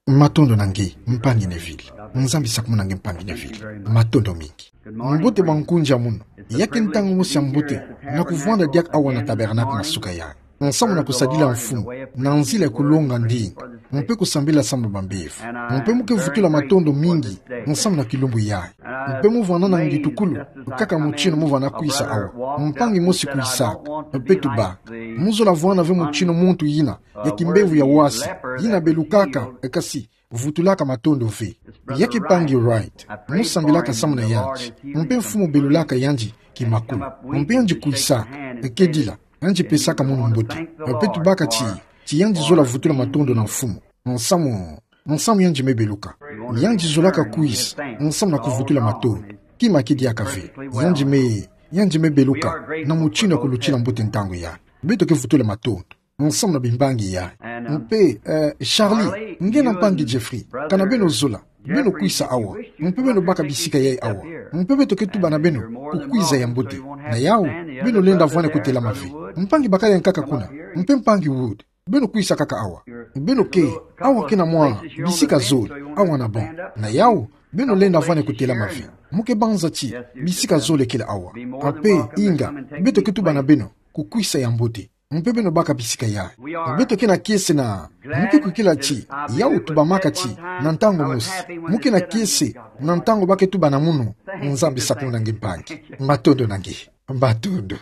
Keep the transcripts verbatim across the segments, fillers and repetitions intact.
Matondo na nge, mpangi Neville. Nzambi sakumuna nge, mpangi Neville. Matondo mingi. Mbote bankunzi a munu. Ya ke ntangu mosi ya mbote na kuvwanda diaka awa na tabernacle na suka yayi, nsamu na kusadila mfumu na nzila ya kulonga ndinga, mpe kusambila samu na bambevo. Mpe mu ke vutula matondo mingi nsamu na kilumbu yayi. Mpe mu vwanda na ngitukulu kaka mutino mu vwanda kwisa awa, mpangi mosi kwisaka, mpe tubaka. Mu zola vwanda ve mutino muntu yina ya kimbevo ya wasi, yina belukaka, kasi vutulaka matondo ve. Ya ke mpangi Wright, mu sambilaka samu na yandi, mpe mfumu belulaka yandi kimakulu. Mpe yandi kwisaka, kedila, yandi pesaka munu mbote. Mpe tubaka ti, ti yandi zola vutula matondo na mfumu nsamu, nsamu yandi me beluka. Yandi zolaka kwisa nsamu na kuvutula matondo. Kima ke diaka ve. Yandi me, yandi me beluka na mutino ya kulutila mbote ntangu yayi. Beto ke vutula matondo nsamu na bimbangi yayi. Mpe, eh, Charlie, nge na mpangi Jeffrey, kana beno zola, beno kwisa awa. Mpe beno baka bisika yayi awa. Mpe beto ke tuba na beno kukwiza ya mbote. Na yawu, beno lenda vwani kutelama ve. Mpangi bakala ya nkaka kuna, mpe mpangi Wood, beno kwisa kaka awa. Beno ke, awa ke na mwa bisika zole awa na bau. Na yawu, beno lenda vwani kutelama ve. Mu ke banza ti bisika zole kele awa. Mpe inga, beto ke tuba na beno kukwisa ya mbote. Mpe beno baka bisika yayi. Beto ke na kiese na, mu ke kwikila ti, yawu tubamaka ti, na ntangu mosi, mu ke na kiese na ntangu ba ke tuba na munu. Nzambi sakumuna nge, mpangi. Matondo na nge. Matondo.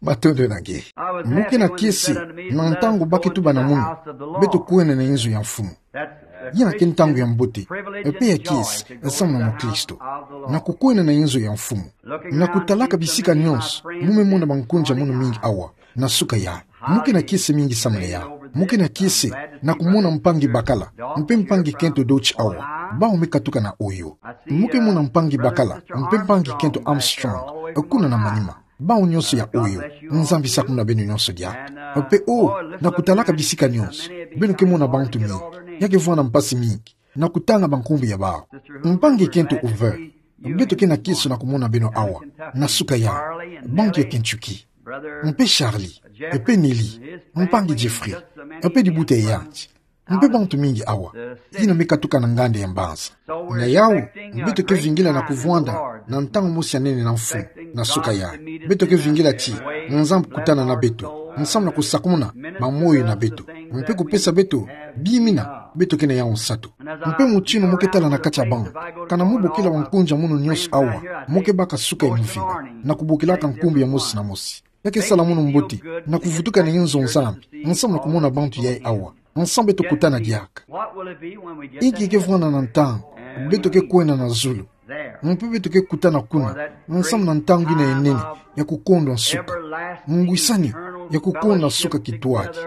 Matondo na nge. Mu ke na kiese na ntangu ba ke tuba na munu, beto kwenda na inzo ya mfumu. Yina ke ntangu ya mbote, mpe ya kiese samu na mukristo, na kukwenda na inzo ya mfumu. Na kutalaka bisika nyonso, mu me mona bankunzi a munu mingi awa na suka yayi. Mu ke na kiese mingi samu na yawu. Mu ke na kiese na kumona mpangi bakala, mpe mpangi Kento Deutsch awa, bau me katuka na Ohio. Mu ke mona mpangi bakala, mpe mpangi Kento Armstrong, kuna na manima. Bau nyonso ya Ohio. Nzambi sakumuna beno nyonso diaka. Mpe o, na kutalaka bisika nyonso, beno ke mona bantu mingi. Ya ke vwanda mpasi mingi na kutanga bankumbu ya bau. Mpangi Kento Hoover, beto ke na kiese na kumona beno awa na suka yayi, bantu ya Kentucky. Mpe Charlie, mpe Nellie, mpangi Jeffrey, mpe dibuta ya yandi. Mpe bantu mingi awa, yina me katuka na nganda ya mbanza. Na yawu, beto ke vingila na kuvwanda na ntangu mosi ya nene na mfumu na suka yayi. Beto ke vingila ti Nzambi kutana na beto nsamu na kusakumuna bamoyo na beto, mpe kupesa beto bimina beto ke na yawu nsatu. Mpe mutino mu ke tala na kati ya bau, kana mu bokila bankunzi a munu nyonso awa, mu ke baka suka ya mvimba na kubokilaka nkumbu ya mosi na mosi. Ya ke sala munu mbote na kuvutuka na inzo Nzambi nsamu na kumona bantu yayi awa, nsamu beto kutana diaka. Inki ke vwanda na ntangu beto ke kwenda na zulu, mpe beto ke kutana kuna nsamu na ntangu yina ya nene ya kukondwa nsuka, ngwisani ya kukondwa nsuka kitwadi,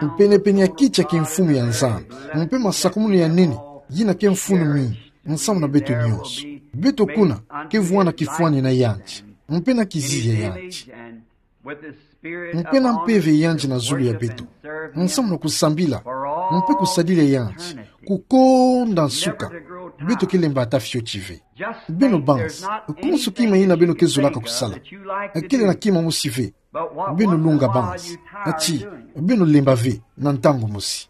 mpenepene ya kiti ya kimfumu ya Nzambi, mpe masakumunu ya nene yina ke mfunu mingi nsamu na beto nyonso. Beto kuna ke vwanda kifwani na yandi, mpe na kizizi ya yandi, mpe na mpeve ya yandi na zulu ya beto, nsamu na kusambila mpe kusadila yandi kukonda nsuka. Beto ke lemba ata fioti ve. Beno banzi, konso kima yina beno ke zolaka kusala, kele na kima mosi ve. Beno longa banzi, ati beno lemba ve na ntangu mosi.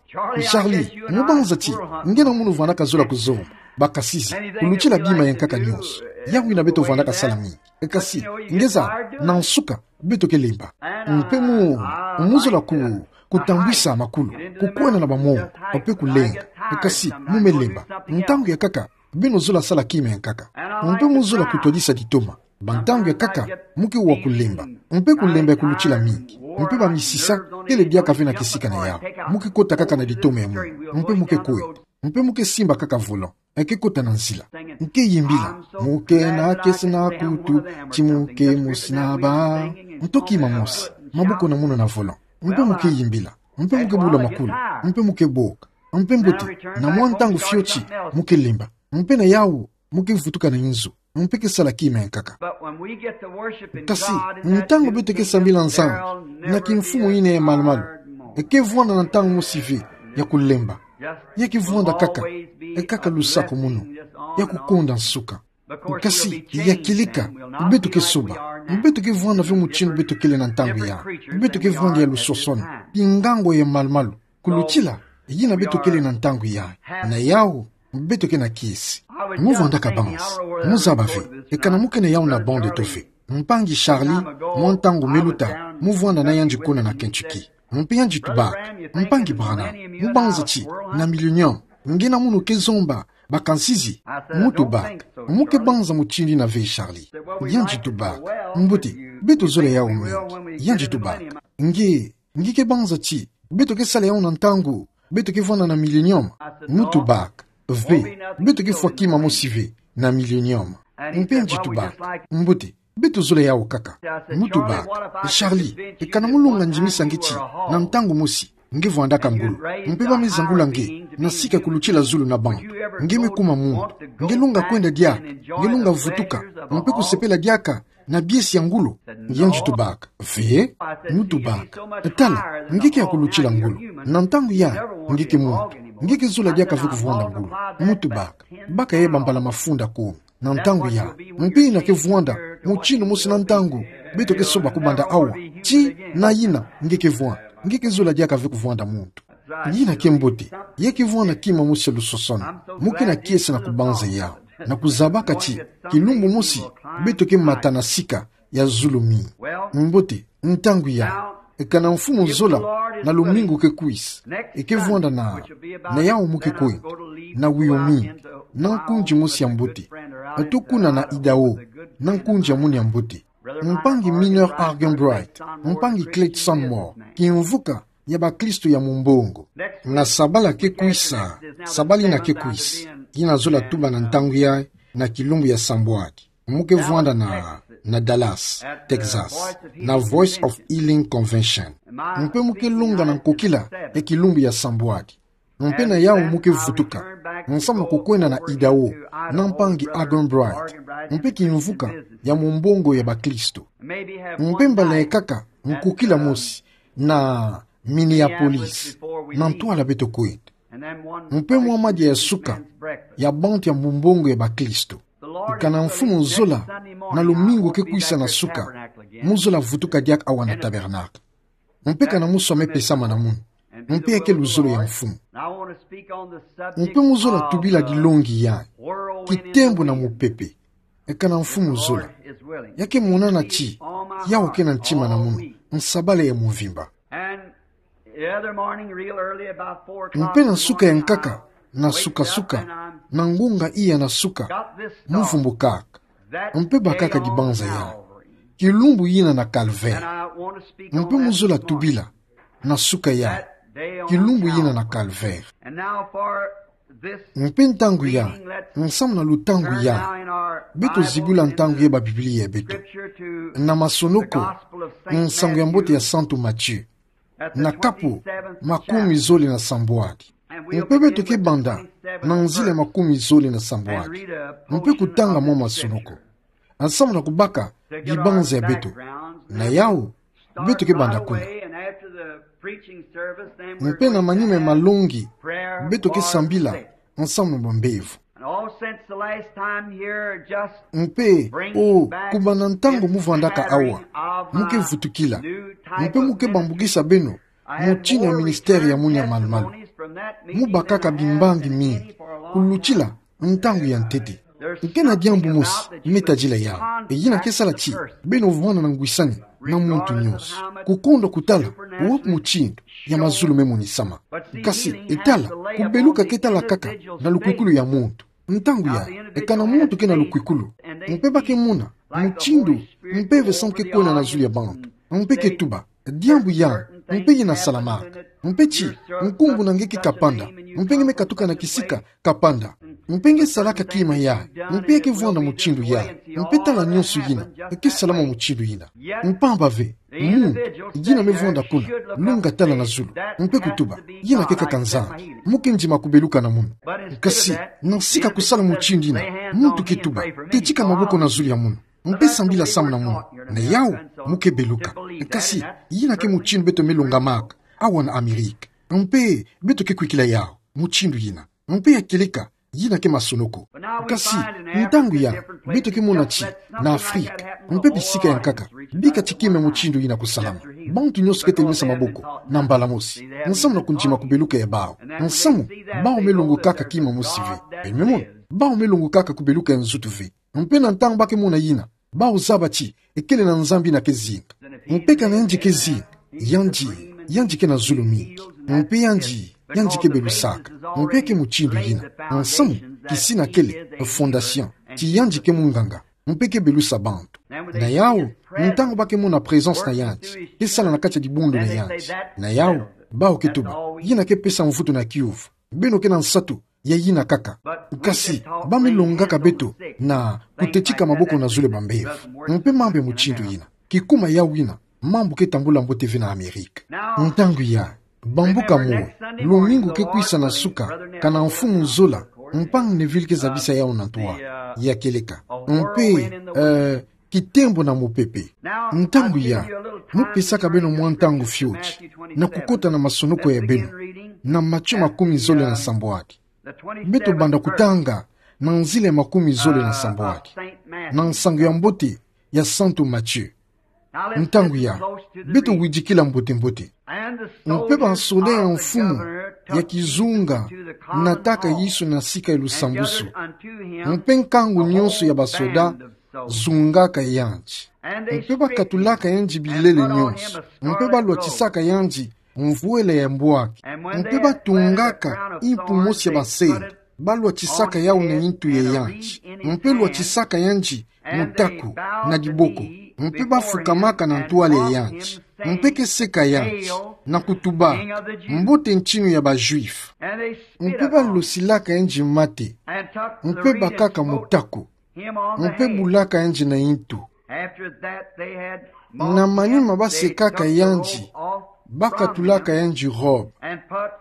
Charlie, mu banza ti nge na munu vwandaka zola kuzomba, bakasizi, kulutila bima ya nkaka nyonso. Yawu yina beto vwandaka sala mingi. Kasi, nge zaba, na nsuka beto ke lemba. Mpe mu, mu zola ku, kutambwisa makulu, kukwenda na bamongo, mpe kulenga. Kasi mu me lemba, ntangu ya nkaka beno zola sala kima ya nkaka. Mpe mu zola kutwadisa ditoma, bantangu ya nkaka mu ke wa kulemba, mpe kulemba ya kulutila mingi. Mpe bamisisa kele diaka ve na kisika na yawu. Mu ke kota kaka na ditoma ya munu, mpe mu ke kwenda. Mpe mu ke simba kaka volant, e ke kota na nzila. Mu ke yimbila: Mu ke na kiese na kutu, ti mu ke mosi na ba. Nto kima mosi, maboko na munu na volant. Mpe mu ke yimbila. Mpe mu ke bula makulu. Mpe mu ke boka. Mpe mbote, na mwa ntangu fioti, mu ke lemba. Mpe na yawu, mu ke vutuka na inzo. Mpe ke sala kima ya nkaka. Kasi, ntangu beto ke sambila Nzambi na kimfumu yina ya malumalu, e ke vwanda na ntangu mosi ve ya kulemba. Ya ke vwanda kaka, e kaka lusakumunu, ya kukonda nsuka. Kasi, ya kilika, beto ke soba. Beto ke vwanda ve mutinu beto kele na ntangu yayi. Beto ke vwanda ya luswaswani, kingangwa ya malumalu, kulutila yina beto kele na ntangu yayi. Na yawu, beto ke na kiese. Mu vwandaka banzi, mu zaba ve, e kana mu ke na yawu na bande to ve. Mpangi Charlie, mwa ntangu me luta, mu vwanda na yandi kuna na Kentucky. Mpe yandi tubaka: Mpangi Branham, mu banza ti, na Millennium, nge na munu ke zomba bakansizi? Mu tubaka: Mu ke banza mutindu yina ve, Charlie. Yandi tubaka: Mbote, beto zola yawu mingi. Yandi tubaka: Nge, nge ke banza ti beto ke sala yawu na ntangu beto ke vwanda na Millennium? Mu tubaka: Ve, beto ke fwa kima mosi ve na Millennium. Mpe yandi tubaka: Mbote, beto zola yawu kaka. Mu tubaka: Charlie, e kana mu longa ndimisa nge ti, na ntangu mosi, nge vwandaka ngolo. Mpe ba me zangula nge na sika kulutila zulu na bantu. Nge me kuma muntu. Nge longa kwenda diaka, nge longa vutuka, mpe kusepela diaka na biesi ya ngolo? Yandi tubaka: Ve. Mu tubaka: Tala, nge ke ya kulutila ngolo. Na ntangu yayi, nge ke muntu. Nge ke zola diaka ve kuvwanda ngolo. Mu tubaka: Baka ye bambala mafunda ko na ntangu yayi. Mpe yina ke vwanda mutindu mosi na ntangu beto ke soba kubanda awa. Ti na yina nge ke vwanda, nge ke zola diaka ve kuvwanda muntu. Yina ke mbote, ya ke vwanda kima mosi ya lusosono. Mu ke na kiese na kubanza yawu, na kuzabaka ti kilumbu mosi beto ke mata na sika ya zulu mingi. Mbote, ntangu yayi, e kana Mfumu zola, na lumingu ke kwisa, e ke vwanda na, na yawu mu ke kwenda, na Wyoming, na nkundi mosi ya mbote, ato kuna na Idaho, na nkundi ya munu ya mbote. Mpangi Miner Arganbright, mpangi Clayton Moore, kimvuka ya bakristo ya Mumbongo. Na sabala ke kwisa, sabala yina ke kwisa, yina zola tuba na ntangu yayi, na kilumbu ya sambwadi, mu ke vwanda na, na Dallas, Texas, na Voice of Healing Convention. Mpe mu ke longa na nkokila ya kilumbu ya sambwadi. Mpe na yawu mu ke vutuka, nsamu na kukwenda na Idaho, na mpangi Arganbright, mpe kimvuka ya Mumbongo ya bakristo. Mpe mbala ya nkaka, nkokila mosi, na Minneapolis, na ntwala beto kwenda. Mpe mwa madia ya suka ya bantu ya Mumbongo ya bakristo. Kana Mfumu zola, na lumingu ke kwisa na suka, mu zola vutuka diaka awa na Tabernacle. Mpe kana mu swa me pesama na munu. Mpe ya ke luzolo ya Mfumu. Mpe mu zola tubila dilongi yayi: Kitembo na mupepe. E kana Mfumu zola, ya ke monana ti yawu ke na ntima na munu, nsabala ya mvimba. Mpe na suka ya nkaka, na suka-suka, na ngonga iya na suka, mu vumbukaka. Mpe bakaka dibanza yayi: Kilumbu yina na Calvaire. Mpe mu zola tubila, na suka yayi: Kilumbu yina na Calvaire. Mpe ntangu yayi, nsamu na lutangu yayi, beto zibula ntangu ya ba Biblia ya beto na Masonoko, Nsangu ya Mbote ya Santu Matthieu, na kapu makumi zole na sambwadi. Mpe beto ke banda na nzila ya makumi zole na sambwadi, mpe kutanga mwa Masonoko, nsamu na kubaka dibanza ya beto. Na yawu, beto ke banda kuna. Mpe na manima ya malongi, beto ke sambila nsamu na bambevo. Mpe, o, kubanda ntangu mu vwandaka awa, mu ke vutukila. Mpe mu ke bambukisa beno mutindu ya ministère ya munu ya malu-malu. Mu bakaka bimbangi mingi kulutila ntangu ya ntete. Ke na diambu mosi me tadila yawu, e yina ke sala ti beno vwanda na ngwisani na muntu nyonso, kukondwa kutala wapi mutindu ya mazulu me monisama. Kasi, e tala, kubeluka ke tala kaka na lukwikulu ya muntu. Ntangu yayi, e kana muntu ke na lukwikulu, mpe ba ke mona mutindu Mpeve Santu ke kwenda na zulu ya bantu, mpe ke tuba: Diambu yayi, mpe yina salamaka? Mpe ti, nkumbu na nge ke Kapanda, mpe nge me katuka na kisika Kapanda. Mpe nge salaka kima yayi, mpe ya ke vwanda mutindu yayi, mpe tala nyonso yina, e ke salama mutindu yina. Mpamba ve, muntu yina me vwanda kuna, lunga tala na zulu, mpe kutuba: Yina ke kaka Nzambi, mu ke ndima kubeluka na munu. Kasi, na sika kusala mutindu yina, muntu ke tuba: Tetika maboko na zulu ya munu, mpe sambila samu na munu. Na yawu, mu ke beluka. Kasi, yina ke mutindu beto me longamaka awa na Amerika. Mpe beto ke kwikila yawu mutindu yina. Mpe ya kieleka Yina ke masonoko. Kasi, ntangu ya, beto ke mona ti, na Afrika, mpe bisika ya nkaka, bika ti kima mutindu yina kusalama. Bantu nyonso ke telemisa maboko, na mbala mosi. Nsamu na kundima kubeluka ya bawu. Nsamu, bawu me longokaka kima mosi ve. Beno me mona, bawu me longokaka kubeluka ya nzutu ve. Mpe na ntangu ba ke mona yina, bawu zaba ti, ekele na Nzambi yina ke zinga. Mpe kana yandi ke zinga, yandi, yandi ke na zulu mingi. Mpe yandi, yandi ke belusaka. Mpe ke mutindu yina. Nsamu, kisina kele, fondation. Ti yandi ke munganga. Mpe ke belusa bantu. Na yawu, ntangu ba ke mona présence na yandi, ke sala na kati ya dibundu na yandi. Na yawu, bawu ke tuba, yina ke pesa mvutu na kiuvu. Beno ke na nsatu ya yina kaka. Kasi, ba me longaka beto na kutetika maboko na zulu ya bambevo. Mpe mambu ya mutindu yina. Kikuma yawu yina, mambu ke tambula mbote ve na Amerika. Ntangu ya, bambuka moyo, lumingu ke kwisa na suka, kana mfumu zola, mpangi Neville ke zabisa yawu na ntwala ya kieleka. Mpe, eh, kitembo na mopepe. Ntangu ya, mu pesaka beno mwa ntangu fioti, na kukota na masonoko ya beno, na Matthieu makumi zole na sambwadi. Beto banda kutanga, na nzila ya makumi zole na sambwadi. Na nsangu ya mbote, ya Santu Matthieu. Ntangu ya, beto widikila mbote-mbote. Mpe basoda ya mfumu ya kizunga nataka Yesu na sika ya lusambusu. Mpe nkangu nyonso ya basoda zungaka yandi. Mpe ba katulaka yandi bilele nyonso. Mpe ba lwatisaka yandi mvwela ya mbwaki. Mpe ba tungaka impu mosi ya basende. Ba lwatisaka yawu na intu ya yandi. Mpe lwatisaka yandi mutaku na diboko. Mpe ba fukamaka na ntwala ya yandi. Mpe ke seka yandi, na kutuba, Mbote ntinu ya ba Juifs. Mpe ba losilaka yandi mate. Mpe ba kaka mutaku. Mpe bulaka yandi na intu. Na manima ba sekaka yandi, ba katulaka yandi robe.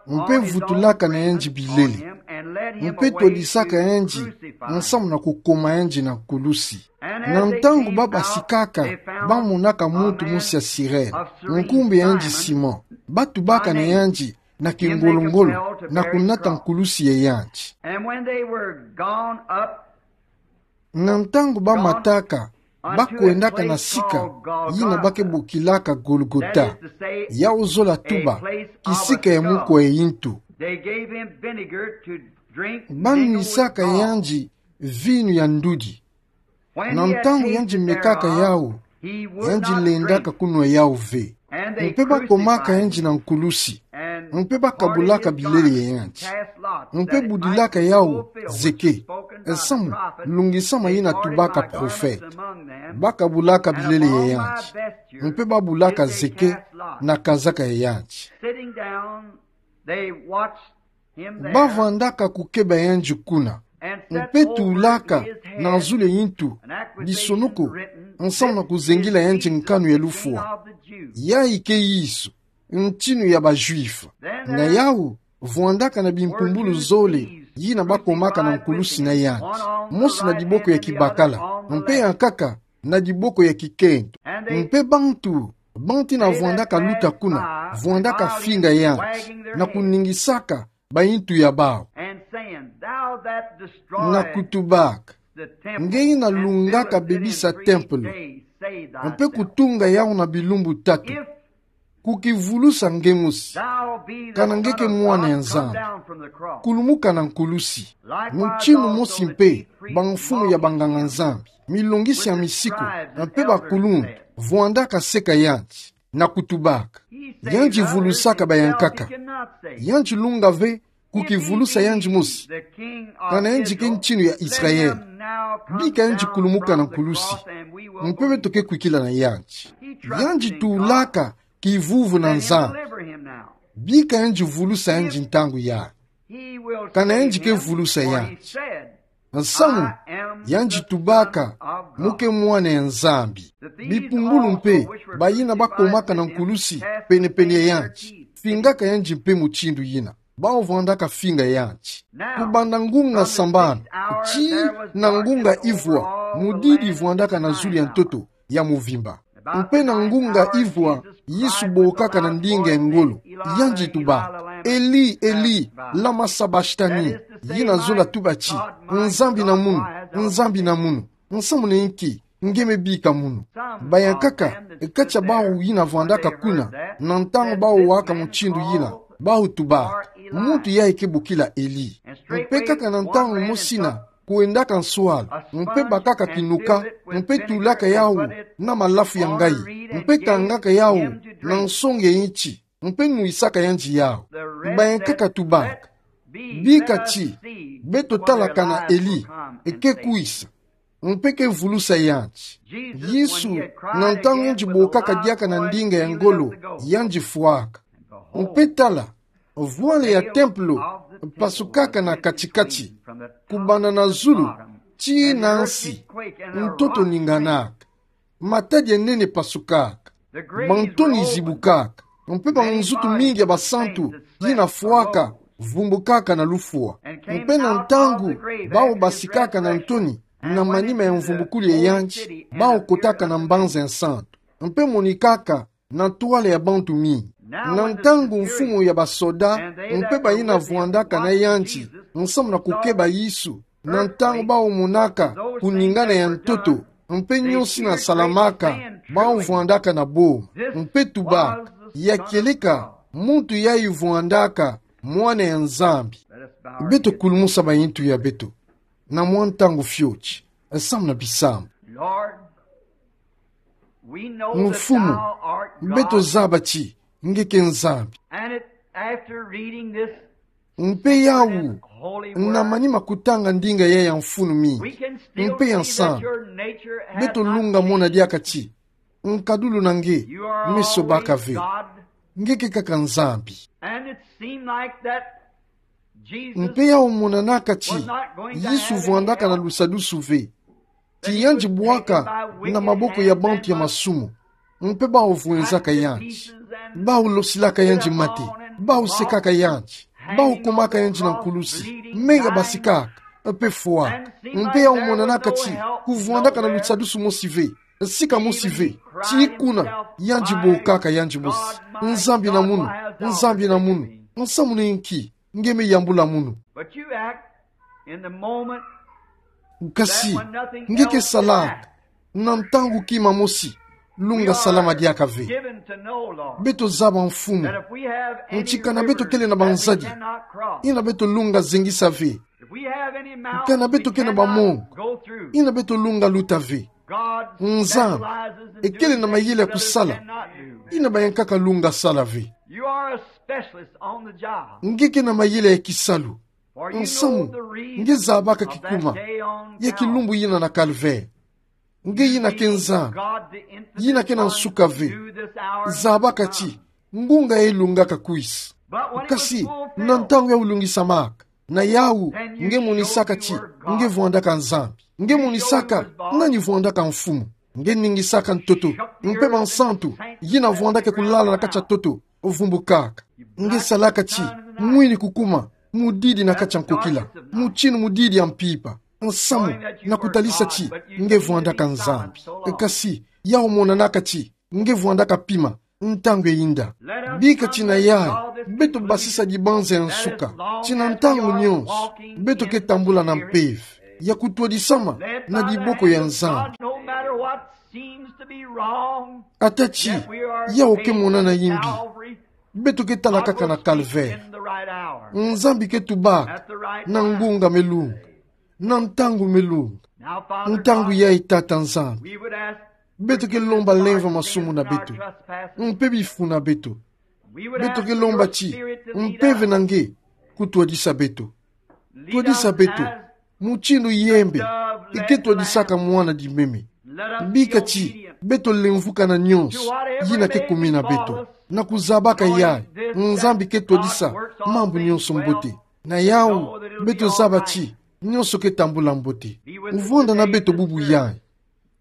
Mpe vutulaka na yandi bilele. Mpe twadisaka yandi, nsamu na kukoma yandi na nkulusi. Na ntangu ba basikaka, ba monaka muntu mosi ya Sirene, nkumbu ya yandi Simon. Ba tubaka na yandi na kingolo-ngolo, na kunata nkulusi ya yandi. Na ntangu ba mataka, ba kwendaka na sika yina ba ke bokilaka Golgota, yawu zola tuba, kisika ya mukwa ya intu. Ba nwisaka yandi vinu ya ndudi. Na ntangu yandi mekaka yawu, yandi lendaka kunwa yawu ve. Mpe ba komaka yandi na nkulusi. Mpe ba kabulaka bilele ya yandi. Mpe budilaka yawu zeke, nsamu, lungisama yina tubaka profete. Ba kabulaka bilele ya yandi. Mpe ba bulaka zeke na kazaka ya yandi. Ba vandaka kukeba yandi kuna. Mpe tulaka na zulu ya intu, bisonoko, nsamu na kuzengila yandi nkanu ya lufwa: Yayi ke Yesu, ntinu ya ba Juifs. Na yawu, vwandaka na bimpumbulu zole yina ba komaka na nkulusi na yandi, mosi na diboko ya kibakala, mpe ya nkaka na diboko ya kikento. Mpe bantu, bantu yina vwandaka luta kuna, vwandaka finga yandi, na kuningisaka ba intu ya bawu, na kutubaka: Nge yina lungaka bebisa tempelo, mpe kutunga yawu na bilumbu tatu, kukivulusa nge mosi, kana nge ke mwana ya Nzambi, kulumuka na nkulusi. Mutinu mosi mpe, bamfumu ya banganga-Nzambi, milongisi ya misiku, mpe bakuluntu, vwandaka seka yandi, na kutubaka: Yandi vulusaka bayankaka. Yandi lunga ve kukivulusa yandi mosi, kana yandi ke ntinu ya Israele. Bika yandi kulumuka na nkulusi, mpe beto ke kwikila na yandi. Yandi tulaka kivuvu na Nzambi. Bika yandi vulusa yandi ntangu yayi, kana yandi ke vulusa yandi. Nsamu, yandi tubaka mu ke mwana ya Nzambi. Bimpumbulu mpe, bayina ba komaka na nkulusi pene-pene ya yandi, fingaka yandi mpe mutindu yina. Bawu vwandaka finga yandi. Kubanda ngunga sambanu tii na ngunga ivwa, mudidi vwandaka na zulu ya ntoto ya muvimba. Mpe na ngunga ivwa, Yesu bokaka na ndinga ya ngolo, yandi tubaka: Eli, Eli, lama sabachthani? Yina zola tuba ti: Nzambi na munu, Nzambi na munu, nsamu na nki nge me bika munu? Bayankaka, kati ya bawu yina vwandaka kuna, na ntangu bawu waka mutindu yina, bawu tubaka: Muntu yayi ke bokila Eli. Mpe kaka na ntangu mosi na, kwendaka nswalu, mpe bakaka kinuka, mpe tulaka yawu na malafu ya ngayi, mpe kangaka yawu na nsonge ya nti, mpe nwisaka yandi yawu. Bayankaka tubaka: Bika ti, beto talaka na Eli ke kwisa, mpe ke vulusa yandi. Yesu, na ntangu yandi bokaka diaka na ndinga ya ngolo, yandi fwaka. Mpe tala, vwale ya templo pasukaka na kati-kati, kubanda na zulu tii na nsi, ntoto ninganaka, matadi ya nene pasukaka, bantoni zibukaka, mpe banzutu mingi ya basantu yina fwaka vumbukaka na lufwa. Mpe na ntangu bawu basikaka na ntoni na manima ya mvumbukulu ya yandi, bawu kotaka na mbanza ya nsantu, mpe monikaka na ntwala ya bantu mingi. Na ntangu mfumu ya basoda mpe bayina vwandaka na yandi, nsamu na kukeba Yesu, na ntangu bawu monaka kuningana ya ntoto, mpe nyonso yina salamaka, bawu vwandaka na boma, mpe tubaka: Ya kieleka muntu yayi vwandaka Mwana ya Nzambi. Beto kulumusa mayintu ya beto na mwa ntangu fioti, samu na bisambu. Lord, we know that Mfumu, thou art God, beto zaba ti nge ke Nzambi. And it, after reading this Mpe yawu, holy word, na manima kutanga ndinga yayi ya mfunu mingi, we can still mpe ya see that nsantu, your nature has beto not lunga mona changed. Diaka ti nkadulu na nge, you are meso baka always ve. God. Nge ke kaka Nzambi. And it seemed like that Jesus Mpe yawu monanaka ti was not going to Yesu have any vwandaka na help. Lusadusu ve. Ti yandi bwaka na maboko ya bantu ya masumu, mpe bawu vwenzaka yandi, bawu losilaka yandi mate, bawu sekaka yandi, bawu kumaka yandi na nkulusi, menga basikaka, mpe fwaka. Mpe yawu monanaka ti kuvwandaka na lusadusu mosi ve, sika mosi ve, ti kuna yandi bokaka yandi mosi: Nzambi na munu, Nzambi na munu, nsamu na nki nge me yambula munu? But you act in the moment. Kasi, nge ke salaka na ntangu kima mosi, lunga salama diaka ve. Beto zaba, Mfumu, nti kana beto kele na banzadi, yina beto lunga zengisa ve. Kana beto ke na bamongo, yina beto lunga luta ve. Nzambi, e kele na mayele ya kusala yina bayankaka lunga sala ve. Nge ke na mayele ya kisalu. Nsamu, nge zabaka kikuma ya kilumbu yina na Calvaire. Nge yina ke Nzambi, yina ke na nsuka ve. Zabaka ti ngunga yayi lungaka kwisa. Kasi, na ntangu yawu lungisamaka, na yawu nge monisaka ti nge vwandaka Nzambi. Nge monisaka nani vwandaka Mfumu. Nge ningisaka ntoto, mpe bansantu yina vwandaka kulala na kati ya ntoto vumbukaka. Nge salaka ti mwini kukuma mudidi na kati ya nkokila, mutinu mudidi ya mpimpa, nsamu na kutalisa ti nge vwandaka Nzambi. Kasi, yawu monanaka ti nge vwandaka pima ntangu yayinda. Bika ti na yayi beto basisa dibanza ya nsuka, ti na ntangu nyonso beto ke tambula na mpeve ya kutwadisama na diboko ya Nzambi. Ata ti yawu ke monana yimbi, beto ke tala kaka na Calvaire. Nzambi ke tubaka na ngunga me lunga, na ntangu me lunga. Ntangu yayi, Tata Nzambi, beto ke lomba, leva masumu na beto mpe bifu na beto. Beto ke lomba ti Mpeve na nge kutwadisa beto. Twadisa beto mutinu yembe i ke twadisaka mwana-di-meme. Bika ti beto lemvukana nyonso yina ke kumina beto, na kuzabaka yayi Nzambi ke twadisa mambu nyonso mbote. Na yawu beto zaba ti nyonso ke tambula mbote. Vwanda na beto bubu yayi,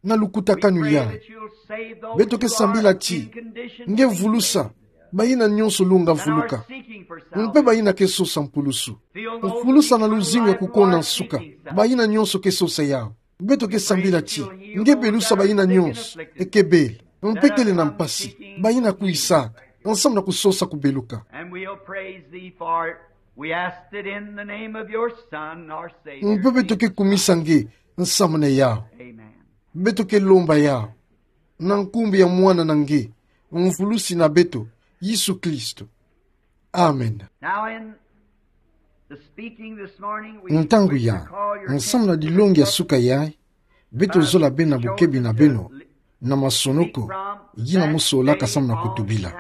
na lukutakanu yayi. Beto ke sambila ti nge vulusa bayina nyonso lunga vuluka, mpe bayina ke sosa mpulusu. Vulusa na luzingu ya kukonda nsuka bayina nyonso ke sosa yawu. Beto ke sambila ti nge belusa bayina nyonso ke bela, mpe kele na mpasi, bayina kwisaka, nsamu na kusosa kubeluka. And we'll praise thee for We ask it in the name of your Son, our Savior. Mpe beto ke kumisa nge nsamna yawu. Amen. Beto ke lomba yawu na nkumbu ya Mwana na nge, Mvulusi na beto, Yesu Kristo. Amen. Now in the speaking this morning, we wish to call your attention to the book. Ntangu ya, nsamna dilongi ya suka yayi, beto zola bena bukebi na beno na masonoko yina mo solaka samu na kutubila.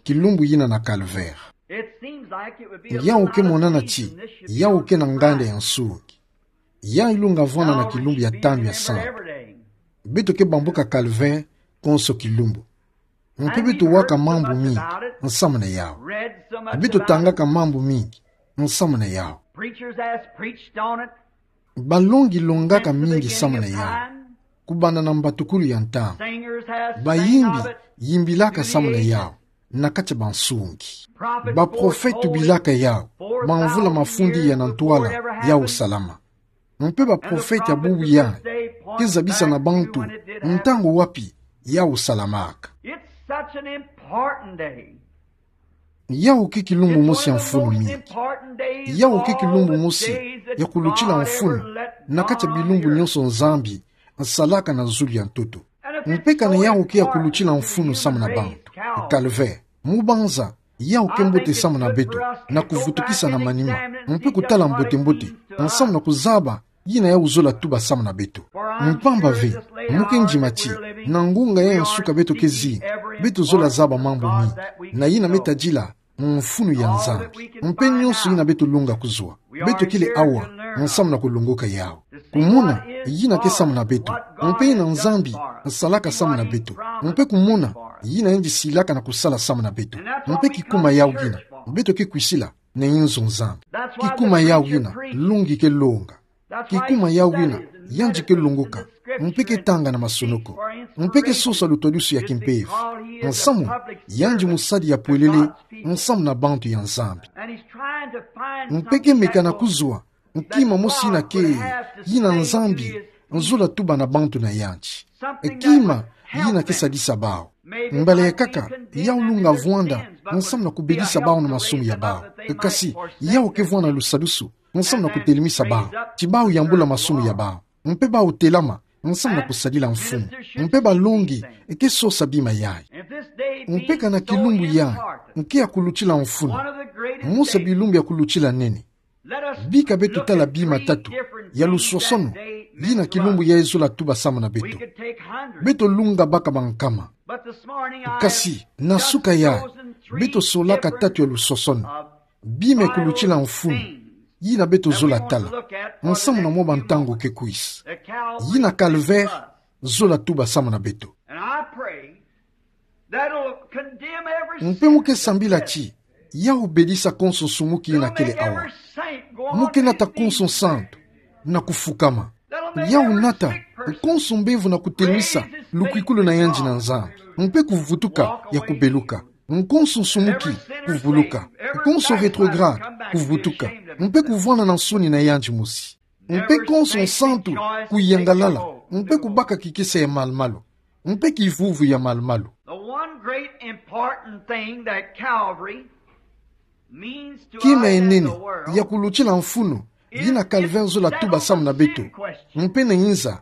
Kilumbu yina na Calvaire. Yawu ke monana ti yawu ke na nganda ya nsungi. Yayi ilunga vwanda na kilumbu ya tanu ya sambu. Beto ke bambuka Calvaire konso kilumbu. Mpe beto waka mambu mingi nsamna yawu. Beto tangaka mambu mingi nsamna yawu. Preachers has preached on it. Balongi longaka mingi samuna yawu, kubanda na mbatukulu ya ntangu. Bayimbi yimbilaka samuna yawu na kati ya bansungi. Baprofete tubilaka yawu bamvula mafundi ya na ntwala yawu salama. Mpe baprofete ya bubu yayi ke zabisa na bantu ntangu wapi yawu salamaka. It's such an important day. Yawu ke kilumbu mosi ya mfunu mingi. Yawu ke kilumbu mosi ya kulutila mfunu na kati ya bilumbu nyonso Nzambi asalaka na zulu ya ntoto. Mpe kana yawu ke ya kulutila mfunu samuna bantu, Calvaire, mu banza, yawu ke mbote samuna beto na kuvutukisa na manima, mpe kutala mbote-mbote, samuna kuzaba yina yawu zola tuba samuna beto. Mpamba ve, mu ke ndima ti, na ngunga ya nsuka beto ke zinga, beto zola zaba mambu mingi, na yina me tadila mfunu ya Nzambi. Mpe nyonso yina beto lunga kuzwa, beto kele awa samuna kulongoka yawu. Kumona yina ke samuna beto, mpe yina Nzambi asalaka samuna beto, mpe kumona yina yandi silaka na kusala samuna beto. Mpe kikuma yawu yina beto ke kwisila na inzo Nzambi. Kikuma yawu yina longi ke longa. Kikuma yawu yina yandi ke longoka, mpe ke tanga na masonoko, mpe ke sosa lutwadusu ya kimpeve. Nsamu, yandi musadi ya pwelele samuna bantu ya Nzambi. Mpe ke meka na kuzwa kima mosi yina ke, yina Nzambi zola tuba na bantu na yandi. Kima yina ke sadisa bawu. Mbala ya nkaka, yawu lunga vwanda samuna kubedisa bawu na masumu ya bawu. Kasi, yawu ke vwanda lusadusu samuna kutelemisa bawu, ti bawu yambula masumu ya bawu, mpe bawu telama samuna kusadila mfumu. Mpe balongi ke sosa bima yayi. Mpe kana kilumbu yayi ke ya kulutila mfunu, mosi ya bilumbu ya kulutila nene, bika beto tala bima tatu ya lusosono yina kilumbu yayi zola tuba samuna beto. Beto lunga baka bankama. Kasi, na suka yayi, beto solaka tatu ya lusosono, bima ya kulutila mfunu yina beto zola tala samuna mwa bantangu ke kwisa, yina Calvaire zola tuba samuna beto. Mpe mu ke sambila ti yawu bedisa konso nsumuki yina kele awa. Mu ke nata konso nsantu na kufukama. Yawu nata konso mbevo na kutelemisa lukwikulu na yandi na Nzambi, mpe kuvutuka ya kubeluka. Konso nsumuki kuvuluka. Konso rétrograde kuvutuka, mpe kuvwanda na nsoni na yandi mosi. Mpe konso nsantu kuyangalala, mpe kubaka kikesa ya malu-malu, mpe kivuvu ya malu-malu. The one great important thing that Calvary means to us as the world. Kima ya nene ya kulutila mfunu yina Calvaire zola tuba samuna beto, mpe na inza,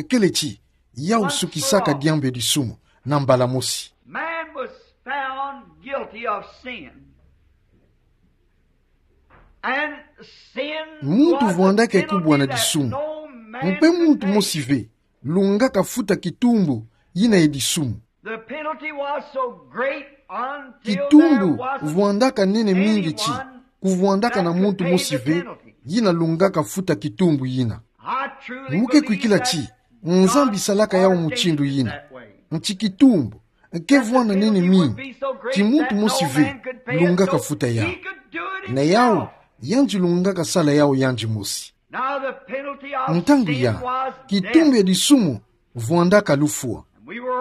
kele ti yawu sukisaka diambu ya disumu na mbala mosi. Man was found guilty of sin. And sin was a penalty that no man could pay. Muntu vwandaka kubwana disumu. Mpe muntu mosi ve lungaka futa kitumbu yina ya disumu. The penalty was so great until there wasn't anyone that could pay the penalty. Kitumbu vwandaka nene mingi ti kuvwandaka na muntu mosi ve yina lungaka futa kitumbu yina. I truly believe that God intended it that way. Mu ke kwikila ti Nzambi salaka yawu mutindu yina, nti kitumbu ke vwanda nene mingi ti muntu mosi ve lungaka futa yawu. Na yawu, yandi lungaka sala yawu yandi mosi. Now the penalty of sin was death. Ntangu ya, kitumbu ya disumu vwandaka lufwa.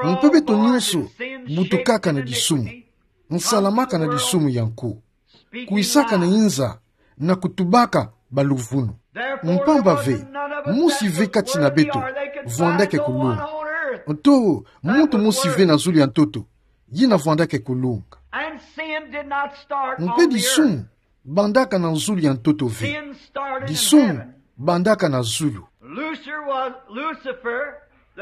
Mpe beto nyonso butukaka na disumu, nsalamaka na disumu ya nko, kwisaka na inza na kutubaka baluvunu. Mpamba ve, mosi ve kati na beto vwandaka kulunga. To muntu mosi ve na zulu ya ntoto yina vwandaka kulunga. Mpe disumu bandaka na zulu ya ntoto ve. Disumu bandaka na zulu.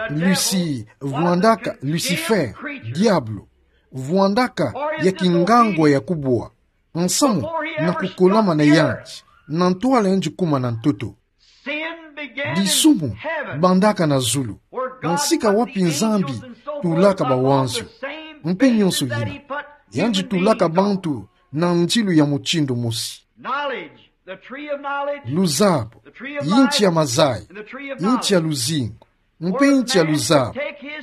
Lucy vwandaka Lucifer, diabolo, vwandaka ya kingangwa ya kubwa, nsamu na kukolama na yandi, na ntwala yandi kuma na ntoto. Disumu bandaka na zulu, nsika wapi Nzambi tulaka bawanzio mpe nyonso yina. Yandi tulaka bantu na ndilu ya mutindu mosi. Luzabo, yinti ya mazayi, yinti ya luzingu, mpe yinti ya luzabo,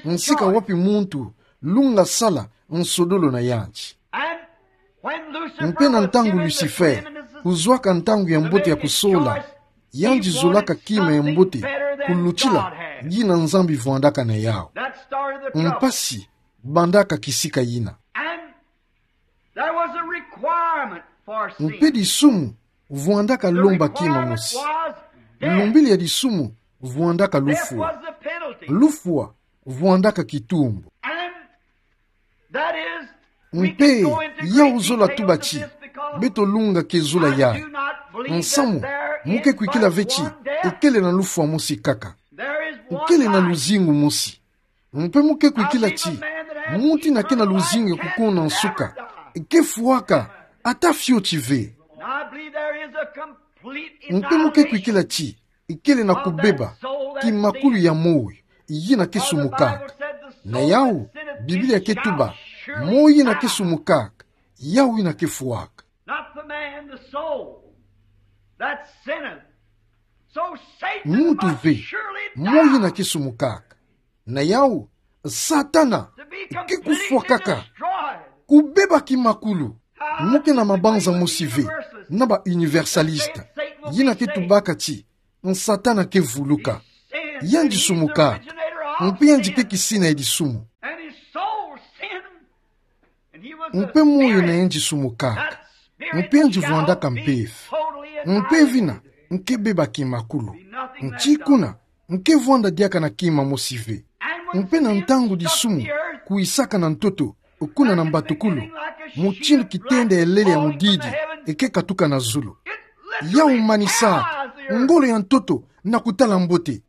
nsika wapi muntu lunga sala nsodolo na yandi. Mpe na ntangu Lucifer kuzwaka ntangu ya mbote ya kusola, yandi zolaka kima ya mbote kulutila yina Nzambi vwandaka na yawu. Mpasi bandaka kisika yina. Mpe disumu vwandaka lomba kima mosi. Lumbili ya disumu vwandaka lufwa. Lufwa vwandaka kitumbu. Mpe yawu zola tuba ti beto lunga ke zola yayi, nsamu mu ke kwikila ve ti ekele na lufwa mosi kaka. Ekele na luzingu mosi. Mpe mu ke kwikila ti muntu ina ke na luzingu ya kukonda nsuka ke fwaka ata fioti ve. Mpe mu ke kwikila ti ekele na kubeba kimakulu ya moyo yina ke sumukaka. Na yawu, Biblia ke tuba, moyo yina ke sumukaka, yawu yina ke fwaka. Not the man, the soul that sinneth. So Satan muntu must ve surely moyo yina die ke sumukaka. Na yawu, Satana ke kufwakaka, kubeba kimakulu. Mu ke na mabanza mosi ve na ba universaliste yina ke tubaka ti Satana ke vuluka. Yandi sumukaka, mpe yandi ke kisina ya disumu. And his soul sinned. Mpe moyo na yandi sumukaka, mpe yandi vwandaka mpeve. Mpeve ina nke beba kimakulu. Nti kuna nke vwanda diaka na kima mosi ve. Mpe na ntangu disumu kwisaka na ntoto kuna na mbatukulu, mutindu kitenda ya lele ya mudidi ke katuka na zulu, yawu manisaka ngolo ya ntoto na kutala mbote.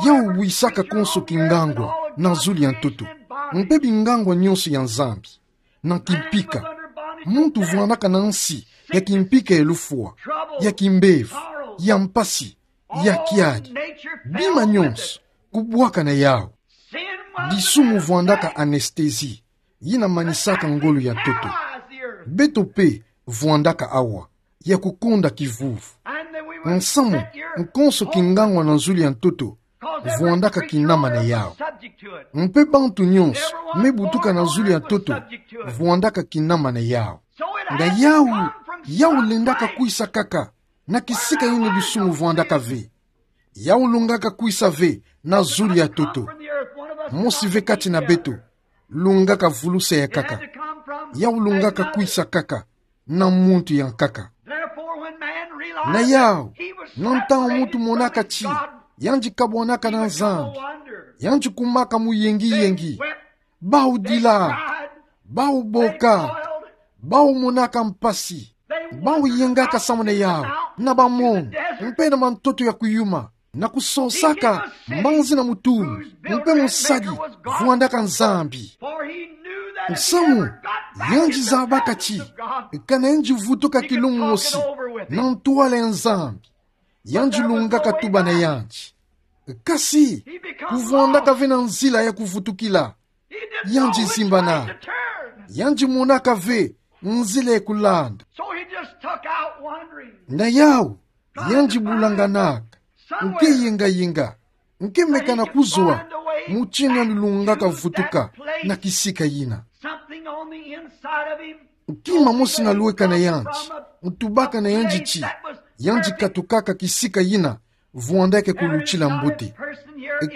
Yawu bwisaka konso kingangwa na zulu ya ntoto, mpe bingangwa nyonso ya Nzambi. Na kimpika, muntu vwandaka na nsi ya kimpika ya lufwa, ya kimbevo, ya mpasi, ya kiadi. Bima nyonso kubwaka na yawu. Disumu vwandaka anesthésie yina manisaka ngolo ya ntoto. Beto mpe vwandaka awa ya kukonda kivuvu. Nsamu konso kingangwa na zulu ya ntoto vwandaka kinama na yawu. Mpe bantu nyonso me butuka na zulu ya ntoto vwandaka kinama na yawu. Na yawu, yawu lendaka kwisa kaka na kisika yina disumu vwandaka ve. Yawu lungaka kwisa ve na zulu ya ntoto. Mosi ve kati na beto lungaka vulusa ya nkaka. Yawu lungaka kwisa kaka na muntu ya nkaka. Na yawu, na ntangu muntu monaka ti yandi kabwanaka na Nzambi, yandi kumaka muyengiyengi. Bawu dilaka, bawu bokaka, bawu monaka mpasi, bawu yengaka samu na yawu na bamono mpe na mantoto ya kuyuma, na kusosaka mbanzi na mutumbi mpe musadi vwandaka Nzambi. Nsamu yandi zabaka ti kana yandi vutuka kilumbu mosi na ntwala ya Nzambi, yandi lungaka tuba na yandi. Kasi kuvwandaka ve na nzila ya kuvutukila, yandi zimbanaka, yandi monaka ve nzila ya kulanda. Na yawu, yandi bulanganaka, nke yengayenga, nke meka na kuzwa mutindu yandi lungaka vutuka na kisika yina. Kima mosi na lweka na yandi ntubaka na yandi ti yandi katukaka kisika yina vwandaka kulutila mbote.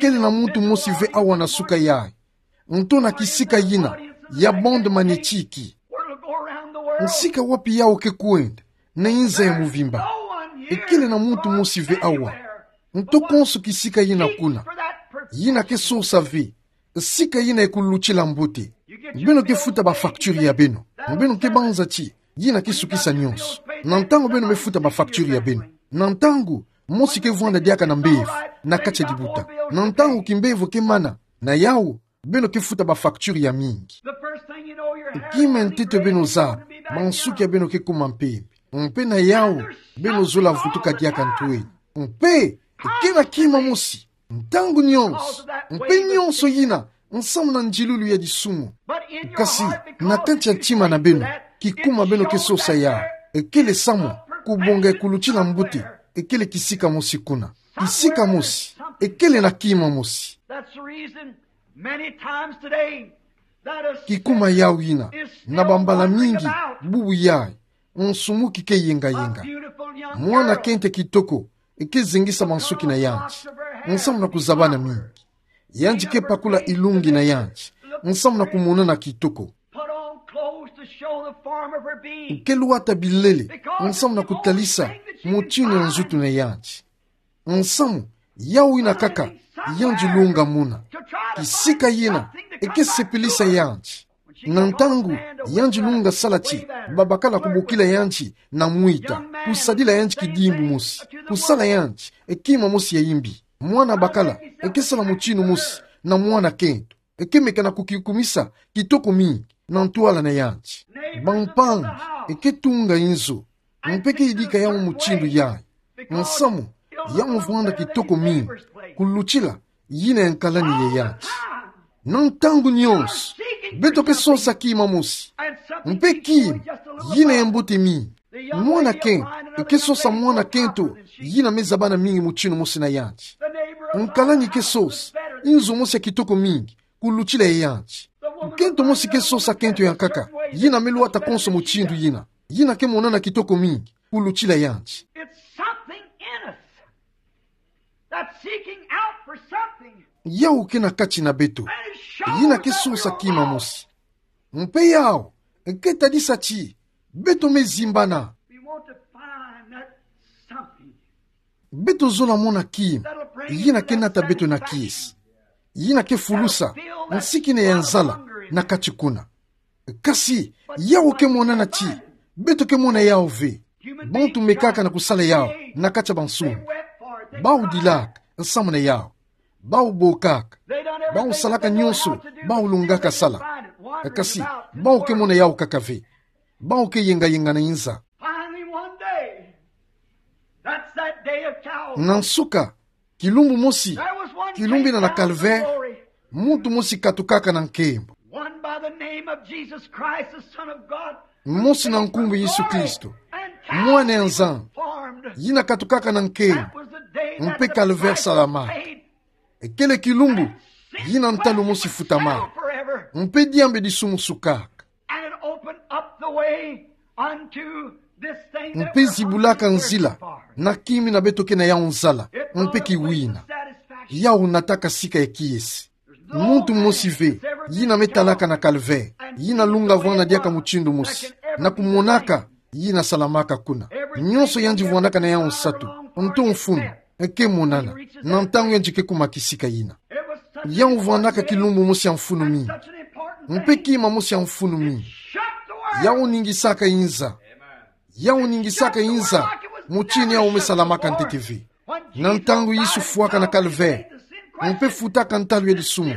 Kele na muntu mosi ve awa na suka yayi, nto na kisika yina ya bande magnétique, nsika wapi yawu ke kwenda na inza ya muvimba. Kele na muntu mosi ve awa, nto konso kisika yina kuna, yina ke sosa ve sika yina ya kulutila mbote. Beno ke futa ba facture ya beno, beno ke banza ti yina ke sukisa nyonso. Na ntangu beno me futa ba facture ya beno, na ntangu mosi ke vwanda diaka na mbevo na kati ya libuta, na ntangu kimbevo ke mana, na yawu beno ke futa ba facture ya mingi. Kima ya ntete beno zaba, mansuki ya beno ke kuma mpembe. Mpe na yawu beno zola vutuka diaka ntweni. Mpe ke na kima mosi ntangu nyonso, mpe nyonso yina nsamu na ndilulu ya disumu. Kasi na kati ya ntima na beno, kikuma beno ke sosa yawu, ekele samu kubonga ya kulutila mbote, ekele kisika mosi kuna. Kisika mosi, ekele na kima mosi. That's the reason many times today that a Kikuma yawu yina, na bambala mingi, bubu yayi, nsumu ki ke yengayenga. Mwana kento kitoko eke zengisa mansuki na yandi nsamu na kuzabana mingi. Yandi ke pakula ilungi na yandi nsamu na kumonana kitoko. Put on clothes to show the form of her being. Ke lwata bilele nsamu na kutalisa motinu ya nzutu na yandi. Nsamu, yawu yina kaka yandi lunga mona. Kisika yina eke sepelisa yandi. Na ntangu yandi lunga sala ti babakala kubokila yandi na mwita, kusadila yandi kidimbu mosi, kusala yandi kima mosi ya imbi. Mwana bakala eke sala motinu mosi na mwana kento, eke meka na kukikumisa kitoko mingi na ntwala na yandi. Bampangi eke tunga inzo, mpe ke yidika yawu mutindu yayi. Nsamu, yawu vwanda kitoko mingi kulutila yina ya nkalani ya yandi. Na ntangu nyonso, beto ke sosa kima mosi, mpe kima yina ya mbote mingi. Mwana kento eke sosa mwana kento yina me zabana mingi mutinu mosi na yandi. Nkalani ke sosa inzo mosi ya kitoko mingi kulutila ya yandi. Kento mosi ke sosa kento ya nkaka yina me lwata konso mutindu yina, yina ke monana kitoko mingi kulutila yandi. It's something in us that's seeking out for something. Yawu ke na kati na beto, yina ke sosa kima mosi. Mpe yawu ke tadisa ti beto me zimbana. We want to find that something. Beto zola mona kima yina ke nata beto na kiese, yina ke fulusa nsikina ya nzala na kati kuna. Kasi yawu ke monana ti beto ke mona yawu ve. Bantu mekaka na kusala yawu na kati ya bansuni. Bawu dilaka nsamu na yawu. Bawu bokaka. Bawu salaka nyonso bawu lungaka sala. Kasi bawu ke mona yawu kaka ve. Bawu ke yengayenga na inza. Finally, one day, that's that day of Calvary. Na nsuka, kilumbu mosi, kilumbu yina na Calvaire, muntu mosi katukaka na nkembo. One by the name of Jesus Christ, the Son of God, mosi na nkumbu Yesu Kristo, Mwana ya Nzambi, yina katukaka na nkembo, mpe Calvaire salamaka. Ekele kilumbu yina ntalu mosi futamaka, mpe diambu ya disumu sukaka. And it opened up the way unto this thing that we're hungry and thirsty for. Mpe zibulaka nzila na kima yina beto ke na yawu nzala mpe kiwina. Yawu nataka sika ya kiese. Muntu mosi ve yina me talaka na Calvaire, yina lunga vwanda diaka mutindu mosi, na kumonaka yina salamaka kuna. Nyonso yandi vwandaka na yawu nsatu, nto mfunu, ke monana, na ntangu yandi ke kuma kisika yina. Yawu vwandaka kilumbu mosi ya mfunu mingi. Mpe kima mosi ya mfunu mingi. Yawu ningisaka inza. Yawu ningisaka inza, mutindu yawu me salamaka ntete ve. Na ntangu Yesu fwaka na Calvaire, mpe futaka ntalu ya disumu,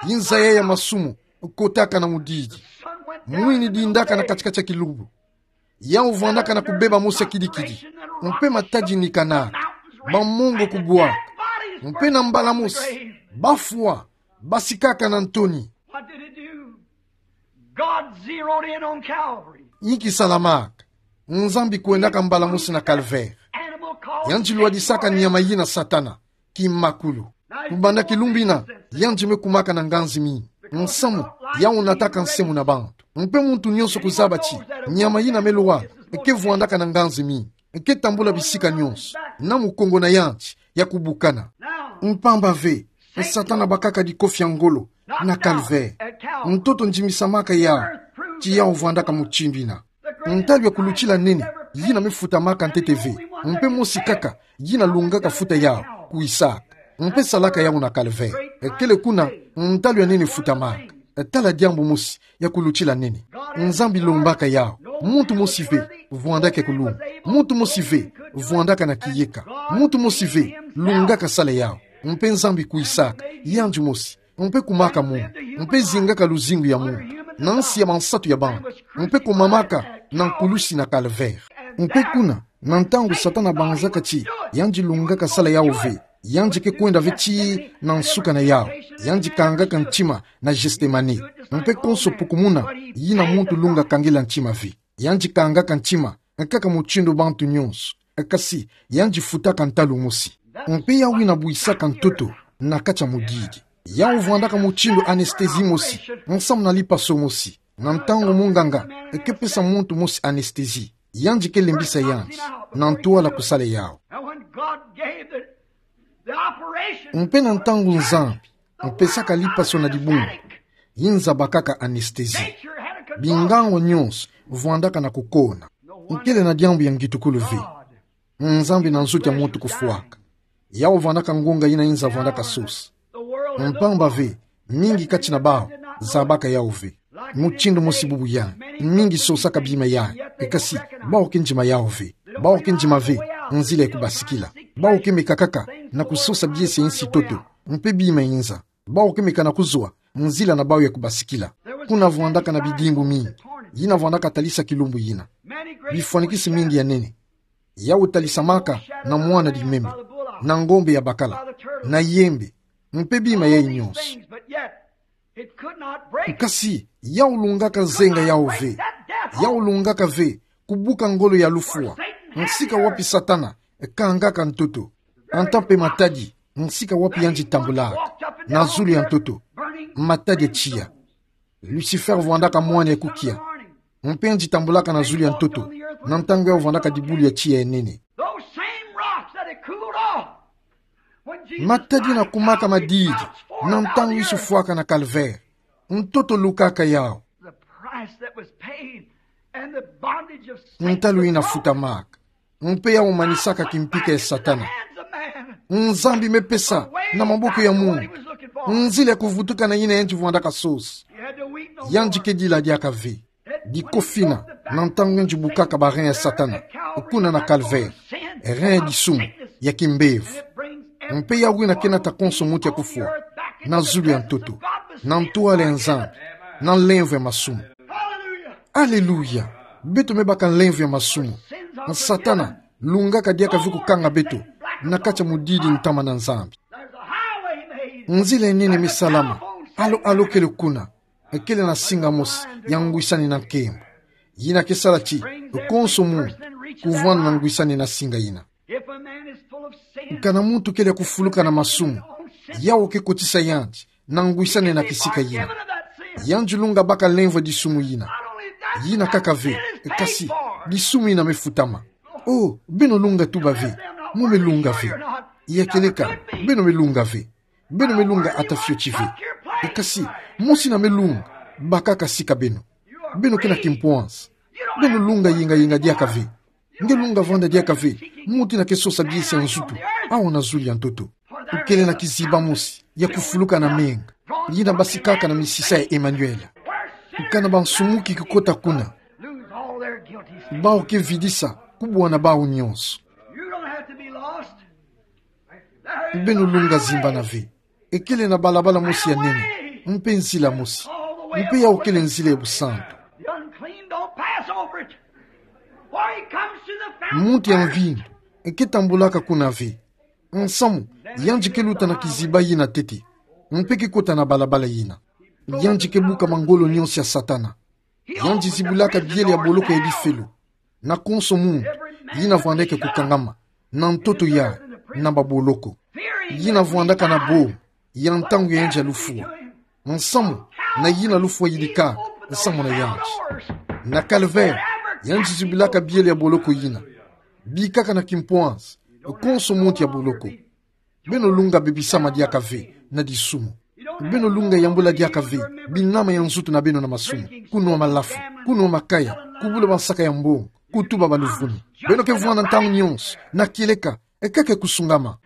inza yayi ya masumu kotaka na mudidi. Mwini dindaka na katikati ya kilumbu. Yawu vwandaka na kubeba mosi ya kidikidi, mpe matadi nikanaka, bamongo kubwaka, mpe na mbala mosi, bafwa basikaka na ntoni. What did it do? God zeroed in on Calvary. Inki salamaka? Nzambi kwendaka mbala mosi na Calvaire. Animal called Yandi lwadisaka nyama yina Satana, kimakulu. Kubanda kilumbu yina, yandi me kumaka na nganzi mingi. Nsamu, yawu nataka nse muna bantu. Mpe muntu nyonso kuzaba ti nyama yina me lwala ke vwandaka na nganzi mingi, ke tambula bisika nyonso na mukongo na yandi ya kubukana. Mpamba ve, Satana bakaka dikofi ya ngolo na Calvaire. Ntoto ndimisamaka yawu ti yawu vwandaka mutindu yina. Ntalu ya kulutila nene yina me futamaka ntete ve, mpe mosi kaka yina lungaka futa yawu, kwisaka. Mpe salaka yawu na Calvaire. Kele kuna ntalu ya nene futamaka. Tala diambu mosi ya kulutila nene. Nzambi lombaka yawu Muntu mosi ve vwandaka kulunga. Muntu mosi ve vwandaka na kiyeka. Muntu mosi ve lungaka sala yau. Mpe Nzambi kwisaka yandi mosi. Mpe kumaka munu. Mpe zingaka luzingu ya munu na nsi ya bansatu ya bantu. Mpe kumamaka na nkulusi na Calvaire. Mpe kuna, na ntangu Satana banzaka ti yandi lungaka sala yau ve, yandi ke kwenda ve tii na nsuka na yau. Yandi kangaka ntima na Gethsemane. Mpe konso pukumuna, yina muntu lunga kangila ntima ve. Yandi kangaka ntima kaka mutindu bantu nyonso. Kasi yandi futaka ntalu mosi. Mpe yau wina bwisaka ntoto na kati ya mudidi. Yau vwandaka mutindu anesthésie mosi, nsamu na lipaso mosi. Na ntangu munganga ke pesa muntu mosi anesthésie, yandi ke lembisa yandi na ntwala kusala yau. Mpe na ntangu Nzambi mpesaka lipaso na dibundu, yinza bakaka anesthésie. Binganga nyonso vwandaka na kukona. Nkele na diambu ya ngitukulu ve. Nzambi na nzuki ya muntu kufwaka. Yau vwandaka ngonga yina yinza vwandaka sosa. Mpamba ve, mingi kati na bau zabaka yau ve. Mutindu mosi bubu yandi, mingi sosaka bima yandi. Kasi bau ke ndima yau ve. Bau ke ndima ve nzila ya kubasikila. Bau ke meka kaka na kusosa biese ya nsi ntoto. Mpe bima yinza. Bau ke meka na kuzwa nzila na bau ya kubasikila. Kuna vwandaka na bidimbu mingi. Yina vwandaka talisa kilumbu yina. Bifwanikisi mingi ya nene. Yau talisamaka na mwana dimeme, na ngombe ya bakala, na yembe, mpe bima yayi nyonso. Kasi yau lungaka zenga yau ve. Yau lungaka ve kubuka ngolo ya lufwa, nsika wapi Satana kangaka ntoto. Anta mpe matadi, nsika wapi yandi tambulaka na zulu ya ntoto. Matadi ya tiya. Lucifer vwandaka mwana ya kukia. Mpe yandi tambulaka na zulu ya ntoto na ntangu yau vwandaka dibulu ya tiya ya nene. Those same rocks that had cooled off when Jesus Matadi yina kumaka madidi na ntangu Yesu fwaka na Calvaire. Ntoto lukaka yau. The price that was paid and the bondage of Satan. Ntalu yina futamaka. Mpe yau manisaka kimpika ya Satana. Nzambi me pesa na maboko ya muntu nzila ya kuvutuka na yina yandi vwandaka sosa. Yandi ke dila diaka ve. Dikofina na ntangu yandi bukaka ba rein ya Satana kuna na Calvaire, rein ya disumu, ya kimbevo. Mpe yau wina ke nata konso muntu ya kufwa na zulu ya ntoto, na ntwala ya Nzambi, na nlemvo ya masumu. Aleluya! Beto me baka nlemvo ya masumu. Satana lungaka diaka ve kukanga beto na kati ya mudidi ntama na Nzambi. Nzila ya nene me salama, alo alo kele kuna. Kele na singa mosi ya ngwisani na nkembo. Yina ke sala ti konso muntu kuvwanda na ngwisani na singa yina. Kana muntu kele ya kufuluka na masumu, yau ke kotisa yandi na ngwisani na kisika yina. Yandi lunga baka nlemvo ya disumu yina. Yina kaka ve, kasi disumu yina me futama. Oh, beno lunga tuba ve: Mo me lunga ve. Ya kieleka, beno me lunga ve. Beno me lunga ata fioti ve. Kasi mosi na me lunga, bakaka sika beno. Beno ke na kimpwanza. Beno lunga yenga yenga diaka ve. Nge lunga vwanda diaka ve muntu yina ke sosa biese ya nzutu awa na zulu ya ntoto. Kele na kiziba mosi ya kufuluka na menga yina basikaka na misisa ya Emmanuel. Kana bansumuki kikota kuna, bau ke vidisa kubwana bau nyonso. Beno lunga zimbana ve. Kele na balabala mosi ya nene, mpe nzila mosi, mpe yau kele nzila ya busantu. Muntu ya mvindu ke tambulaka kuna ve. Nsamu, yandi ke luta na kiziba yina ntete, mpe ke kota na balabala yina. Yandi ke buka mangolo nyonso ya Satana. Yandi zibulaka biele ya boloko ya lifelo na konso muntu yina vwandeke kukangama na ntoto ya na baboloko. Yina vwandaka na boma ya ntangu ya yandi ya lufwa. Nsamu, na yina lufwa yirika nsamu na yandi. Na Calvaire, yandi zibilaka biele ya boloko yina. Bikaka na kimpwanza konso muntu ya boloko. Beno lunga bebisama diaka ve na disumu. Beno lunga yambula diaka ve binama ya nzutu na beno na masumu: kunwa malafu, kunwa makaya, kubula bansaka ya mbongo, kutuba baluvunu. Beno ke vwanda ntangu nyonso na kieleka, kaka ya kusungama.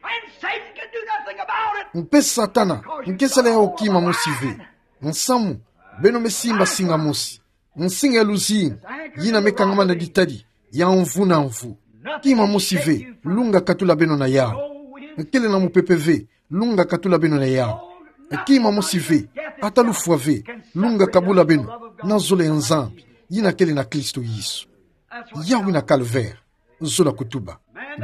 Mpe Satana ke sala yau kima mosi ve. Nsamu, beno me simba singa mosi. Nsinga ya luzingu, yina me kangama na ditadi ya mvu na mvu. Kima mosi ve, lunga katula beno na yawu. Kele na mupepe ve, lunga katula beno na yawu. Kima mosi ve, ata lufwa ve, lunga kabula beno na zola ya Nzambi, yina kele na Kristo Yesu. Yawu yina calvaire, zola kutuba.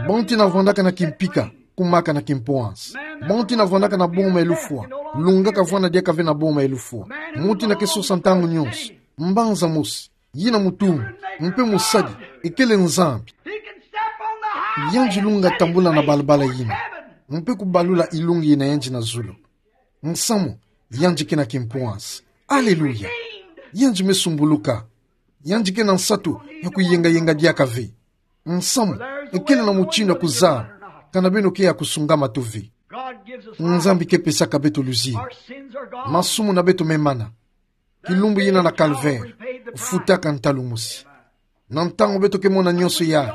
Bantu yina vwandaka na kimpika, kumaka na kimpwansi. Bantu yina vwandaka na boma ya lufwa, lungaka vwanda diaka ve na boma ya lufwa. Muntu yina ke sosa ntangu nyonso, mbanza mosi, yina mutumbu, mpe musadi, ekele Nzambi. Yandi lunga tambula na balabala yina, mpe kubalula ilungi yina yandi na zulu. Nsamu, yandi ke na kimpwansi. Aleluya! Yandi me sumbuluka. Yandi ke na nsatu ya kuyengayenga diaka ve. Nsamu, ekele na mutindu ya kuzaba, kana beno ke ya kusungama to ve. Nzambi ke pesaka beto luzingu. Masumu na beto me mana. Kilumbu yina na calvaire, futaka ntalu mosi. Na ntangu beto ke mona nyonso yayi,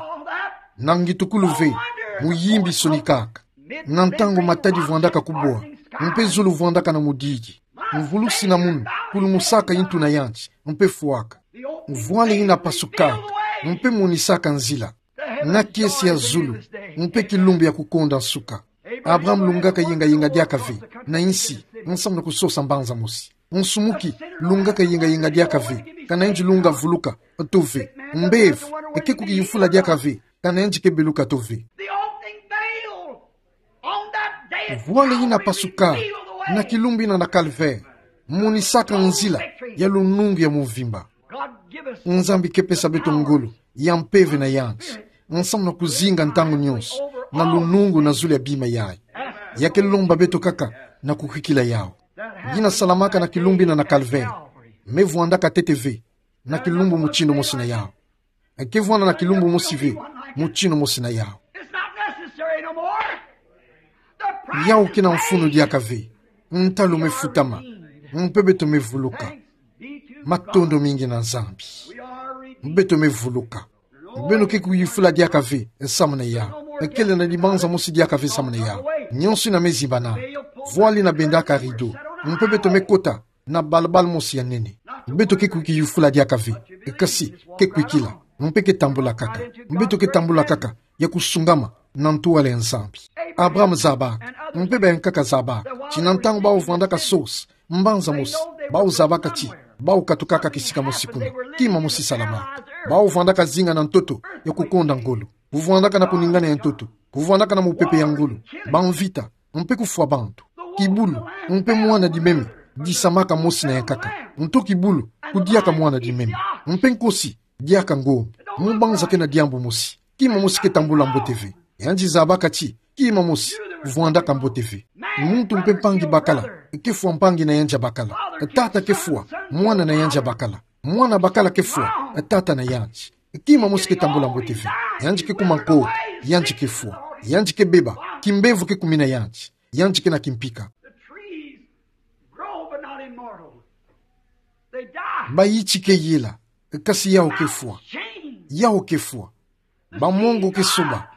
na ngitukulu ve, muyimbi sonikaka. Na ntangu matadi vwandaka kubwa, mpe zulu vwandaka na mudidi, mvulusi na munu kulumusaka yintu na yandi, mpe fwaka. Vwala yina pasukaka, mpe monisaka nzila. Na kiese ya zulu, mpe kilumbu ya kukonda nsuka. Abraham lungaka yengayenga diaka ve na nsi, nsamu na kusosa mbanza mosi. Nsumuki lungaka yengayenga diaka ve, kana yandi lunga vuluka to ve. Mbevo eke kukiyufula diaka ve, kana yandi ke beluka to ve. Vwala yina pasuka na kilumbu yina na calvaire, monisaka nzila ya lunungu ya mvimba. Nzambi ke pesa beto ngolo ya mpeve na yandi, nsamu na kuzinga ntangu nyonso na lunungu na zulu ya bima yayi. Ya ke lomba beto kaka na kukwikila yawu. Yina salamaka na kilumbu yina na calvaire, me vwandaka ntete ve na kilumbu mutindu mosi na yawu. Eke vwanda na kilumbu mosi ve mutindu mosi na yawu. Yawu ke na mfunu diaka ve. Ntalu me futama, mpe beto me vuluka. Matondo mingi na Nzambi. Beto me vuluka. Beno ke kuyufula diaka ve samu na yawu. Kele na dibanza mosi diaka ve samu na yawu. Nyonso yina me zimbana. Vwala yina bendaka rideau, mpe beto me kota na balabala mosi ya nene. Beto ke kukiyufula diaka ve, kasi ke kwikila, mpe ke tambula kaka. Beto ke tambula kaka ya kusungama na ntwala ya Nzambi. Abraham zaba, mpe bayankaka zaba, ti na ntangu bawu vwandaka sosa mbanza mosi, bawu zabaka ti bawu katukaka kisika mosi kuna, kima mosi salamaka. Bawu vwandaka zinga na ntoto ya kukonda ngolo, kuvwandaka na kuningana ya ntoto, kuvwandaka na mupepe ya ngolo, bamvita, mpe kufwa bantu. Kibulu, mpe mwana dimeme disamaka mosi na yankaka. Nto kibulu kudiaka mwana dimeme, mpe nkosi diaka ngombe. Mu banza ke na diambu mosi, kima mosi ke tambula mbote ve. Yandi zabaka ti kima mosi vwandaka mbote ve. Muntu mpe mpangi bakala ke fwa mpangi na yandi ya bakala. Tata ke fwa mwana na yandi ya bakala. Mwana bakala ke fwa tata na yandi. Kima mosi ke tambula mbote ve. Yandi ke kuma nkoke, yandi ke fwa, yandi ke beba, kimbevo ke kumina yandi, yandi ke na kimpika. The trees grow, but not immortal. They die. Bayiti ke yela, kasi yawu ke fwa. Change. Yawu ke fwa. Bamongo ke soba.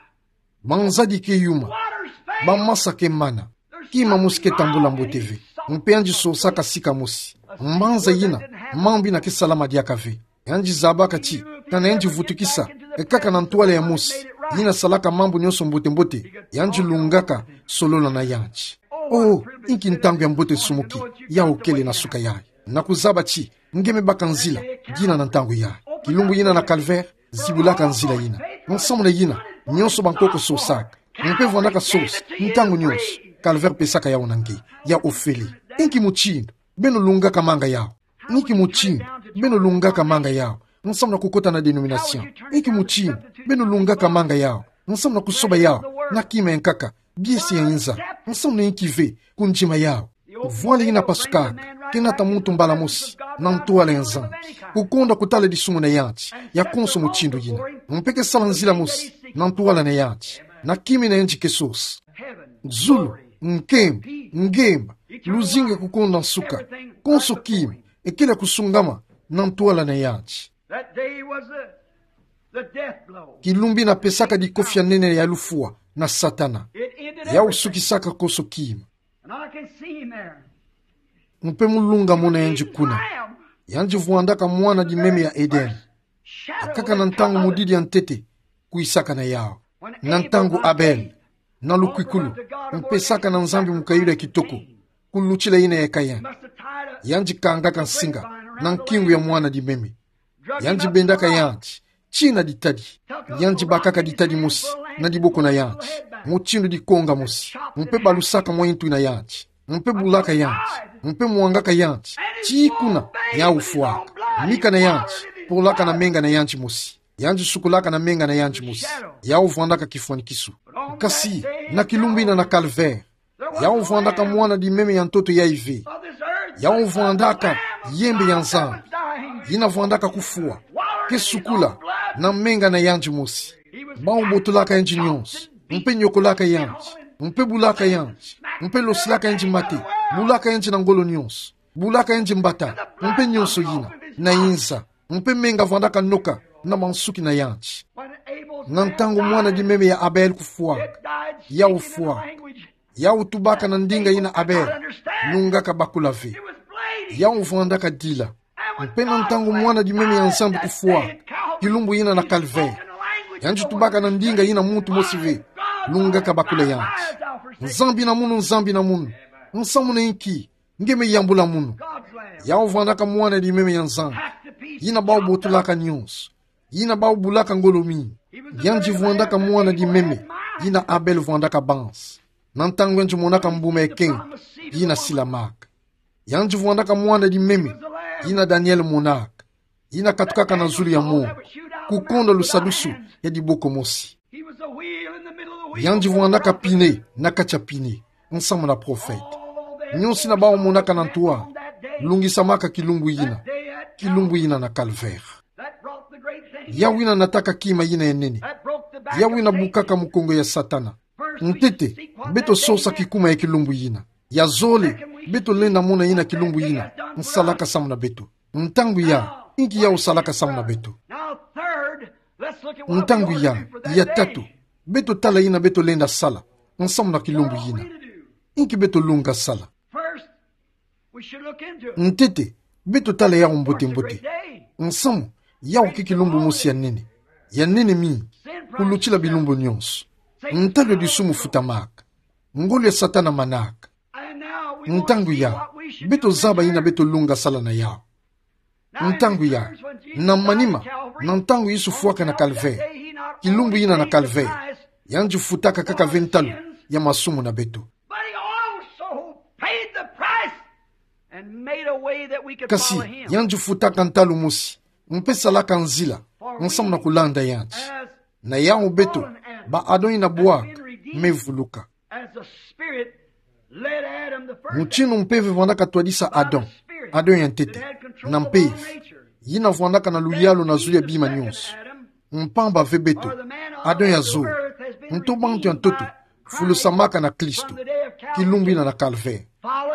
Banzadi ke yuma. Waters fail. Bamasa ke mana. Kima mosi ke tambula mbote ve. Mpe yandi sosaka sika mosi. Mbanza yina, mambu yina ke salama diaka ve. Yandi zabaka ti, kana yandi vutukisa, e kaka na ntwala ya mosi, yina salaka mambu nyonso mbote mbote, yandi lungaka solola na yandi. Oh, inki ntangu ya mbote nsumuki yawu kele na suka yayi. Na kuzaba ti nge me baka nzila dina na ntangu yayi. Kilumbu yina na calvaire zibulaka nzila yina. Nsamu na yina, nyonso bankoko sosaka, mpe vwandaka sosa ntangu nyonso. Calvaire pesaka yawu na nge, ya ofele. Inki mutindu beno lungaka manga yawu? Inki mutindu beno lungaka manga yawu nsamu na kukota na dénomination? Inki mutindu beno lungaka manga yawu nsamu na kusoba yawu na kima ya nkaka, biesi ya inza? Nsamu na inki ve kundima yawu? Vwala yina pasukaka ke nata muntu mbala mosi na ntwala ya Nzambi. Kukonda kutala disumu na yandi ya konso mutindu yina, mpe ke sala nzila mosi na ntwala na yandi, na kima na yandi ke sosa. Zulu, nkembo, ngemba, luzingu, kukonda nsuka, konso kima ekele kusungama na ntwala na yandi. That day was the, the death blow. Kilumbu yina pesaka dikofi ya nene ya lufwa na Satana. It ended everything. Yawu sukisaka konso kima. And I can see him there. Mpe mu lunga mona yandi kuna. He triumphed. Yandi vwandaka mwana di meme ya Eden. Akaka na ntangu modidi ya ntete, kwisaka na yawu. Na ntangu Abel, na lukwikulu, mpesaka na Nzambi mukayulu ya kitoko, kulutila yina ya Kain. Yandi kangaka nsinga na nkingu ya mwana di meme. Yandi bendaka yandi, tina ditadi. Yandi bakaka ditadi mosi na diboko na yandi, mutindu dikonga mosi, mpe balusaka mwa intu na yandi, mpe bulaka yandi, mpe mwangaka yandi, tii kuna yawu fwaka. Mika na yandi polaka na menga na yandi mosi. Yandi sukolaka na menga na yandi mosi. Yawu vwandaka kifwanikisu. Kasi, na kilumbu yina na Calvaire, yawu vwandaka mwana di meme ya ntoto yayi ve. Yawu vwandaka yembe ya Nzambi, yina vwandaka kufwa, ke sukola na menga na yandi mosi. Bawu botolaka yandi nyonso, mpe nyokolaka yandi, mpe bulaka yandi, mpe losilaka yandi mate, bulaka yandi na ngolo nyonso, bulaka yandi mbata, mpe nyonso yina, na inza, mpe menga vwandaka noka na mansuki na yandi. Na ntangu mwana di meme ya Abel kufwaka, yawu fwaka. Yawu tubaka na ndinga yina Abel lungaka bakula ve. Yawu vwandaka dila. Mpe na ntangu mwana di meme ya Nzambi kufwaka, kilumbu yina na Calvaire, yandi tubaka na ndinga yina muntu mosi ve lungaka bakula yandi: Nzambi na munu, Nzambi na munu, nsamu na inki nge me yambula munu? Yawu vwandaka mwana di meme ya Nzambi, yina bawu botolaka nyonso, yina bawu bulaka ngolo mingi. Yandi vwandaka mwana di meme yina Abel vwandaka banza, na ntangu yandi monaka mbuma ya kenge yina silamaka. Yandi vwandaka mwana di meme yina Daniel monaka, yina katukaka na zulu ya mongo, kukonda lusadusu ya diboko mosi. Yandi vwandaka pine na kati ya pine, nsamu na profete. Nyonso yina bawu monaka na ntoa lungisamaka kilumbu yina, kilumbu yina na Calvaire. Yawu yina nataka kima yina ya nene. Yawu yina bukaka mukongo ya Satana. Ntete, beto sosa kikuma ya kilumbu yina. Ya zole, beto lenda mona yina kilumbu yina nsalaka samu na beto. Ntangu ya, inki yawu salaka samu na beto? Ntangu ya, ya tatu, beto tala yina beto lenda sala nsamu na kilumbu yina. Inki beto lunga sala? Ntete, beto tala yawu mbote-mbote. Nsamu, yawu ke kilumbu mosi ya nene, ya nene mingi kulutila bilumbu nyonso. Ntalu ya disumu futamaka. Ngolo ya Satana manaka. Ntangu ya, beto zaba yina beto lunga sala na yawu. Ntangu ya, na manima, na ntangu Yesu fwaka na Calvaire, kilumbu yina na Calvaire, yandi futaka kaka ve ntalu ya masumu na beto. But he also paid the price and made a way that we could follow him. Kasi, yandi futaka ntalu mosi, mpe salaka nzila nsamu na kulanda yandi. Na yawu beto, ba Adam yina bwaka, me vuluka. As the Spirit led Adam the first. Mutindu mpeve vwandaka twadisa Adam, Adam ya ntete, na mpeve yina vwandaka na luyalu na zulu ya bima nyonso. Mpamba ve beto, Adam ya zole, nto bantu ya ntoto fulusamaka na Kristo, kilumbu yina na Calvaire.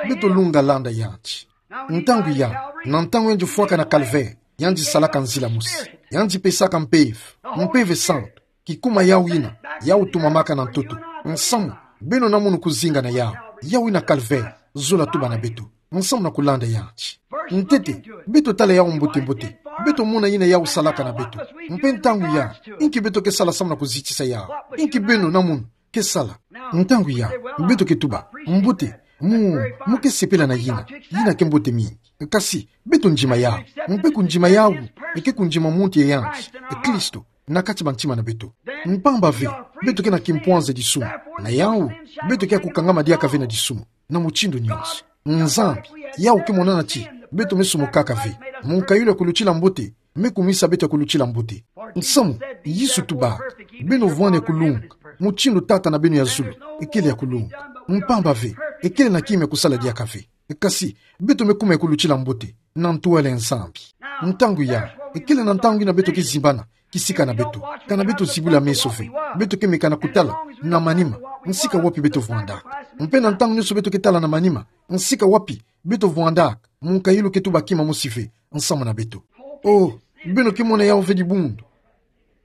Beto lunga landa yandi. Ntangu ya, na ntangu yandi fwaka na Calvaire, yandi salaka nzila mosi. Yandi pesaka mpeve, mpeve santu, kikuma yawu yina, yawu tumamaka na ntoto. Nsamu, beno na munu kuzinga na yawu. Yawu yina Calvaire, zola tuba na beto nsamu na kulanda yandi. Ntete, beto tala yawu mbote-mbote, beto mona yina yawu salaka na beto. Mpe ntangu ya, inki beto ke sala samu na kuzitisa yawu? Inki beno na munu ke sala? Ntangu ya, beto ke tuba: Mbote, mu, mu ke sepela na yina, yina ke mbote mingi. Kasi, beto ndima yawu. Mpe kundima yawu, eke kundima muntu ya yandi, e Kristo, na kati bantima na beto. Mpamba ve, beto ke na kimpwanza disumu. Na yawu, beto ke ya kukangama diaka ve na disumu na mutindu nyonso. Nzambi, yawu ke monana ti beto me sumukaka ve. Munkayulu ya kulutila mbote me kumisa beto ya kulutila mbote. Nsamu, Yesu tuba: Beno vwani ya kulunga, mutindu Tata na beno ya zulu ekele ya kulunga. Mpamba ve, ekele na kima ya kusala diaka ve. Kasi, beto me kuma ya kulutila mbote na ntwala ya Nzambi. Ntangu ya, ekele na ntangu yina beto ke zimbana kisika na beto, kana beto zibula meso ve. Beto ke meka na kutala na manima, nsika wapi beto vwandaka. Mpe na ntangu nyonso beto ke tala na manima nsika wapi beto vwandaka, munkayulu ke tuba kima mosi ve nsamu na beto. Oh, beno ke mona yawu ve dibundu.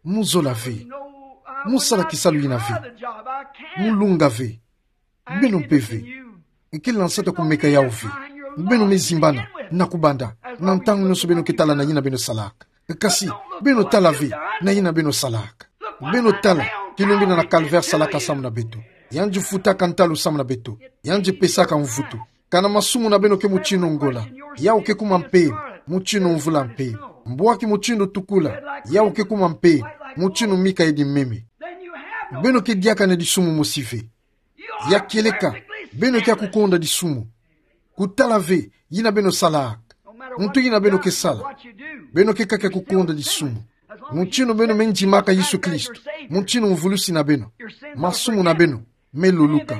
Mu zola ve. Mu sala kisalu yina ve. Mu lunga ve. Beno mpe ve. Ekele na nsatu ya kumeka yawu ve. Beno me zimbana na kubanda Na ntangu nyonso beno ke tala na yina beno salaka. Kasi, beno tala ve na yina beno salaka. Beno tala, kilumbu ina na Calvaire salaka samu na beto. Yandi futaka ntalu samu na beto. Yandi pesaka mvutu. Kana masumu na beno ke mutindu ngola, yawu ke kuma mpemba, mutindu mvula mpemba. Mbwaki mutindu tukula, yawu ke kuma mpemba, mutindu mika edi meme. Beno ke diaka na disumu mosi ve. Ya kieleka, beno ke ya kukonda disumu. Kutala ve yina beno salaka. Ntu yina beno ke sala, beno ke kaka kukonda disumu. Mutindu beno me ndimaka Yesu Kristo, mutindu mvulusi na beno, masumu na beno me luluka.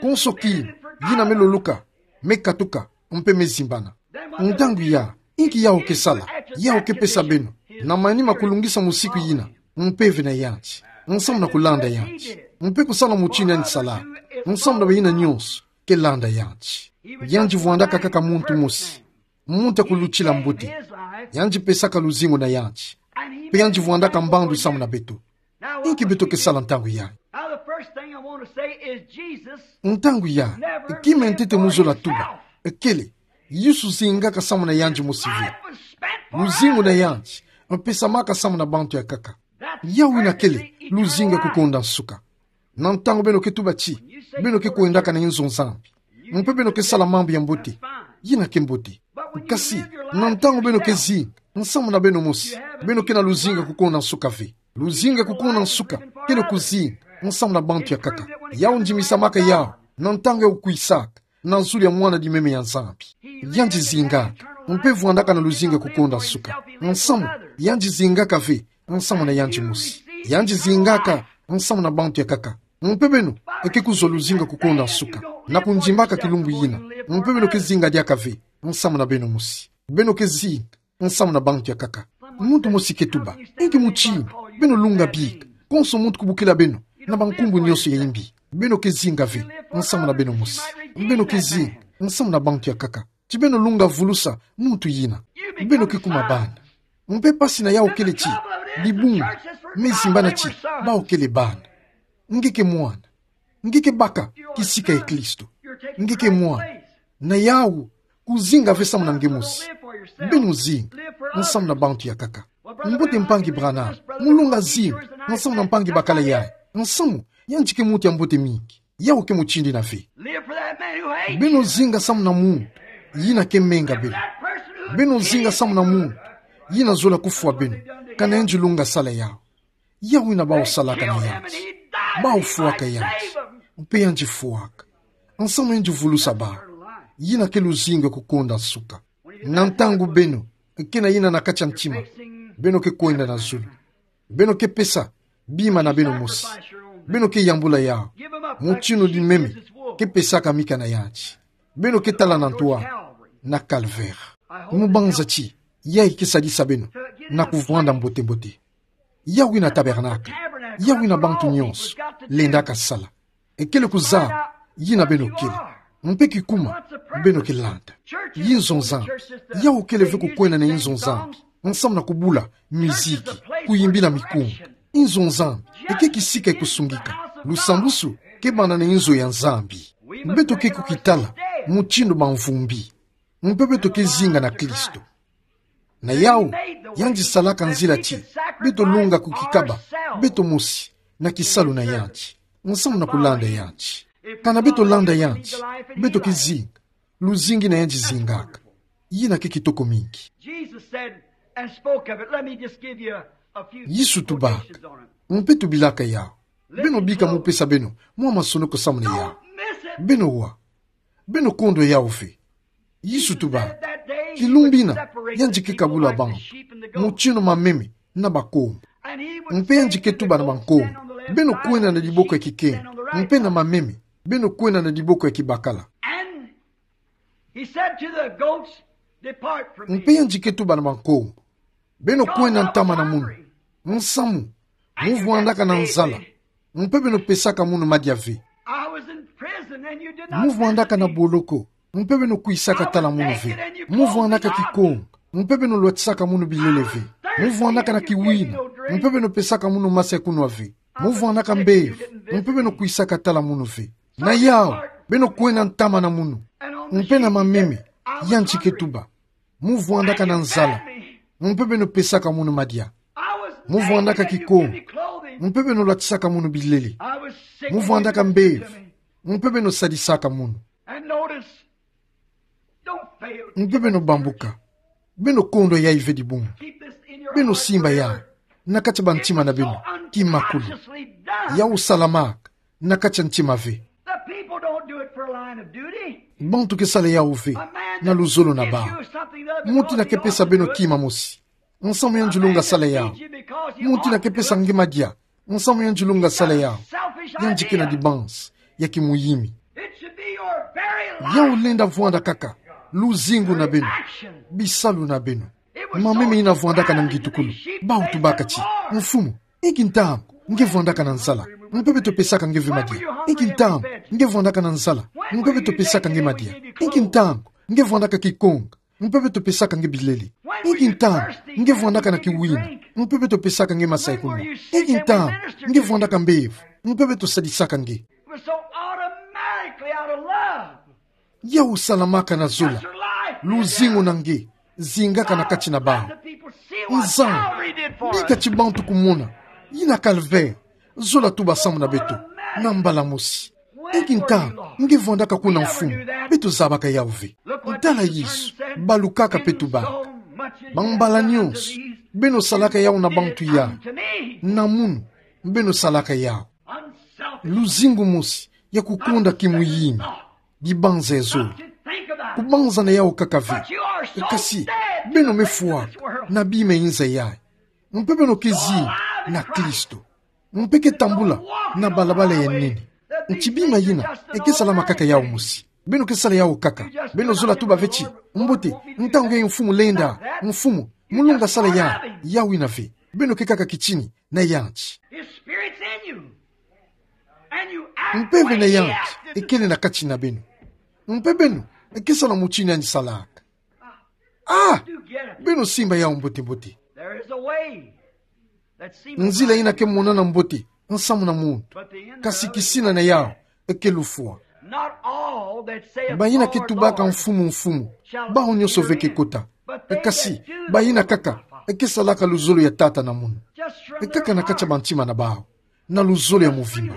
Konso kina, yina me luluka, me katuka, mpe me zimbana. Ntangu ya, inki yawu ke sala, yawu ke pesa beno, na manima kulungisa musiku yina, mpeve na yandi, nsamu na kulanda yandi, mpe kusala mutindu yandi salaka, nsamu na bayina nyonso ke landa yandi. Yandi vwandaka kaka muntu mosi, muntu ya kulutila mbote. Yandi pesaka luzingu na yandi, mpe yandi vwandaka mbandu samu na beto. Inki beto ke sala ntangu yai? Now, the first thing I want to say is Jesus. Ntangu ya, kima ya ntete mu zola tuba, kele, Yesu zingaka samu na yandi mosi ve. Luzingu na yandi, mpesamaka samu na bantu ya nkaka. Yawu yina kele luzingu ya kukonda nsuka. Na ntangu beno ke tuba ti beno ke kwendaka na inzo Nzambi, mpe beno ke sala mambu ya mbote, yina ke mbote. Kasi, na ntangu beno ke zinga nsamu na beno mosi, beno ke na luzingu ya kukonda nsuka ve. Luzingu ya kukonda nsuka kele kuzinga nsamu na bantu ya nkaka. Yawu ndimisamaka yawu na ntangu yawu kwisaka na zulu ya Mwana-di-meme ya Nzambi. Yandi zingaka, mpe vwandaka na luzingu ya kukonda nsuka. Nsamu, yandi zingaka ve nsamu na yandi mosi. Yandi zingaka nsamu na bantu ya nkaka. Mpe beno, ke kuzwa luzingu ya kukonda nsuka na kundimbaka kilumbu yina. Mpe beno ke zinga diaka ve nsamu na beno mosi. Beno ke zinga nsamu na bantu ya nkaka. Muntu mosi ke tuba, inki mutindu beno lunga bika, konso muntu kubokila beno na bankumbu nyonso ya imbi? Beno ke zinga ve nsamu na beno mosi. Beno ke zinga nsamu na bantu ya nkaka, ti beno lunga vulusa muntu yina. Beno ke kuma bana. Mpe mpasi na yawu kele ti dibungu me zimbana ti bawu kele bana. Nge ke mwana. Nge ke baka kisika ya Kristo. Nge ke mwana. Na yawu, kuzinga ve samu na nge mosi. Beno zinga nsamu na bantu ya nkaka. Mbote mpangi Branham, mu lunga zinga nsamu na mpangi bakala yai. Nsamu, yandi ke muntu ya mbote mingi. Yawu ke mutindu yina ve. Beno zinga samu na muntu yina ke menga beno. Beno zinga samu na muntu yina zola kufwa beno kana yandi lunga sala yawu. Yawu yina bawu salaka na yandi. Bawu fwaka yandi. Mpe yandi fwaka nsamu yandi vulusa bawu. Yina ke luzingu ya kukonda nsuka. Na ntangu beno ke na yina na kati ya ntima, beno ke kwenda na zulu. Beno ke pesa bima na beno mosi. Beno ke yambula yawu. Mutindu di meme ke pesaka mika na yandi. Beno ke tala na ntoa na Calvaire. Mu banza ti yayi ke sadisa beno na kuvwanda mbote-mbote. Yawu yina tabernacle, yawu yina bantu nyonso lendaka sala. Kele kuzaba yina beno kele, mpe kikuma beno ke landa. Inzo Nzambi, yawu kele ve kukwenda na inzo Nzambi nsamu na kubula miziki, kuyimbila mikunga. Inzo Nzambi ke kisika ya kusungika. Lusambusu ke banda na inzo ya Nzambi. Beto ke kukitala mutindu bamvumbi. Mpe beto ke zinga na Kristo. Na yawu, yandi salaka nzila ti beto lunga kukikaba beto mosi na kisalu na yandi nsamu na kulanda yandi. Kana beto landa yandi, beto ke zinga luzingu yina yandi zingaka. Yina ke kitoko mingi. Jesus said and spoke of it. Let me just give you a, a few Yesu tubaka, quotations on it. Mpe tubilaka yawu. Beno bika mu pesa beno mwa masonoko samu na yawu. Don't miss it. Beno wa, beno kondwa yawu ve. Yesu tuba, kilumbu yina yandi ke kabula bantu, mutindu mameme na bakombo. Mpe yandi ke tuba na bakombo, beno kwenda na diboko ya kikengo, mpe na mameme, beno kwenda na diboko ya kibakala. And he said to the goats, "Depart from me." Mpe yandi ke tuba na bakombo, beno kwenda ntama na munu. Nsamu, mu vwandaka na nzala, mpe beno pesaka munu madia ve. I was in prison and you did not visit me. Mu vwandaka na boloko, mpe beno kwisaka tala munu ve. Mu vwandaka kikongo, mpe beno lwatisaka munu bilele ve. Mu vwandaka na kiwina, mpe beno pesaka munu masa ya kunwa ve. Mu vwandaka mbevo, mpe beno kwisaka tala munu ve. Na yawu, beno kwenda ntama na munu. Mpe na mameme, yandi ke tuba, Mu vwandaka na nzala, mpe beno pesaka munu madia. Mu vwandaka kikongo, mpe beno lwatisaka munu bilele. Mu vwandaka mbevo, mpe beno sadisaka munu. Mpe beno bambuka, beno kondwa yayi ve dibungu. Beno simba yawu na kati ya bantima na beno kimakulu. Yawu salamaka na kati ya ntima ve. Bantu ke sala yawu ve na luzolo na bawu. Muntu ina ke pesa beno kima mosi, nsamu yandi lunga sala yawu. Muntu ina ke pesa nge madia, nsamu yandi lunga sala yawu. Yandi ke na dibanzi ya kimuyimi. Yawu lenda vwanda kaka luzingu na beno, bisalu na beno. Mameme ina vwandaka na ngitukulu, bawu tubaka ti: Mfumu, inki ntangu nge vwandaka na nzala, mpe beto pesaka nge ve madia? Inki ntangu nge vwandaka na nzala, mpe beto pesaka nge madia? Inki ntangu nge vwandaka kikongo, mpe beto pesaka nge bilele? Inki ntangu nge vwandaka na kiwina, mpe beto pesaka nge masa ya kunwa? Inki ntangu nge vwandaka mbevo, mpe beto sadisaka nge? Yawu salamaka na zola. Luzingu na nge zingaka na kati na bawu. Nzambi, bika ti bantu kumona yina calvaire zola tuba samu na beto na mbala mosi. Inki ntangu nge vwandaka kuna, Mfumu? Beto zabaka yawu ve. Tala Yezu, balukaka mpe tubaka: Bambala nyonso beno salaka yawu na bantu yai, na munu beno salaka yawu. Luzingu mosi ya kukonda kimuyimi, dibanza ya zole. Kubanza na yawu kaka ve. Kasi beno me fwaka na bima inza yayi, mpe beno ke zinga na Kristo, mpe ke tambula na balabala ya nene. Nti bima yina e ke salama kaka yawu mosi. Beno ke sala yawu kaka. Beno zola tuba ve ti: Mbote, ntangu yayi Mfumu lenda, Mfumu, mu lunga sala yawu. Yawu ina ve. Beno ke kaka kitini na yandi. Mpe ve na yandi e kele na kati na beno, mpe beno ke sala mutindu yandi salaka. Ah! Beno simba yawu mbote-mbote. Nzila ina ke monana mbote nsamu na muntu, kasi kisina na yawu e ke lufwa. Bayina ke tubaka: Mfumu, Mfumu, bawu nyonso ve ke kota, kasi bayina kaka ke salaka luzolo ya Tata na munu. Kaka na kati ya bantima na bawu, na luzolo ya muvimba.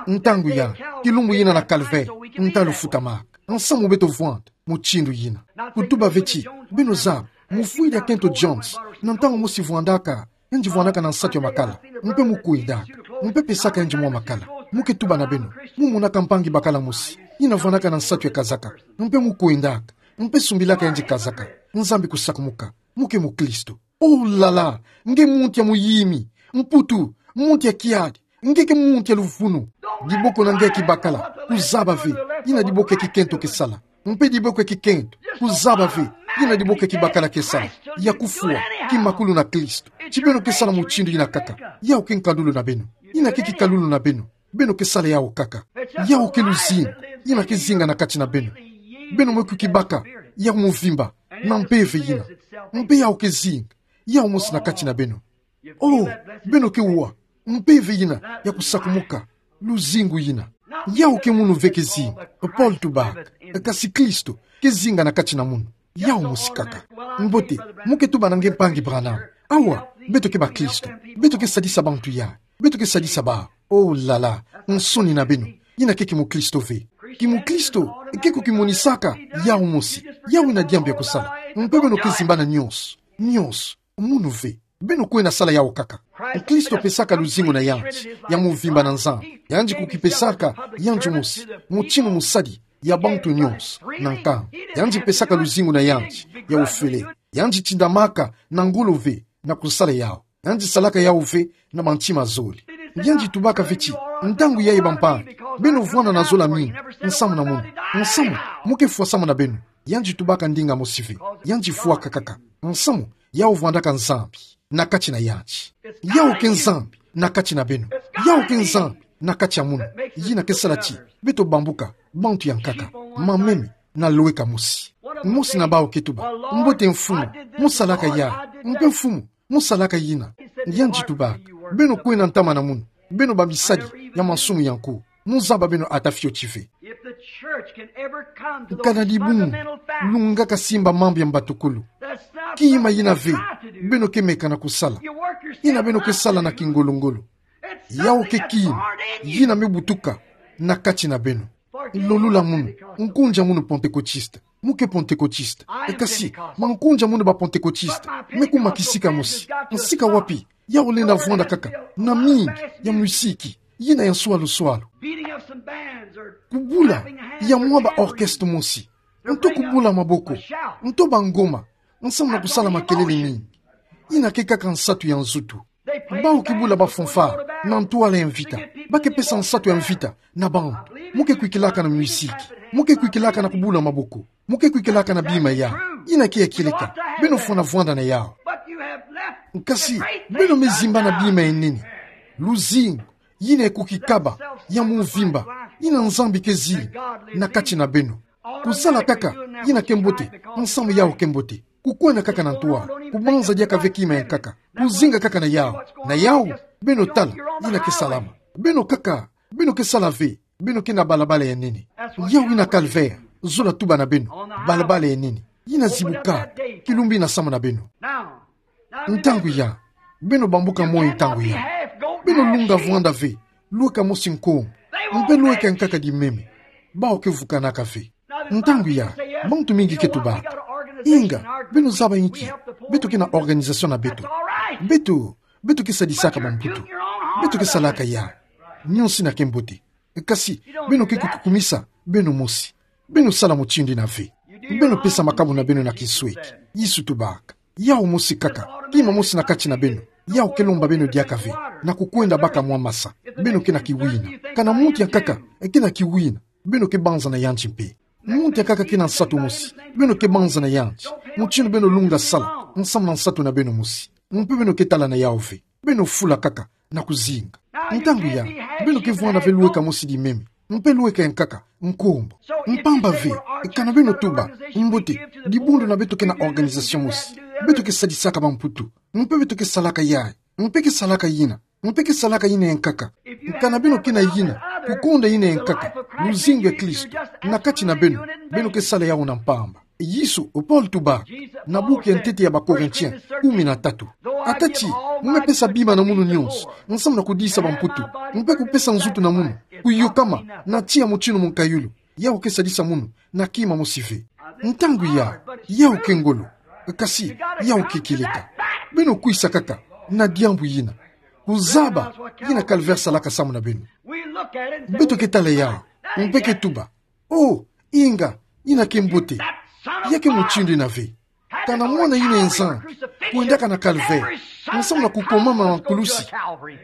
Ntangu ya kilumbu yina na calvaire nda lufutamaka, nsamu beto vwanda mutindu yina. Kutuba ve ti: Beno zaba, mufwidi ya Kento Jones, na ntangu mosi vwandaka, yandi vwandaka na nsatu ya makala, mpe mu kwendaka, mpe pesaka yandi mwa makala. Mu ke tuba na beno, mu monaka mpangi bakala mosi, yina vwandaka na nsatu ya kazaka, mpe mu kwendaka, mpe sumbilaka yandi kazaka. Nzambi kusakumuka. Mu ke mukristo. Oh là là, nge muntu ya muyimi, mputu, muntu ya kiadi, nge ke muntu ya luvunu. Diboko na nge ya kibakala, kuzaba ve yina diboko ya kikento ke sala. Mpe diboko ya kikento, kuzaba ve yina diboko ya kibakala ke sala. Ya kufwa kimakulu na Kristo. Ti beno ke sala mutindu yina kaka, yawu ke nkalulu na beno. Yina ke kikalulu na beno. Beno ke sala yawu kaka. Yawu ke luzingu yina ke zinga na kati na beno. Beno me kukibaka ya muvimba na mpeve yina. Mpe yawu ke zinga yawu mosi na kati na beno. Oh, beno ke wa mpeve yina ya kusakumuka, luzingu yina. Yawu ke munu ve ke zinga, Paul tubaka, kasi Kristo ke zinga na kati na munu. Yawu mosi kaka. Mbote, mu ke tuba na nge: Mpangi Branham, awa beto ke bakristo, beto ke sadisa bantu ya, beto ke sadisa bawu. Oh là là, nsoni na beno, yina ke kimukristo ve. Kimukristo ke kukimonisaka yawu mosi, yawu ina diambu ya kusala. Mpe beno ke zimbana nyonso, nyonso, munu ve. Beno kwenda sala yawu kaka. Kristo pesaka luzingu na yandi ya muvimba na Nzambi. Yandi kukipesaka yandi mosi, mutinu musadi ya bantu nyonso na nkangu. Yandi pesaka luzingu na yandi ya ofele. Yandi tindamaka na ngolo ve na kusala yawu. Yandi salaka yawu ve na bantima zole. Yandi tubaka ve ti: Ntangu yayi bampangi, beno vwanda na zola mingi nsamu na munu. Nsamu mu ke fwa samu na beno. Yandi tubaka ndinga mosi ve. Yandi fwaka kaka. Nsamu yawu vwandaka Nzambi na kati na yandi. Yawu ke Nzambi na kati na beno. Yawu ke Nzambi na kati ya munu, yina ke sala ti beto bambuka bantu ya nkaka, mameme na lweka mosi. Mosi na bawu ke tuba: Mbote Mfumu, mu salaka yawu. Mpe Mfumu, mu salaka yina. Yandi tubaka: Beno kwenda ntama na munu, beno bamisadi ya mansumu ya nko. Mu zaba beno ata fioti ve. Kana dibungu lungaka simba mambu ya Kima yina ve beno ke meka na kusala, yina beno ke sala na kingolo-ngolo. Yao ke kima yina me butuka na kati na beno. Lolula munu, nkunja munu Pentekotiste. Mo ke Pentekotiste. Kasi, mankunja munu ba Pentekotiste, me kuma kisika mosi. Sika wapi? Yao lenda vwanda kaka na mingi ya muziki, yina ya nswalu-nswalu. Kubula ya mwa ba orchestre mosi, nto kubula maboko, nto ba ngoma, nsamu na kusala makelele mingi. Yina ke kaka nsatu ya nzutu. Bawu ke bula ba fanfare na ntwala ya mvita, ba ke pesa nsatu ya mvita na bantu. Mo ke kwikilaka na muziki, mo ke kwikilaka na kubula maboko, mo ke kwikilaka na bima ya, yina ke ya kieleka. Beno fwana vwanda na yao. Kasi, beno me zimba na bima ya nene, luzingu yina ya kukikaba, ya mvimba, yina Nzambi ke zila na kati na beno. Kusala kaka yina ke mbote, nsamu yao ke mbote. Kukwenda kaka na ntwala, kubanza diaka ve kima ya nkaka, kuzinga kaka na yao. Na yao, beno tala yina ke salama. Beno kaka, beno ke sala ve, beno ke na balabala ya nene. Yao yina calvaire, zola tuba na beno, balabala ya nene. Yina zibuka, kilumbu yina samu na beno. Ntangu ya, beno bambuka moyo ntangu ya. Beno lunga vwanda ve lweka mosi nkombo, mpe lweka ya nkaka di meme. Bawu ke vukanaka ve. Ntangu ya, bantu mingi ke tubaka: Inga, beno zaba inki? Beto ke na organisation na beto. Beto, beto ke sadisaka bamputu. Beto ke salaka ya. Nionso yina ke mbote. Kasi, beno ke kukumisa beno mosi. Beno sala mutindu yina ve. Beno pesa makabu na beno na kinsweki. Yesu tubaka: Yao mosi kaka, kima mosi na kati na beno, yao ke lomba beno diaka ve, na kukwenda baka mwa masa. Beno ke na kiwina. Kana muntu ya nkaka ke na kiwina, beno ke banza na yandi mpe. Muntu ya nkaka ke na nsatu mosi, beno ke banza na yandi. Mutindu beno lunga sala, nsamu na nsatu na beno mosi. Mpe beno ke tala na yao ve. Beno fula kaka na kuzinga. Ntangu ya, beno ke vwanda ve lweka mosi di meme, mpe lweka ya nkaka nkombo. Mpamba ve, kana beno tuba: Mbote, dibundu na beto ke na organisation mosi, beto ke sadisaka bamputu, mpe beto ke salaka yayi, mpe ke salaka yina, mpe ke salaka yina ya nkaka. Kana beno ke na yina, kukonda yina ya nkaka, luzingu ya Kristo, na kati na beno, beno ke sala yao na mpamba. Yesu, o Paul tubaka na buku ya ntete ya ba Corinthiens kumi na tatu: Ata ti mo me pesa bima na munu nionso, nsamu na kudisa bamputu, mpe kupesa nzutu na munu kuyokama na tiya mutindu mukayulu, yao ke sadisa munu na kima mosi ve. Ntangu ya, yao ke ngolo. Kasi, yao ke kieleka. Beno kwisa kaka na diambu yina. Kuzaba yina calvaire salaka samu na beno. Beto ke tala yao, mpe ke tuba: Oh, inga, yina ke mbote. Ya ke mutindu yina ve. Kana mwana yina ya Nzambi kwendaka na calvaire, nsamu na kukomama na kulusi.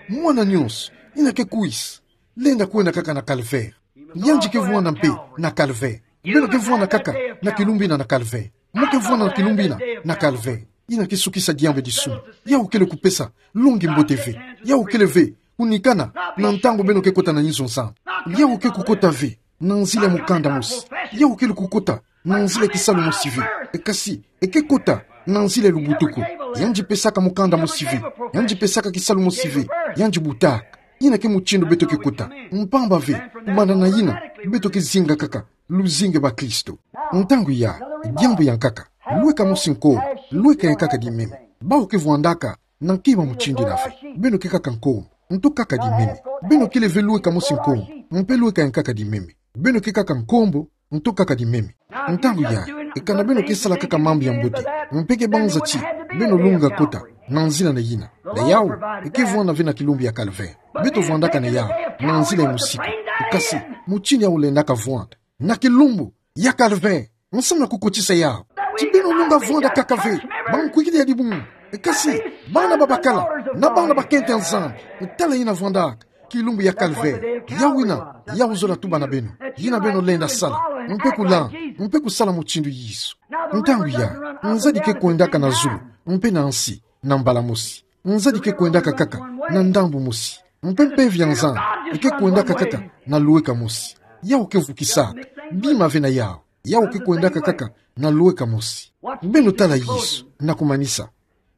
Mwana nionso yina ke kwisa, lenda kwenda kaka na calvaire. Yandi ke vwanda mpe na calvaire. Beno ke vwanda kaka na kilumbu yina na calvaire. Mo ke vwanda na kilumbu yina na calvaire. Yina ke sukisa diambu ya disumu. Yao kele kupesa longi mbote ve. Yao kele ve kunikana na ntangu beno ke kota na inzo Nzambi. Yao ke kukota ve na nzila ya mukanda mosi. Yao kele kukota na nzila ya kisalu mosi ve. Kasi, e ke kota na nzila ya lubutuku. Yandi pesaka mukanda mosi ve. Yandi pesaka kisalu mosi ve. Yandi butaka. Yina ke mutindu beto ke kota. Mpamba ve, kubanda na yina, beto ke zinga kaka luzingu ya bakristo. Ntangu ya, diambu ya nkaka, lweka mosi nkombo, lweka ya nkaka di meme. Bawu ke vwandaka na kima mutindu yina ve. Beno ke kaka nkombo, nto kaka di meme. Beno kele ve lweka mosi nkombo, mpe lweka ya nkaka di meme. Beno ke kaka nkombo, nto kaka di meme. Ntangu ya, e kana beno ke sala kaka mambu ya mbote, mpe ke banza ti beno lunga kota na nzila na yina, na yau, e ke vwanda ve na kilumbu ya calvaire. Beto vwandaka na yau na nzila ya musiku. Kasi, mutindu yau lendaka vwanda na kilumbu ya calvaire, nsamu na kukotisa yau ti beno lunga vwanda kaka ve bankwikidi ya dibungu. Kasi, bana babakala na bana bakento ya Nzambi, tala yina vwandaka kilumbu ya calvaire. Yau yina, yau zola tuba na beno yina beno lenda sala, mpe kulanda, mpe kusala mutindu Yesu. Ntangu ya, nzadi ke kwendaka na zulu mpe na nsi na mbala mosi. Nzadi ke kwendaka kaka na ndambu mosi, mpe mpeve ya Nzambi ke kwendaka kaka na lweka mosi. Yau ke vukisaka bima ve na yau. Yau ke kwendaka kaka na lweka mosi. Beno tala Yesu na kumanisa.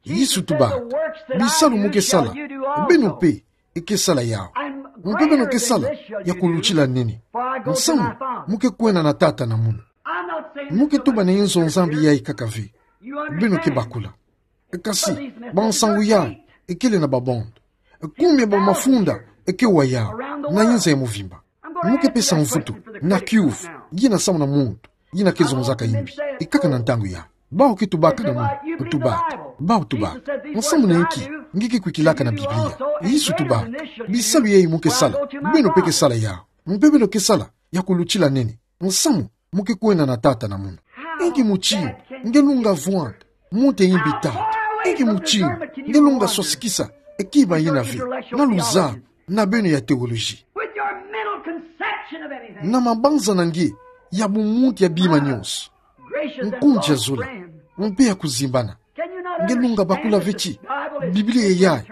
Yesu tuba: Bisalu mo ke sala, beno mpe ke sala yau, mpe beno ke sala ya kulutila nene, nsamu mo ke kwenda na Tata na munu. Mo ke tuba na inzo Nzambi yayi kaka ve. Beno ke bakula. Kasi, bansangu ya ekele na babonde. Kumi ya bamafunda eke wa yau na inza ya mvimba. Mo ke pesa mvutu na kiuvu, ngiana samu na muntu yina ke zonzaka imbi. Ikaka na ntangu ya. Bau ke tubaka na muntu, tubaka. Bau tubaka. Nsamu na inki nge ke kwikilaka na Biblia? Yesu tubaka. Bisalu yai mo ke sala, beno mpe ke sala yau. Mpe beno ke sala ya kulutila nene. Nsamu mo ke kwenda na Tata na munu? Inki mutindu nge lunga vwanda monte imbi Tata? Inki mutindu nge lunga swasikisa kiba yina ve na luzabu na beno ya teoloji, na mabanza na nge ya bumuntu ya bima nyonso, nkundi ya zola mpe ya kuzimbana? Nge lunga bakula ve ti Biblia yai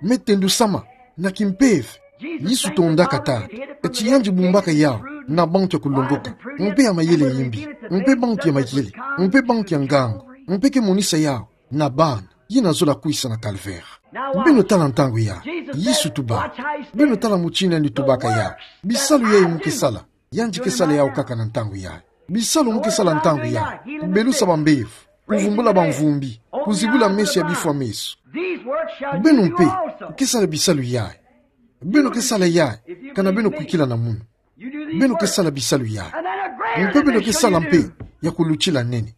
me tendusama na kimpeve? Yesu tondaka Tata ti yandi bumbaka yau na bantu ya kulongoka, mpe ya mayele ya imbi, mpe bantu ya mayele, mpe bantu ya ngangu, mpe ke monisa yau na bana yina zola kwisa na Calvaire. Beno tala ntangu ya. Yesu tubaka. Beno tala mutindu yandi tubaka yau. Bisalu yai mo ke sala, yandi ke sala yau kaka na ntangu yai. Bisalu mo ke sala ntangu yai: kubelusa bambevo, kuvumbula bamvumbi, kuzibula meso ya bifwa meso. Beno mpe ke sala bisalu yai. Beno ke sala yai kana beno kwikila na munu. Beno ke sala bisalu yai. Mpe beno ke sala mpe ya kulutila nene.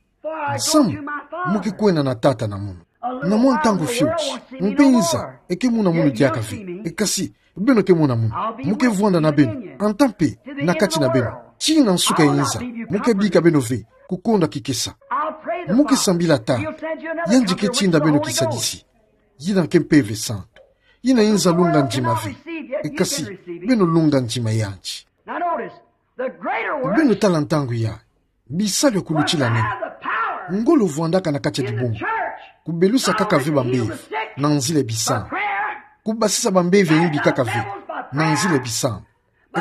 Nsamu mo ke kwenda na Tata na munu. Na mwa ntangu fioti, mpe inza eke mona munu diaka ve. Kasi beno ke mona munu. Mo ke vwanda na beno, anta mpe na kati na beno, tii na nsuka ya inza. Mo ke bika beno ve kukonda kikesa. Mo ke sambila Tata, yandi ke tinda beno Kisadisi, yina ke Mpeve Santu, yina inza lunga ndima ve. Kasi beno lunga ndima yandi. Beno tala ntangu ya. Bisalu ya kulutila nene. Ngolo vwandaka na kati ya dibungu. Kubelusa kaka ve bambevo na nzila ya bisambu. Kubasisa bambevo ya imbi kaka ve na nzila ya bisambu.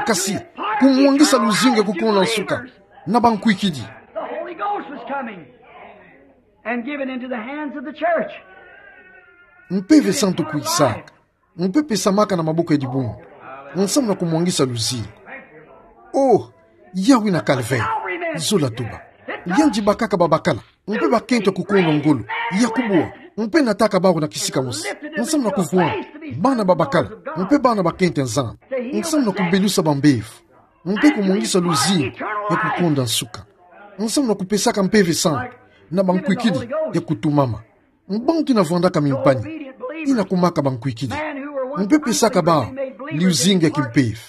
Kasi kumwangisa luzingu ya kukonda nsuka na bankwikidi. Mpeve Santu kwisaka mpe pesamaka na maboko ya dibungu nsamu na kumwangisa luzingu. Oh, yawi na Calvaire, zola tuba. Yandi bakaka babakala mpe bakento ya kukonda ngolo, ya kubwa, mpe nataka bawu na kisika mosi nsamu na kuvwanda bana babakala mpe bana bakento ya Nzambi, nsamu na kubelusa bambevo mpe kumwangisa luzingu ya kukonda nsuka, nsamu na kupesaka Mpeve Santu na bankwikidi ya kutumama. Bantu yina vwandaka mimpani, yina kumaka bankwikidi, mpe pesaka bawu luzingu ya kimpeve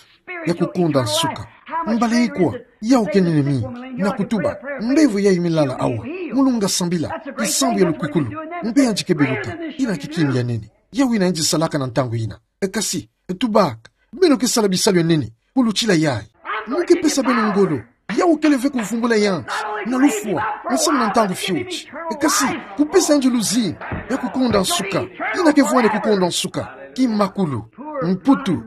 ya kukonda nsuka. Mbala ikwa, yawu ke nene mingi na kutuba: Mbevo yai milala awa, mo lunga sambila kisambu ya lukwikulu, mpe yandi ke beluka. Yina ke kima ya nene. Yawu yina yandi salaka na ntangu yina. Kasi tubaka, beno ke sala bisalu ya nene kulutila yai. Mo ke pesa beno ngolo. Yawu kele ve kuvumbula yandi na lufwa nsamu na ntangu fioti, kasi kupesa yandi luzingu ya kukonda nsuka. Yina ke vwanda kukonda nsuka: kimakulu, mputu,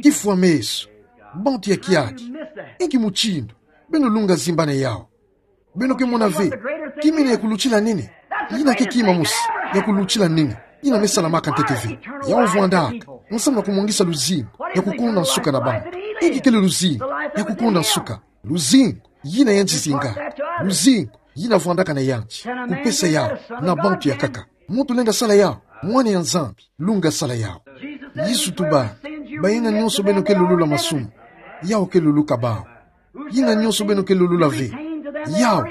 kifwa meso, bantu ya kiaki. Inki mutindu beno lunga zimbana yawu? Beno ke mona ve kima yina ya kulutila nene? Yina ke kima mosi ya kulutila nene yina me salamaka ntete ve. Yawu vwandaka nsamu na kumwangisa luzingu ya kukonda nsuka na bantu. Inki kele luzingu ya kukonda nsuka? Luzingu yina yandi zinga. Luzingu yina vwandaka na yandi kupesa yawu na bantu ya nkaka. Muntu lenda sala yawu? Mwana ya Nzambi lunga sala yawu. Yesu tuba: Bayina nyonso beno ke lulula masumu, yawu ke luluka bawu. Yina nyonso beno ke lulula ve, yawu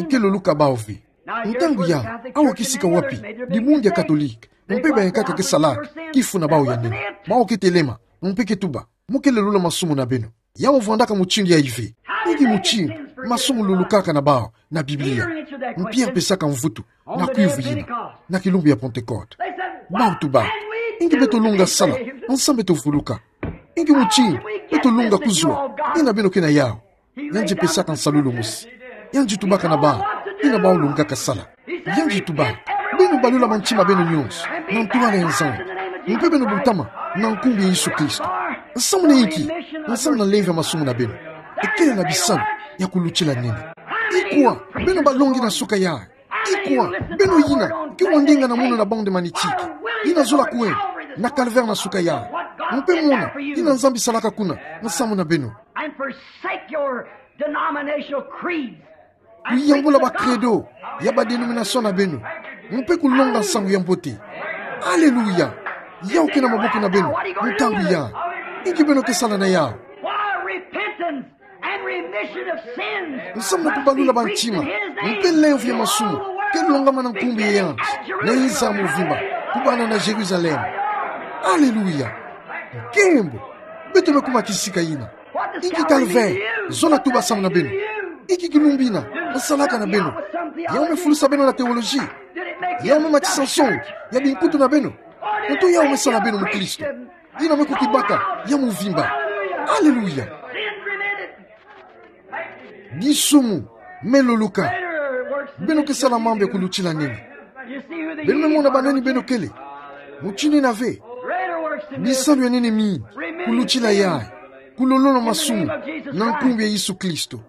ke luluka bawu ve. Ntangu yawu, awa kisika wapi dibungu ya Katolika mpe bayankaka ke salaka kifu na bawu ya nene. Bawu ke telema mpe ke tuba: Mo ke lulula masumu na beno. Yawu vwandaka mutindu yai ve. Inki mutindu masumu lulukaka na bawu na Biblia? Mpia mpesaka mvutu na kwivwa yina na kilumbu ya Pentecote. Bawu tuba: Inki beto lunga sala nsamu beto vuluka? Inki mutindu beto lunga kuzwa yina beno ke na yawu? Yandi pesaka nsalulu mosi. Yandi tubaka na bawu yina bawu lungaka sala. Yandi tuba: Beno balula mantima beno nyonso na ntwala ya Nzambi, mpe beno butama na nkumbu ya Yesu Kristo. Nsamu na inki? Nsamu na lemvo ya masumu na beno. Kele na bisalu ya kulutila nene. Ikwa beno balongi na nsuka yai? Ikwa beno yina ke wa ndinga na munu na bande manitiki, yina zola kwenda na Calvaire na nsuka yai, mpe mona yina Nzambi salaka kuna nsamu na beno? And forsake your denominational creeds. Kuyambula ba credo ya ba denomination na beno, Mpe kulonga nsangu ya mbote. Aleluya. Yawu ke na maboko na beno. Ntangu ya. Inki beno ke sala na yawu? Why, repentance and remission of sins. Nsangu na kubalula bantima. Mpe lemvo ya masumu ke longamana na nkumbu ya yanti na inza muvimba, kubanda na Yerusalem. Aleluya. Nkembo. Beto me kuma kisika yina. Inki calvaire? Zona tuba samu na beno. Inki kilumbu yina me salaka na beno? Yawu me fulusa beno na théologie? Yawu me matisa nsoni ya binkutu na beno? Nto yawu me sala beno mukristo? Yina me kukibaka ya muvimba. Aleluya. Disumu me luluka. Beno ke sala mambu ya kulutila nene. Beno me mona banani beno kele. Mutindu yina ve. Bisalu ya nene mingi kulutila yayi, kulolono masumu na nkumbu ya Yesu Kristo.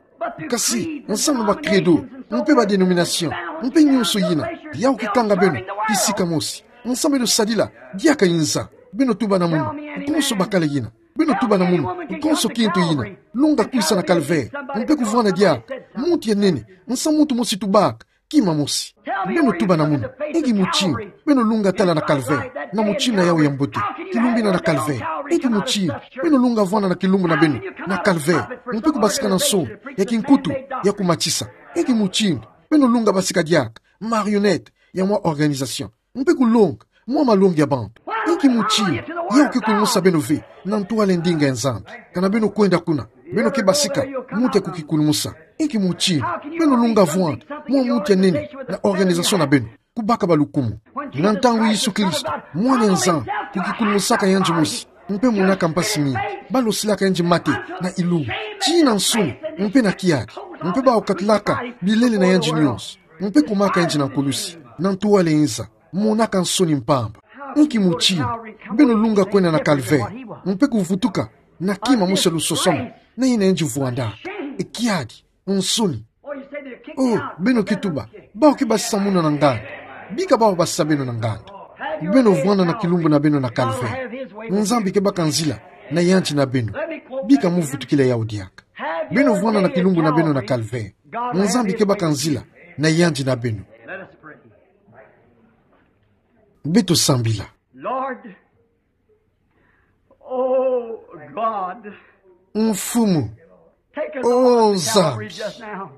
Kasi nsangu ba credo, mpe ba dénomination, mpe nyonso yina, yawu ke kanga beno kisika mosi. Nsangu beno sadila diaka inza. Beno tuba na munu, nkonso bakala yina. Beno tuba na munu, nkonso kintu yina. Longa kwisa na calvaire, mpe kuvwanda diaka muntu ya nene. Nsangu muntu mosi tubaka, kima mosi. Beno tuba na munu, inki mutindu beno longa tala na calvaire, na mutindu na yawu ya mbote? Kilumbu yina na calvaire. Inki mutindu beno longa vwanda na kilumbu na beno na calvaire, mpe kubasika na nsoni ya kinkutu ya kumatisa? Inki mutindu beno longa basika diaka marionnette ya mwa organisation, mpe kulonga mwa malongi ya bantu? Inki mutindu yawu ke kulumusa beno ve na ntwala ya ndinga ya Nzambi? Kana beno kwenda kuna, beno ke basika muntu ya kukikulumusa? Inki mutindu beno longa vwanda mwa muntu ya nene na organisation na beno, kubaka balukumu? Na ntangu Yesu Kristo, Mwana ya Nzambi, kukikulumusaka yandi mosi, mpe monaka mpasi mingi, balosilaka yandi mate na ilulu, tii na nsuni, mpe na kiadi, mpe baokatalaka bilele na yandi nyonso, mpe kumaka yandi na nkulusi, na ntwala ya inza, monaka nsoni mpamba. Inki mutindu beno longa kwenda na calvaire, mpe kuvutuka na kima mosi ya lusosomo na yina yandi vwandaka? E kiadi, nsoni. Oh, beno ke tuba, bawu ke basisa munu na nganda. Bika bawu basisa beno na nganda. Beno vwanda na kilumbu na beno na calvaire. Nzambi ke baka nzila na yandi na beno. Bika muvutukila yawu diaka. Beno vwanda na kilumbu na beno na calvaire. Nzambi ke baka nzila na yandi na beno. Beto sambila. Lord, oh God, Mfumu, take us oh all to Calvary Nzambi, just now.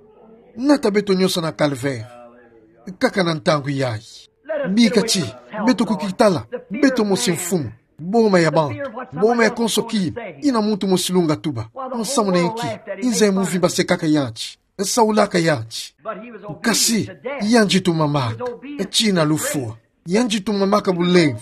Nata beto nyonso na calvaire kaka na ntangu yayi. Bika ti beto kukitala beto mosi, Mfumu, boma ya bantu, boma ya konso kima, yina muntu mosi longa tuba: Nsamu na inki inza ya muvimba sekaka yandi, saulaka yandi? Kasi yandi tumamaka tii na lufwa. Yandi tumamaka bulemvo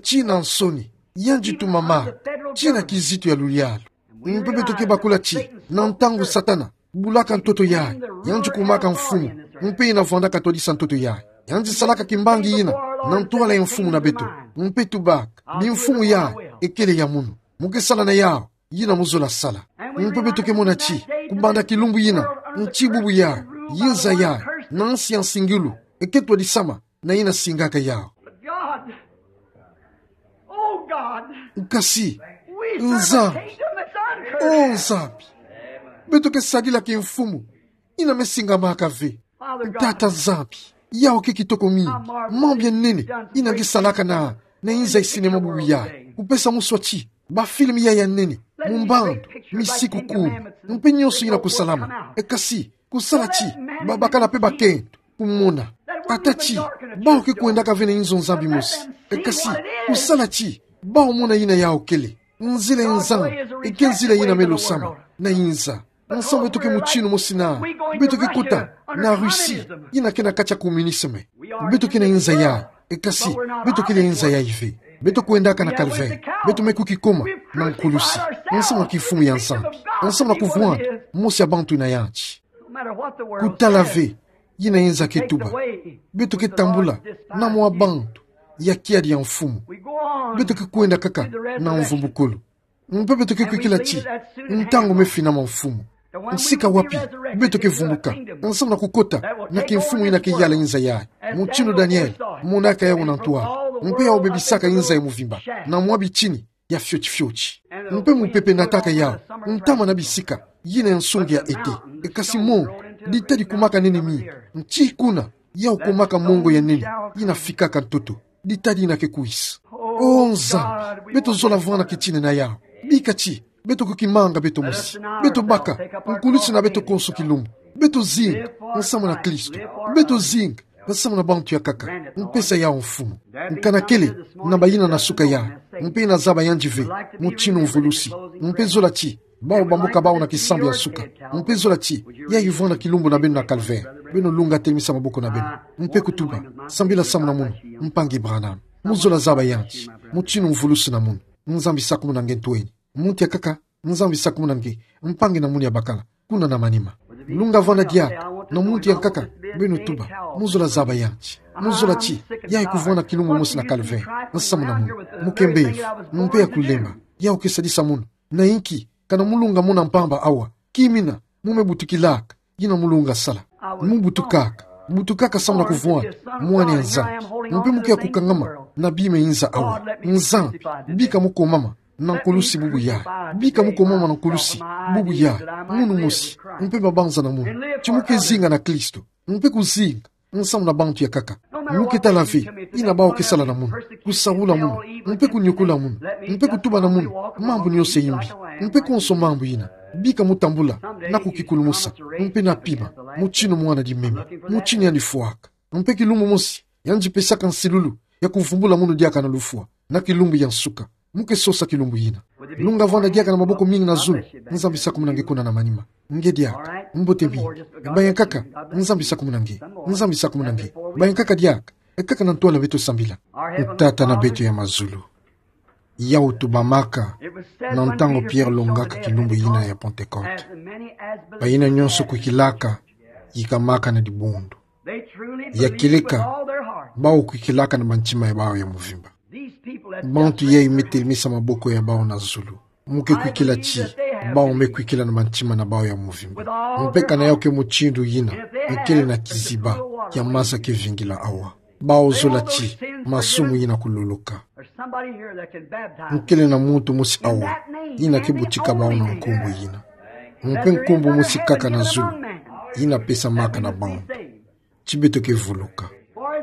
tii na nsoni. Yandi tumamaka tii na kizito ya luyalu. Mpe beto ke bakula ti na ntangu Satana bulaka ntoto yayi, yandi kumaka mfumu, mpe yina vwandaka twadisa ntoto yayi. Yandi salaka kimbangi yina na ntwala ya mfumu na beto, mpe tubaka: Bimfumu yayi ekele ya munu, mu ke sala na yawu yina muzola sala. Mpe beto ke mona ti kubanda kilumbu yina, nti bubu yayi, yinza yayi, na nsi ya nsingilu, e ke twadisama na yina singaka yawu. But God, oh God, Kasi we serve a Nzambi, kingdom that's uncursed. Oh Nzambi, beto ke sadila kimfumu yina me singamaka ve. Father God, Tata Nzambi, yawu ke kitoko mingi, mambu ya nene yina nge salaka na, na inza ya cinéma bubu yayi. Kupesa muswa ti ba film yayi ya nene, mu mbandu, misiku kumi, mpe nyonso yina kusalama. E kasi, kusala ti babakala mpe bakento kumona. Ata ti bawu ke kwendaka ve na inzo Nzambi mosi. E kasi, kusala ti bawu mona yina yawu kele. Nzila ya Nzambi e ke nzila yina me losama na inza. Nsangu beto ke mutinu mosi na, beto ke kota na Russie yina ke na kati ya communisme. Beto ke na inza yayi, e kasi beto kele ya inza yayi ve. Beto kwendaka na calvaire. Beto me kukikoma na nkulusi, nsangu na kimfumu ya Nzambi, nsangu na kuvwanda mosi ya bantu na yandi. Kutala ve yina inza ke tuba, beto ke tambula na mwa bantu ya kiadi ya mfumu. Beto ke kwenda kaka na mvumbukulu. Mpe beto ke kwikila ti ntangu me finama, Mfumu. Nsika wapi beto ke vumbuka, nsangu na kukota na kimfumu yina ke yala inza yayi, mutinu Daniele monaka yawu na ntwala, mpe yawu bebisaka inza ya muvimba na mwa bitini ya fioti fioti. Mpe mupepe nataka yawu ntama na bisika yina ya nsungi ya ete. E kasi mongo, dita dikumaka nene mingi, nti kuna Yau kumaka mongo ya nene, ina fikaka ntoto. Ditadi ina ke kuisa. O Nzambi, beto zola vana kitina na yau. Bika ti, beto kukimanga beto mosi. Beto baka, nkulusi na beto konso kilumbu. Beto zinga, nsamu na Kristo. Beto zinga, nsamu na bantu ya nkaka. Mpesa yau mfumu. Nkana kele, na bayina na suka yau. Mpe na zaba yandi ve, mutindu mvulusi. Mpe zola ti, bau bambuka bau na kisambu ya nsuka. Mpe zola ti, yau vana kilumbu na beno na Calvaire. Beno lunga telimisa maboko na beno. Mpe kutuba, sambila samu na munu, mpangi Branham. Mu zola zaba yandi, mutindu mvulusi na munu. Nzambi sakumuna nge ntweni. Muntu ya nkaka, Nzambi sakumuna nge, mpangi na munu ya bakala, kuna na manima. Lunga vana diaka, na muntu ya nkaka, beno tuba, mu zola zaba yandi. Mu zola ti, yau kuvana kilumbu mosi na Calvaire, nsamu na munu. Mu ke mbevo, mpe ya kulemba, yau ke sadisa munu. Na inki, kana mu lunga muna mpamba awa, kimina, mu me butukilaka, ina mu lunga sala. Mu butukaka, butukaka samu na kuvana, mwana ya Nzambi. Mpe mu ke ya kukangama, na bima inza awa. Nzambi, bika mu komama, na nkulusi bubu yai. Bika mu komama na nkulusi, bubu yai, munu mosi, mpe mabanza na munu. Ti mu ke zinga na Kristo, mpe kuzinga, nsamu na bantu ya nkaka. Mu ke tala ve, ina bau ke sala na munu, kusaula munu, mpe kunyokula munu, mpe kutuba na munu, mambu nionso ya imbi, mpe konso mambu ina. Bika mu tambula, na kukikulumusa, mpe na pima, mutindu mwana dimeme, mutindu yandi fwaka. Mpe kilumbu mosi, yandi pesaka nsilulu, ya kuvumbula munu diaka na lufwa, na kilumbu ya nsuka. Mu ke sosa kilumbu ina. Lunga vana diaka na maboko mingi na zulu, Nzambi sakumuna nge kuna na manima. Nge diaka, mbote mingi. Bayankaka, Nzambi sakumuna nge. Nzambi sakumuna nge. Bayankaka diaka, ekaka na ntwala beto sambila. Tata na beto ya mazulu. Yau tubamaka, na ntangu Pierre longaka kilumbu ina ya Pentecôte. Bayina nionso kwikilaka, yikamaka na dibundu. Ya kieleka, bau kwikilaka na mantima ya bau ya mvimba. Bantu yai me telimisa maboko ya bau na zulu. Mu ke kwikila ti, bau me kwikila na mantima na bau ya mvimba. Mpe kana yau ke mutindu ina, nkele na kiziba, ya maza ke vingila awa. Bau zola ti, masumu ina kululuka. Nkele na muntu mosi awa, ina ke botika bau na nkumbu ina. Mpe nkumbu mosi kaka na zulu, ina pesamaka na bau. Ti beto ke vuluka.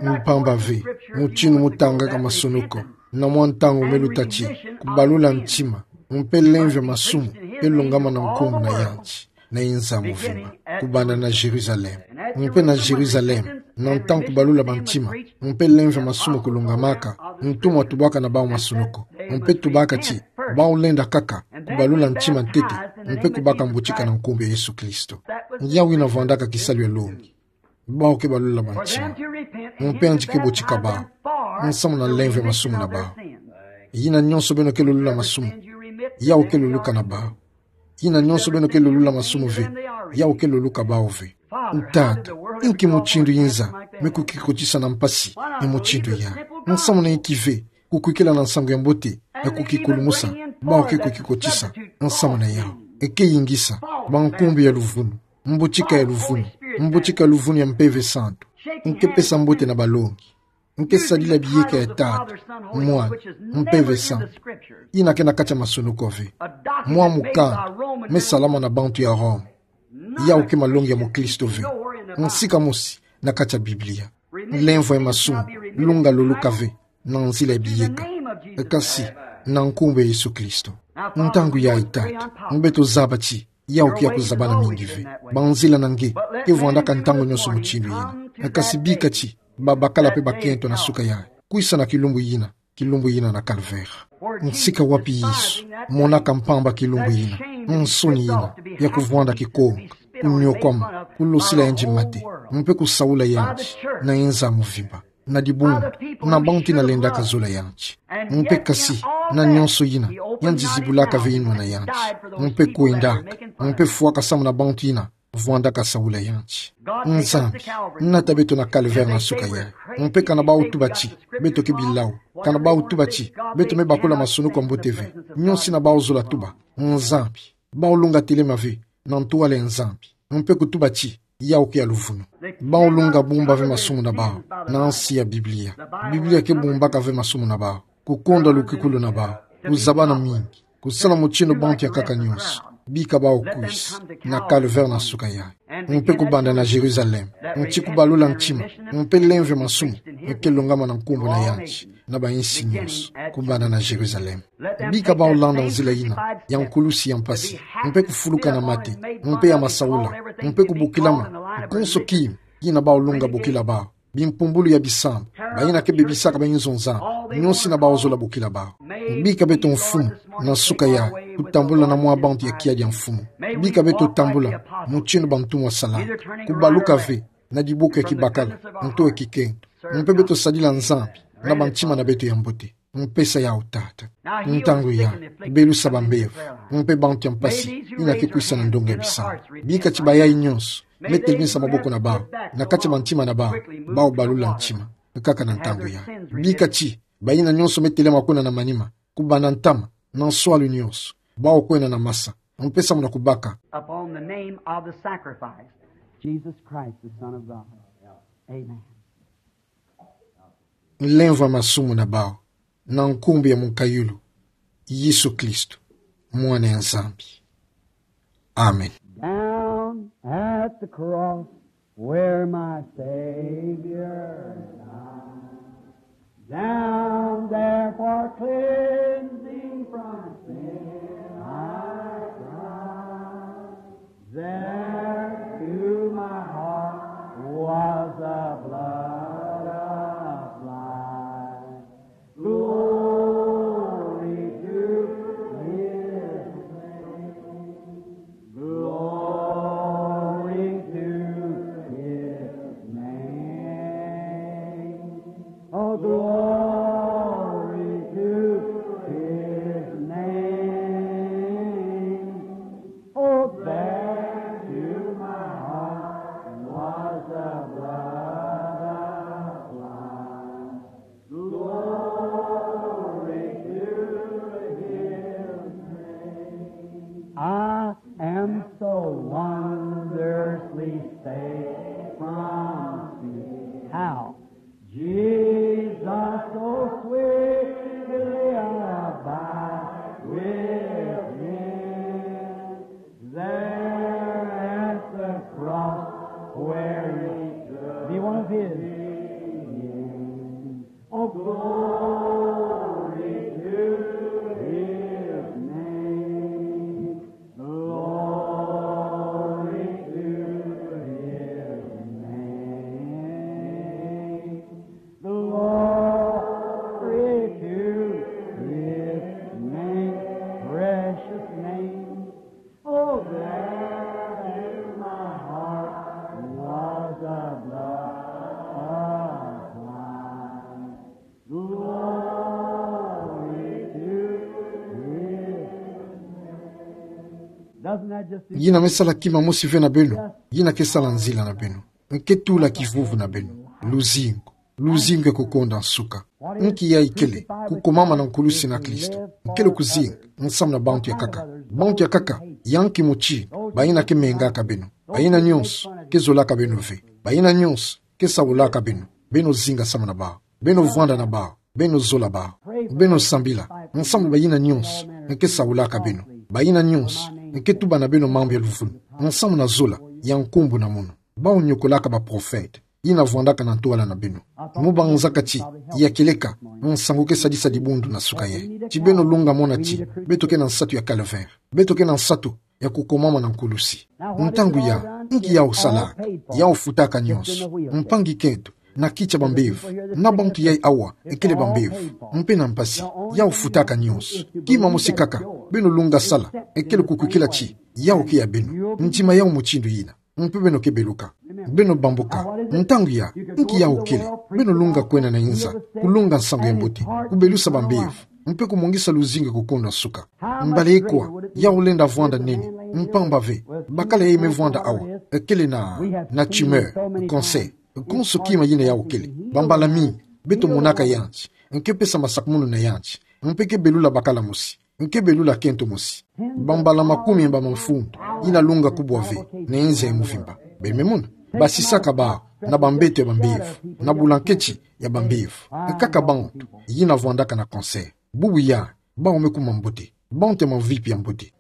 Mpamba ve, mutindu mu tangaka masonoko, na mwa ntangu me luta ti, kubalula ntima, mpe lemvia masumu, ke longama na nkumbu na yandi, na inza mvimba, kubanda na Jérusalem. Mpe na Jérusalem, na ntangu kubalula bantima, mpe lemvia masumu kulongamaka, ntumwa tubaka na bau masonoko, mpe tubaka ti, bau lenda kaka, kubalula ntima ntete, mpe kubaka mbotika na nkumbu ya Yesu Kristo. Yau ina vandaka kisalu ya longi. Bau ke balula bantima. Mpe yandi ke botika bau. Nsamu na lemvia masumu na bau. Yina nionso beno ke lulula masumu. Yau ke luluka na bau. Yina nionso beno ke lulula masumu ve, yau ke luluka bau ve. Tata, inki mutindu inza me kukikotisa na mpasi, e mutindu ya. Nsamu na inki ve, kukwikila na nsangu ya mbote, ya kukikulumusa, bau ke kukikotisa, nsamu na yau. E ke yingisa, ba nkumbu ya luvunu, mbotika ya luvunu, mbotika ya luvunu ya Mpeve Santu. Nge pesa mbote na balongi. Nge sadila biyeka ya Tata, Mwana, Mpeve Santu. Ina ke na kati ya masonoko ve. Mwa mukanda, me salama na bantu ya Rome. Yau ke malongi ya mukristo ve. Nsika mosi, na kati ya Biblia. Lemvwa ye masumu, lunga luluka ve, na nzila ya biyeka. Kasi, na nkumbu ya Yesu Kristo. Ntangu yayi Tata, beto zaba ti, yau ke ya kuzabana mingi ve. Banzila na nge, ke vandaka ntangu nionso mutindu yina. Kasi bika ti, babakala mpe bakento na suka yayi. Kwisa na kilumbu yina, kilumbu yina na Calvaire. Nsika wapi Yesu, monaka mpamba kilumbu yina, nsoni yina, ya kuvwanda kikonga, kunyokwama, kulosila yandi mate, mpe kusaula yandi, na inza mvimba. Na dibundu, na bantu yina lendaka zola yandi. Mpe kasi, na nionso yina, yandi zibulaka ve inwa na yandi. Mpe kwendaka, mpe fwaka samu na bantu yina, vwandaka saula yandi. Nzambi, nata beto na Calvaire na suka yayi. Mpe kana bau tuba ti, beto ke bilau. Kana bau tuba ti, beto me bakula masonoko ya mbote ve. Nionso yina bau zola tuba. Nzambi, bau lunga telema ve, na ntwala ya Nzambi. Mpe kutuba ti, yau ke ya luvunu. Bau lunga bumba ve masumu na bau, na nsi ya Biblia. Biblia ke bumbaka ve masumu na bau. Kukonda lukikulu na bau. Kuzabana mingi. Kusala mutindu bantu ya nkaka nionso. Bika bau kwisa. Na Calvaire na suka yayi. Mpe kubanda na Jérusalem. nti kubalula ntima, mpe lemvo masumu, nke longama na nkumbu na yandi, na bainsi nyonso, kubanda na Jérusalem. Bika bau landa nzila yina ya nkulusi ya mpasi, mpe kufuluka na mate, mpe ya masaula, mpe kubokilama, konso kima, yina bau lunga bokila bau, bimpumbulu ya bisamba, bayina ke bebisaka bainzo za, nyonso yina bau zola bokila bau. Bika beto mfumu, na suka yayi, kutambula na mwa bantu ya kiadi ya mfumu. Bika beto tambula, mutindu bantumwa salaka, kubaluka ve, na diboko ya kibakala, nto ya kikento. Mpe beto sadila Nzambi, na bantima na beto ya mbote. Mpesa yau Tata. Ntangu yayi, belusa bambevo, mpe bantu ya mpasi, yina ke kwisa na ndonga ya bisamba. Bika ti bayayi nyonso, me telinisa maboko na bau, na kati ya bantima na bau, bau balula ntima, nkaka na ntangu yayi. Bika ti, bayina nyonso me telama kwenda na manima, kubanda ntama, na nswalu nyonso, bau kwenda na masa, mpesa muna kubaka. Upon the name of the sacrifice, Jesus Christ, the Son of God. Amen. Lemvo masumu na bau, na nkumbu ya munkayulu, Yesu Kristo, Mwana ya Nzambi. Amen. Down at the cross where my Savior died, down there for cleansing from sin I cried. There to my heart was the blood applied. Glory to His name. Glory to His name. Oh, glory to His name. Oh, there to my heart was the blood applied. Glory to His name. I am so wondrously saved from sin. How? Jesus so sweetly abide within. There at the cross where He took, be one of His. Oh, glory to His name. Glory to His name. Glory to His name, precious name. Oh, there in my heart was the blood applied. Glory to His name. Doesn't that just... Yina me sala kima mosi ve na beno, yina ke sala nzila na beno. Nke tula kivuvu na beno. Luzingu. Luzingu ya kukonda nsuka. Nki yayi kele, kukomama na nkulusi na Kristo. Nkele kuzinga, nsamu na bantu ya nkaka. Bantu ya nkaka, yau ki muti, bayina ke mengaka beno. Bayina nyonso, ke zolaka beno ve. Bayina nyonso, ke saulaka beno. Beno zinga nsamu na bau. Beno vwanda na bau. Beno zola bau. Beno sambila, nsamu na bayina nyonso, nke saulaka beno. Bayina nyonso, nke tuba na beno mambu ya luvunu. Nsamu na zola, ya nkumbu na munu. Bau niokolaka baprofete. Yina vwandaka na ntwala na beno. Mu banzakati, ya kieleka, nsangu ke sadisa dibundu na suka yayi. Ti beno lunga mona ti, beto ke na nsatu ya calvaire. Beto ke na nsatu ya kukomama na nkulusi. Ntangu yayi, nki yau salaka, yau futaka nyonso. Mpangi kento, na kiti ya bambevo, na bantu yayi awa, ekele bambevo, mpe na mpasi, yau futaka nyonso. Kima mosi kaka, beno lunga sala, ekele kukwikila ti, yau ke ya beno. Ntima yau mutindu yina. Mpe beno ke beluka. Beno bambuka. Ntangu yayi, nki yau kele. Beno lunga kwenda na inza. Kulonga nsangu ya mbote. Kubelusa bambevo. Mpe kumongisa luzingu ya kukonda nsuka. Mbala ikwa, yau lenda vwanda nene. Mpamba ve. Bakala yayi me vwanda awa. Ekele na, na tumeur. Cancer. Konso kima yina yau kele. Bambala mingi. Beto monaka yandi. Nke pesa masakumunu na yandi. Mpe ke belula bakala mosi. Nke belula kento mosi. Bambala makumi mba mafundo, yina lunga kubwa ve, na inza ya muvimba. Beno me mona. Basisaka bau, na bambeto ya bambevo, na bulanketi ya bambevo. Nkaka bantu, yina vwandaka na cancer. Bubu yayi, bau me kuma mbote. Bantu ya mavipi ya mbote.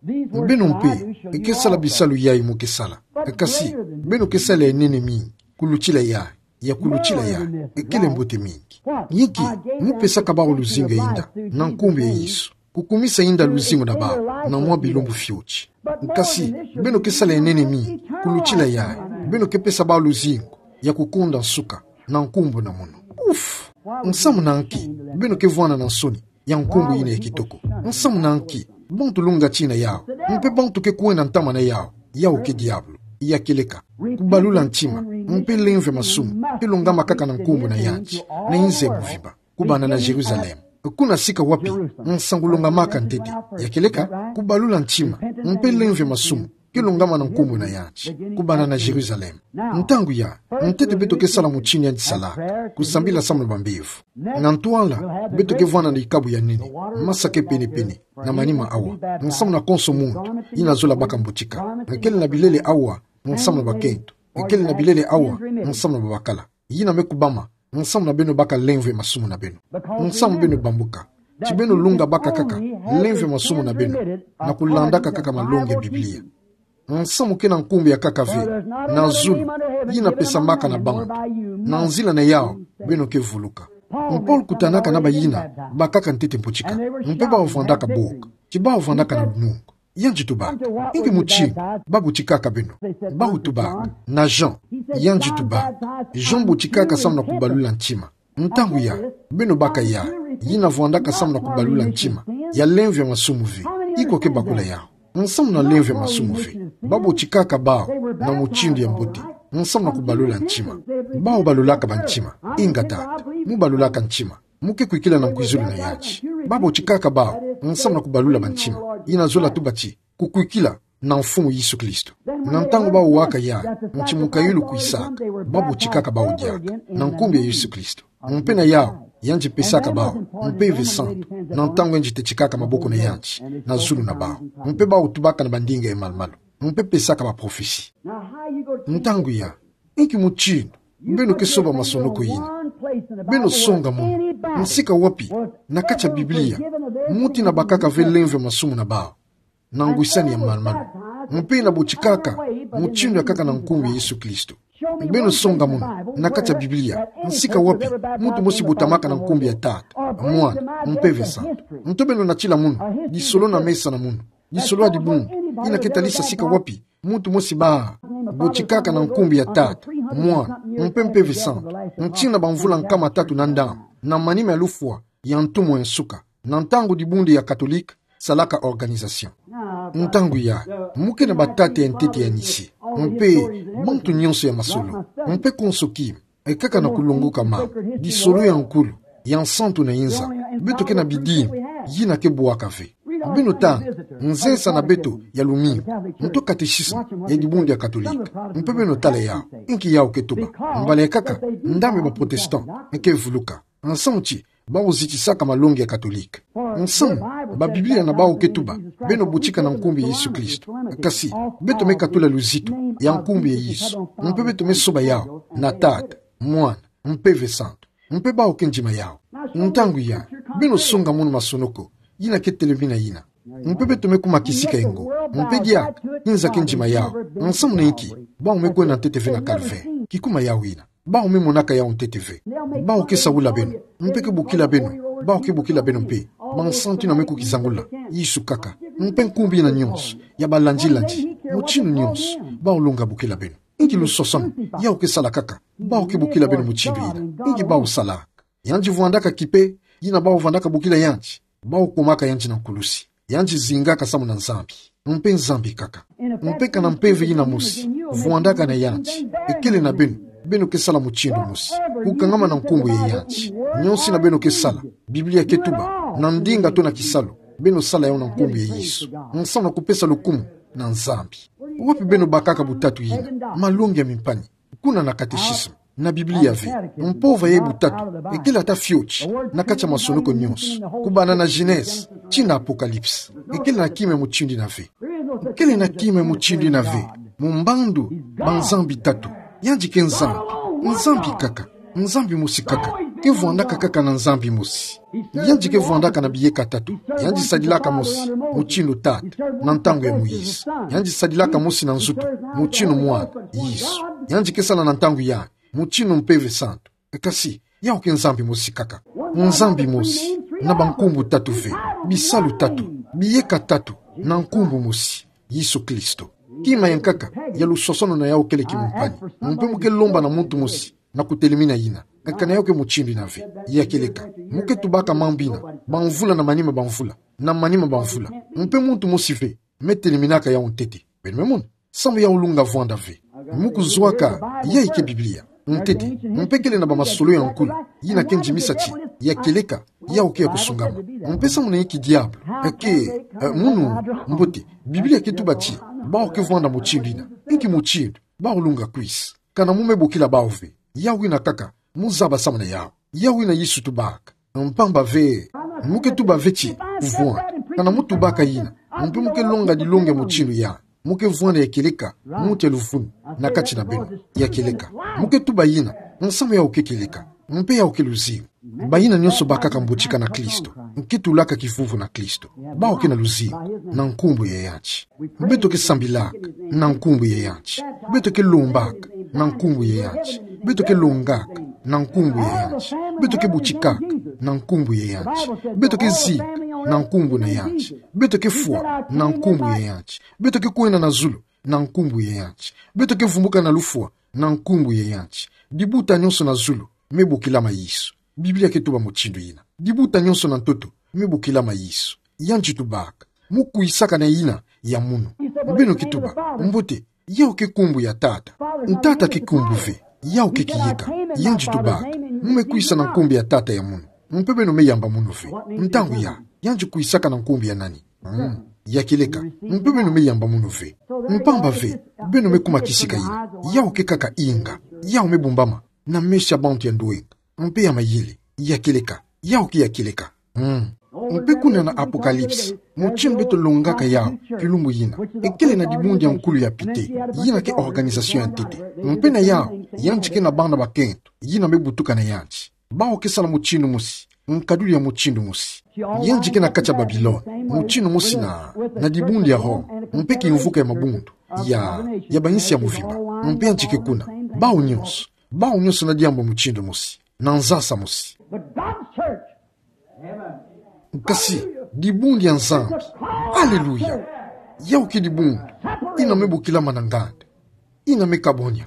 Beno mpe, nke sala bisalu yayi mu ke sala. Kasi, beno ke sala ya nene mingi. Kulutila yayi, ya kulutila yayi, ekele mbote mingi. Yinki, mu pesaka bawu luzingu ya inda, na nkumbu ya Yesu. Kukumisa inda luzingu na bawu, na mwa bilumbu fioti. Kasi, beno ke sala ya nene mingi, kulutila yayi, beno ke pesa bawu luzingu, ya kukonda nsuka, na nkumbu na mono. Uf! Nsamu na nki, beno ke vwanda na nsoni, ya nkumbu yina ya kitoko. Nsamu na nki, bantu lunga tina yawu, mpe bantu ke kwenda ntama na yawu, yawu ke diabulu, ya kieleka. Kubalula ntima, mpe lemvo ya masumu, ke longama kaka na nkumbu na yandi, na inza ya mvimba, kubanda na Jérusalem. Kuna sika wapi, nsangu longamaka ntete, ya kieleka, kubalula ntima, mpe lemvo ya masumu, ke longama na nkumbu na yandi, kubanda na Jérusalem. Ntangu yayi, ntete beto ke sala mutindu yandi sala, kusambila samu na bambevo. Na ntwala, beto ke vwanda na ikabu ya nene, masa ke pene-pene, na manima awa, nsamu na konso muntu, yina zola baka mbotika. Ekele na bilele awa, nsamu na bakento. Ekele na bilele awa, nsamu na babakala. Yina me kubama, nsamu na beno baka lemvo ya masumu na beno. Nsamu beno bambuka. Ti beno lunga baka kaka, lemvo ya masumu na beno. Na kulandaka kaka malongi ya Biblia. Nsamu ke na nkumbu ya nkaka ve, na zulu, yina pesamaka na bantu. Na nzila na yawu, beno ke vuluka. Mpolo kutanaka na bayina, bakaka ntete mbotika. Mpe bawu vwandaka boka. Ti bawu vwandaka na lunungu. Yandi tubaka. Inki mutindu, babotikaka beno. Bawu tubaka. Na Jean. Yandi tubaka. Jean botikaka samu na kubalula ntima. Ntangu yayi, beno baka yayi, yina vwandaka samu na kubalula ntima, ya lemvo ya masumu ve. Iko ke bakula yawu. Nsamu na lemvo ya masumu ve. Babotikaka bawu, na mutindu ya mbote. Nsamu na kubalula ntima. Bawu balulaka bantima. Ingeta. Mu balulaka ntima. Mu ke kwikila na nkwizulu na yandi. Babotikaka bawu, nsamu na kubalula bantima. Yina zola tuba ti, kukwikila, na Mfumu Yesu Kristo. Na ntangu bawu waka yayi, nti mukayulu kwisaka, babotikaka bawu diaka, na nkumbu ya Yesu Kristo. Mpe na yawu, yandi pesaka bawu, Mpeve Santu, na ntangu yandi tetikaka maboko na yandi, na zulu na bawu. Mpe bawu tubaka na bandinga ya malu-malu. Mpe pesaka baprofesi. Ntangu yayi, inki mutindu, beno ke soba masonoko yina. Beno songa munu, nsika wapi, na kati ya Biblia, muntu yina bakaka ve lemvo ya masumu na bawu. Na ngwisani ya malu-malu. Mpe yina botikaka, mutindu ya nkaka na nkumbu ya Yesu Kristo. Beno songa munu, na kati ya Biblia, nsika wapi, muntu mosi botamaka na nkumbu ya Tata, Mwana, Mpeve Santu. Nto beno natila munu, lisolo na mesa na munu. Lisolo ya dibundu, yina ke talisa sika wapi, muntu mosi bâ, botikaka na nkumbu ya Tata, Mwana, mpe Mpeve Santu, ntina bamvula nkama tatu na ndambu, na manima ya lufwa, ya ntumu ya nsuka, na ntangu dibundu ya Katolika, salaka organisation. Ntangu yayi, mu ke na batata ya ntete ya Nicée, mpe, bantu nyonso ya masolo, mpe konso kima, e nkaka na kulongoka mambu, lisolo ya nkulu, ya nsantu na inza, beto ke na bidimbu, yina ke bwaka ve. Beno tanga, nzensa na beto ya lumingu, nto catéchisme, ya dibundu ya Katolika, mpe beno tala yawu, inki yawu ke tuba, mbala ya nkaka, ndambu ya ba protestant, e ke vuluka, nsamu ti, bawu zitisaka malongi ya Katolika. Nsamu, ba Biblia na bawu ke tuba, beno botika na nkumbu ya Yesu Kristo. Kasi, beto me katula luzitu, ya nkumbu ya Yesu. Mpe beto me soba yawu, na Tata, Mwana, Mpeve Santu. Mpe bawu ke ndima yawu. Ntangu yayi, beno songa munu masonoko, yina ke telemina yina. Mpe beto me kuma kisika engo. Mpe diaka, inza ke ndima yawu. Nsamu na inki, bawu me kwenda ntete ve na calvaire. Kikuma yawu yina. Bawu me monaka yawu ntete ve. Bawu ke saula beno. Mpe ke bokila beno. Bawu ke bokila beno mpe. Bansantu yina me kukizangula. Yesu nkaka. Mpe nkumbu yina nyonso. Ya balandi-landi. Mutindu nyonso. Bawu longa bokila beno. Inki lusosono. Yawu ke sala nkaka. Bawu ke bokila beno mutindu yina. Inki bawu salaka. Yandi vwandaka kipe, yina bawu vwandaka bokila yandi. Bawu kumaka yandi na nkulusi. Yandi zingaka samu na Nzambi. Mpe Nzambi nkaka. Mpe kana mpeve yina mosi, vwandaka na yandi. E kele na beno, beno ke sala mutindu mosi. Kukangama na nkumbu ya yandi. Nyonso yina beno ke sala. Biblia ke tuba, na ndinga to na kisalu. Beno sala yawu na nkumbu ya Yesu. Nsamu na kupesa lukumu na Nzambi. Wapi beno bakaka butatu yina, malongi ya mimpani. Kuna na catéchisme, na Biblia ve, mpova ya butatu, e kele ata fioti, na kati ya masonoko nyonso, kubanda na Genèse, tii na Apocalypse, e kele na kima ya mutindu yina ve. E kele na kima ya mutindu yina ve, mu mbandu, ba Nzambi tatu, yandi ke Nzambi, Nzambi nkaka, Nzambi mosi nkaka, ke vwandaka nkaka na Nzambi mosi. Yandi ke vwandaka na biyeka tatu. Yandi sadilaka mosi, mutindu Tata, na ntangu ya Moïse. Yandi sadilaka mosi na nzutu, mutindu Mwana, Yesu. Yandi ke sala na ntangu ya, mutindu mpeve santu. Kasi, yau ke Nzambi mosi kaka. Nzambi mosi, na bankumbu tatu ve, bisalu tatu, biyeka tatu, na nkumbu mosi, Yesu Kristo. Kima ya nkaka ya lusosono na yau kele kimpani. Mpe mu ke lomba na muntu mosi na kutelimina yina. Kana yau ke mutindu yina ve. Ya kieleka. Mu ke tubaka mambu yina, bamvula na manima bamvula, na manima bamvula. Mpe muntu mosi ve me teliminaka yau ntete. Beno me mona. Samu yau lunga vwanda ve. Mu kuzwaka, yayi ke Biblia. Ntete, mpe kele na bamasolo ya nkulu yina ke ndimisa ti ya kieleka, yau ke ya kusungama. Mpe samu na inki diabolo ake, eh, munu mbote, Biblia ke tuba ti bawu ke vwanda mutindu yina. Inki mutindu? Bawu lunga kwisa. Kana mu me bokila bawu ve. Yau yina kaka mu zaba samu na yau. Yau yina Yesu tubaka. Mpamba ve, mu ke tuba ve ti kuvwanda. Kana mu tubaka yina, mpe mu ke longa dilongi ya mutindu ya, mu ke vwanda ya kieleka, muntu ya luvunu na kati na beno. Ya kieleka. Mu ke tuba yina, nsamu yau ke kieleka, mpe yau ke luzingu. Bayina nyonso bakaka mbotika na Kristo, nki tulaka kivuvu na Kristo, bawu ke na luzingu, na nkumbu ya yandi. Beto ke sambilaka na nkumbu ya yandi. Beto ke lombaka na nkumbu ya yandi. Beto ke longaka na nkumbu ya yandi. Beto ke botikaka na nkumbu ya yandi. Beto ke zika na nkumbu na yandi. Beto ke fwa na nkumbu ya yandi. Beto ke kwenda na zulu na nkumbu ya yandi. Beto ke vumbuka na lufwa na nkumbu ya yandi. Dibuta nyonso na zulu me bokilama Yesu. Biblia ke tuba mutindu yina. Dibuta nyonso na ntoto me bokilama Yesu. Yandi tubaka, mu kwisaka na yina ya munu. Beno ke tuba, mbote, yau ke nkumbu ya Tata. Tata ke nkumbu ve, yau ke kiyeka. Yandi tubaka, mu me kwisa na nkumbu ya Tata ya munu. Mpe beno me yamba munu ve. Ntangu ya, yandi kwisaka na nkumbu ya nani? Mm. Ya kieleka, mpe beno me yamba munu ve. Mpamba ve, beno me kuma kisika yina. Yau ke kaka inga. Yau me bumbama na meso ya bantu ya ndwenga mpe ya mayele. Ya kieleka. Yau ke ya kieleka. Mm. Mpe kuna na Apocalypse, mutindu beto longaka yau kilumbu yina, ekele na dibundu ya nkulu ya pite, yina ke organisation ya ntete. Mpe na yau, yandi ke na bana bakento yina me butuka na yandi. Bawu ke sala mutindu mosi, nkaduli ya mutindu mosi. Yandi ke na kati ya Babilone, mutindu mosi na, na dibundu ya Roma, mpe kimvuka ya mabundu ya, ya bayinsi ya mvimba. Mpe yandi ke kuna. Bawu nyonso, bawu nyonso na diambu mutindu mosi, na nzasa mosi. But God's church, kasi, dibundu ya Nzambi. Aleluya. Yau ke dibundu yina me bokilama na nganda, yina me kabonya.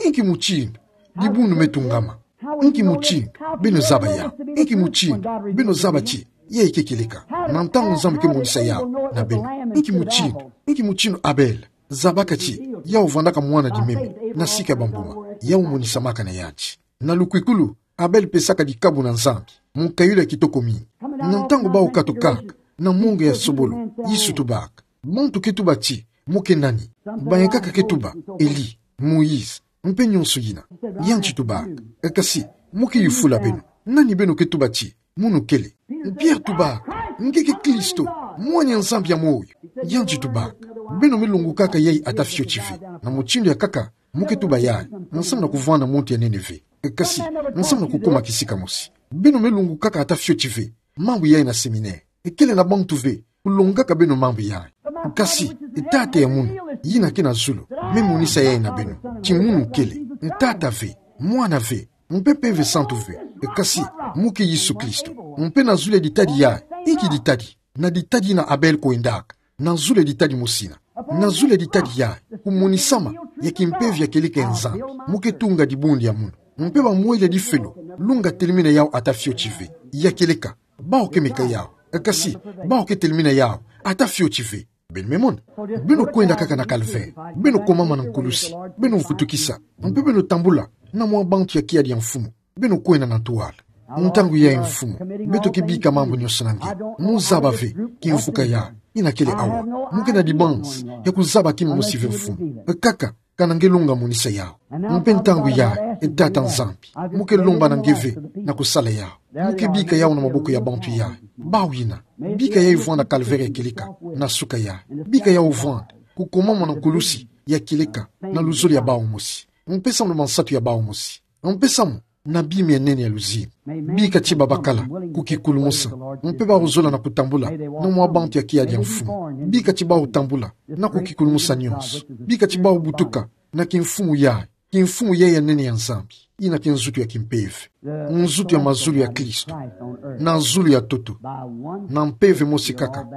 Inki mutindu dibundu me tungama? Inki mutindu beno zaba yau? Inki mutindu beno zaba ti yayi ke kieleka? Na ntangu Nzambi ke monisa yau na beno. Inki mutindu, inki mutindu Abel zabaka ti yau vwandaka mwana dimeme na sika ya bambuma, yau monisamaka na yandi. Na lukwikulu, Abel pesaka dikabu na Nzambi, mukayulu ya kitoko mingi. Na ntangu bawu katukaka na mongo ya sobolo, Yesu tubaka, bantu ke tuba ti mu ke nani? Bayankaka ke tuba, Eli, Moïse, mpe nyonso yina. Yandi tubaka, kasi, mu ke yufula beno, nani beno ke tuba ti munu kele? Pierre tubaka, nge ke Kristo, Mwana ya Nzambi ya moyo. Yandi tubaka, beno me longokaka yayi ata fioti ve. Na mutindu ya nkaka, mu ke tuba yayi, nsamu na kuvwanda muntu ya nene ve. Kasi, nsamu na kukuma kisika mosi. Beno me longokaka ata fioti ve mambu yayi na séminaire. Ekele na bantu ve kulongaka beno mambu yayi. Kasi, Tata ya munu yina ke na zulu me monisa yayi na beno, ti munu kele, Tata ve, Mwana ve, mpe Mpeve Santu ve. Kasi, mu ke Yesu Kristo. Mpe na zulu ya ditadi yayi, inki ditadi? Na ditadi yina Abel kwendaka. Na zulu ya ditadi mosi yina. Na zulu ya ditadi yayi, kumonisama ya kimpeve ya kieleka ya Nzambi. Mu ke tunga dibundu ya munu. Mpe bamwele ya difelo, lunga telimina yau ata fioti ve. Ya kieleka, bawu ke meka yau. Kasi, bawu ke telimina yau ata fioti ve. Beno me mona. Beno kwenda kaka na calvaire. Beno komama na nkulusi. Beno vutukisa. Mpe beno tambula na mwa bantu ya kiadi ya mfumu. Beno kwenda na ntwala. Ntangu yayi, Mfumu, beto ke bika mambu nyonso na nge. Mu zaba ve kimvuka yayi, yina kele awa. Mu ke na dibanzi ya kuzaba kima mosi ve, Mfumu. Kaka, kana nge longa monisa yau. Mpe ntangu yayi, e Tata Nzambi, mu ke lomba na nge ve na kusala yau. Mu ke bika yau na maboko ya bantu yayi. Bawu yina. Bika yayi vwanda na calvaire ya kieleka, na suka yayi. Bika yau vwanda kukomama na nkulusi ya kieleka, na luzolo ya bawu mosi. Mpe samu na mansatu ya bawu mosi. Mpe samu na bima ya nene ya luzingu. Bika ti babakala kukikulumusa, mpe bawu zola na kutambula na mwa bantu ya kiadi ya mfumu. Bika ti bawu tambula na kukikulumusa nyonso. Bika ti bawu butuka na kimfumu yayi, kimfumu yayi ya nene ya Nzambi, yina ke nzutu ya kimpeve, nzutu ya mazulu ya Kristo, na zulu ya ntoto, na mpeve mosi kaka,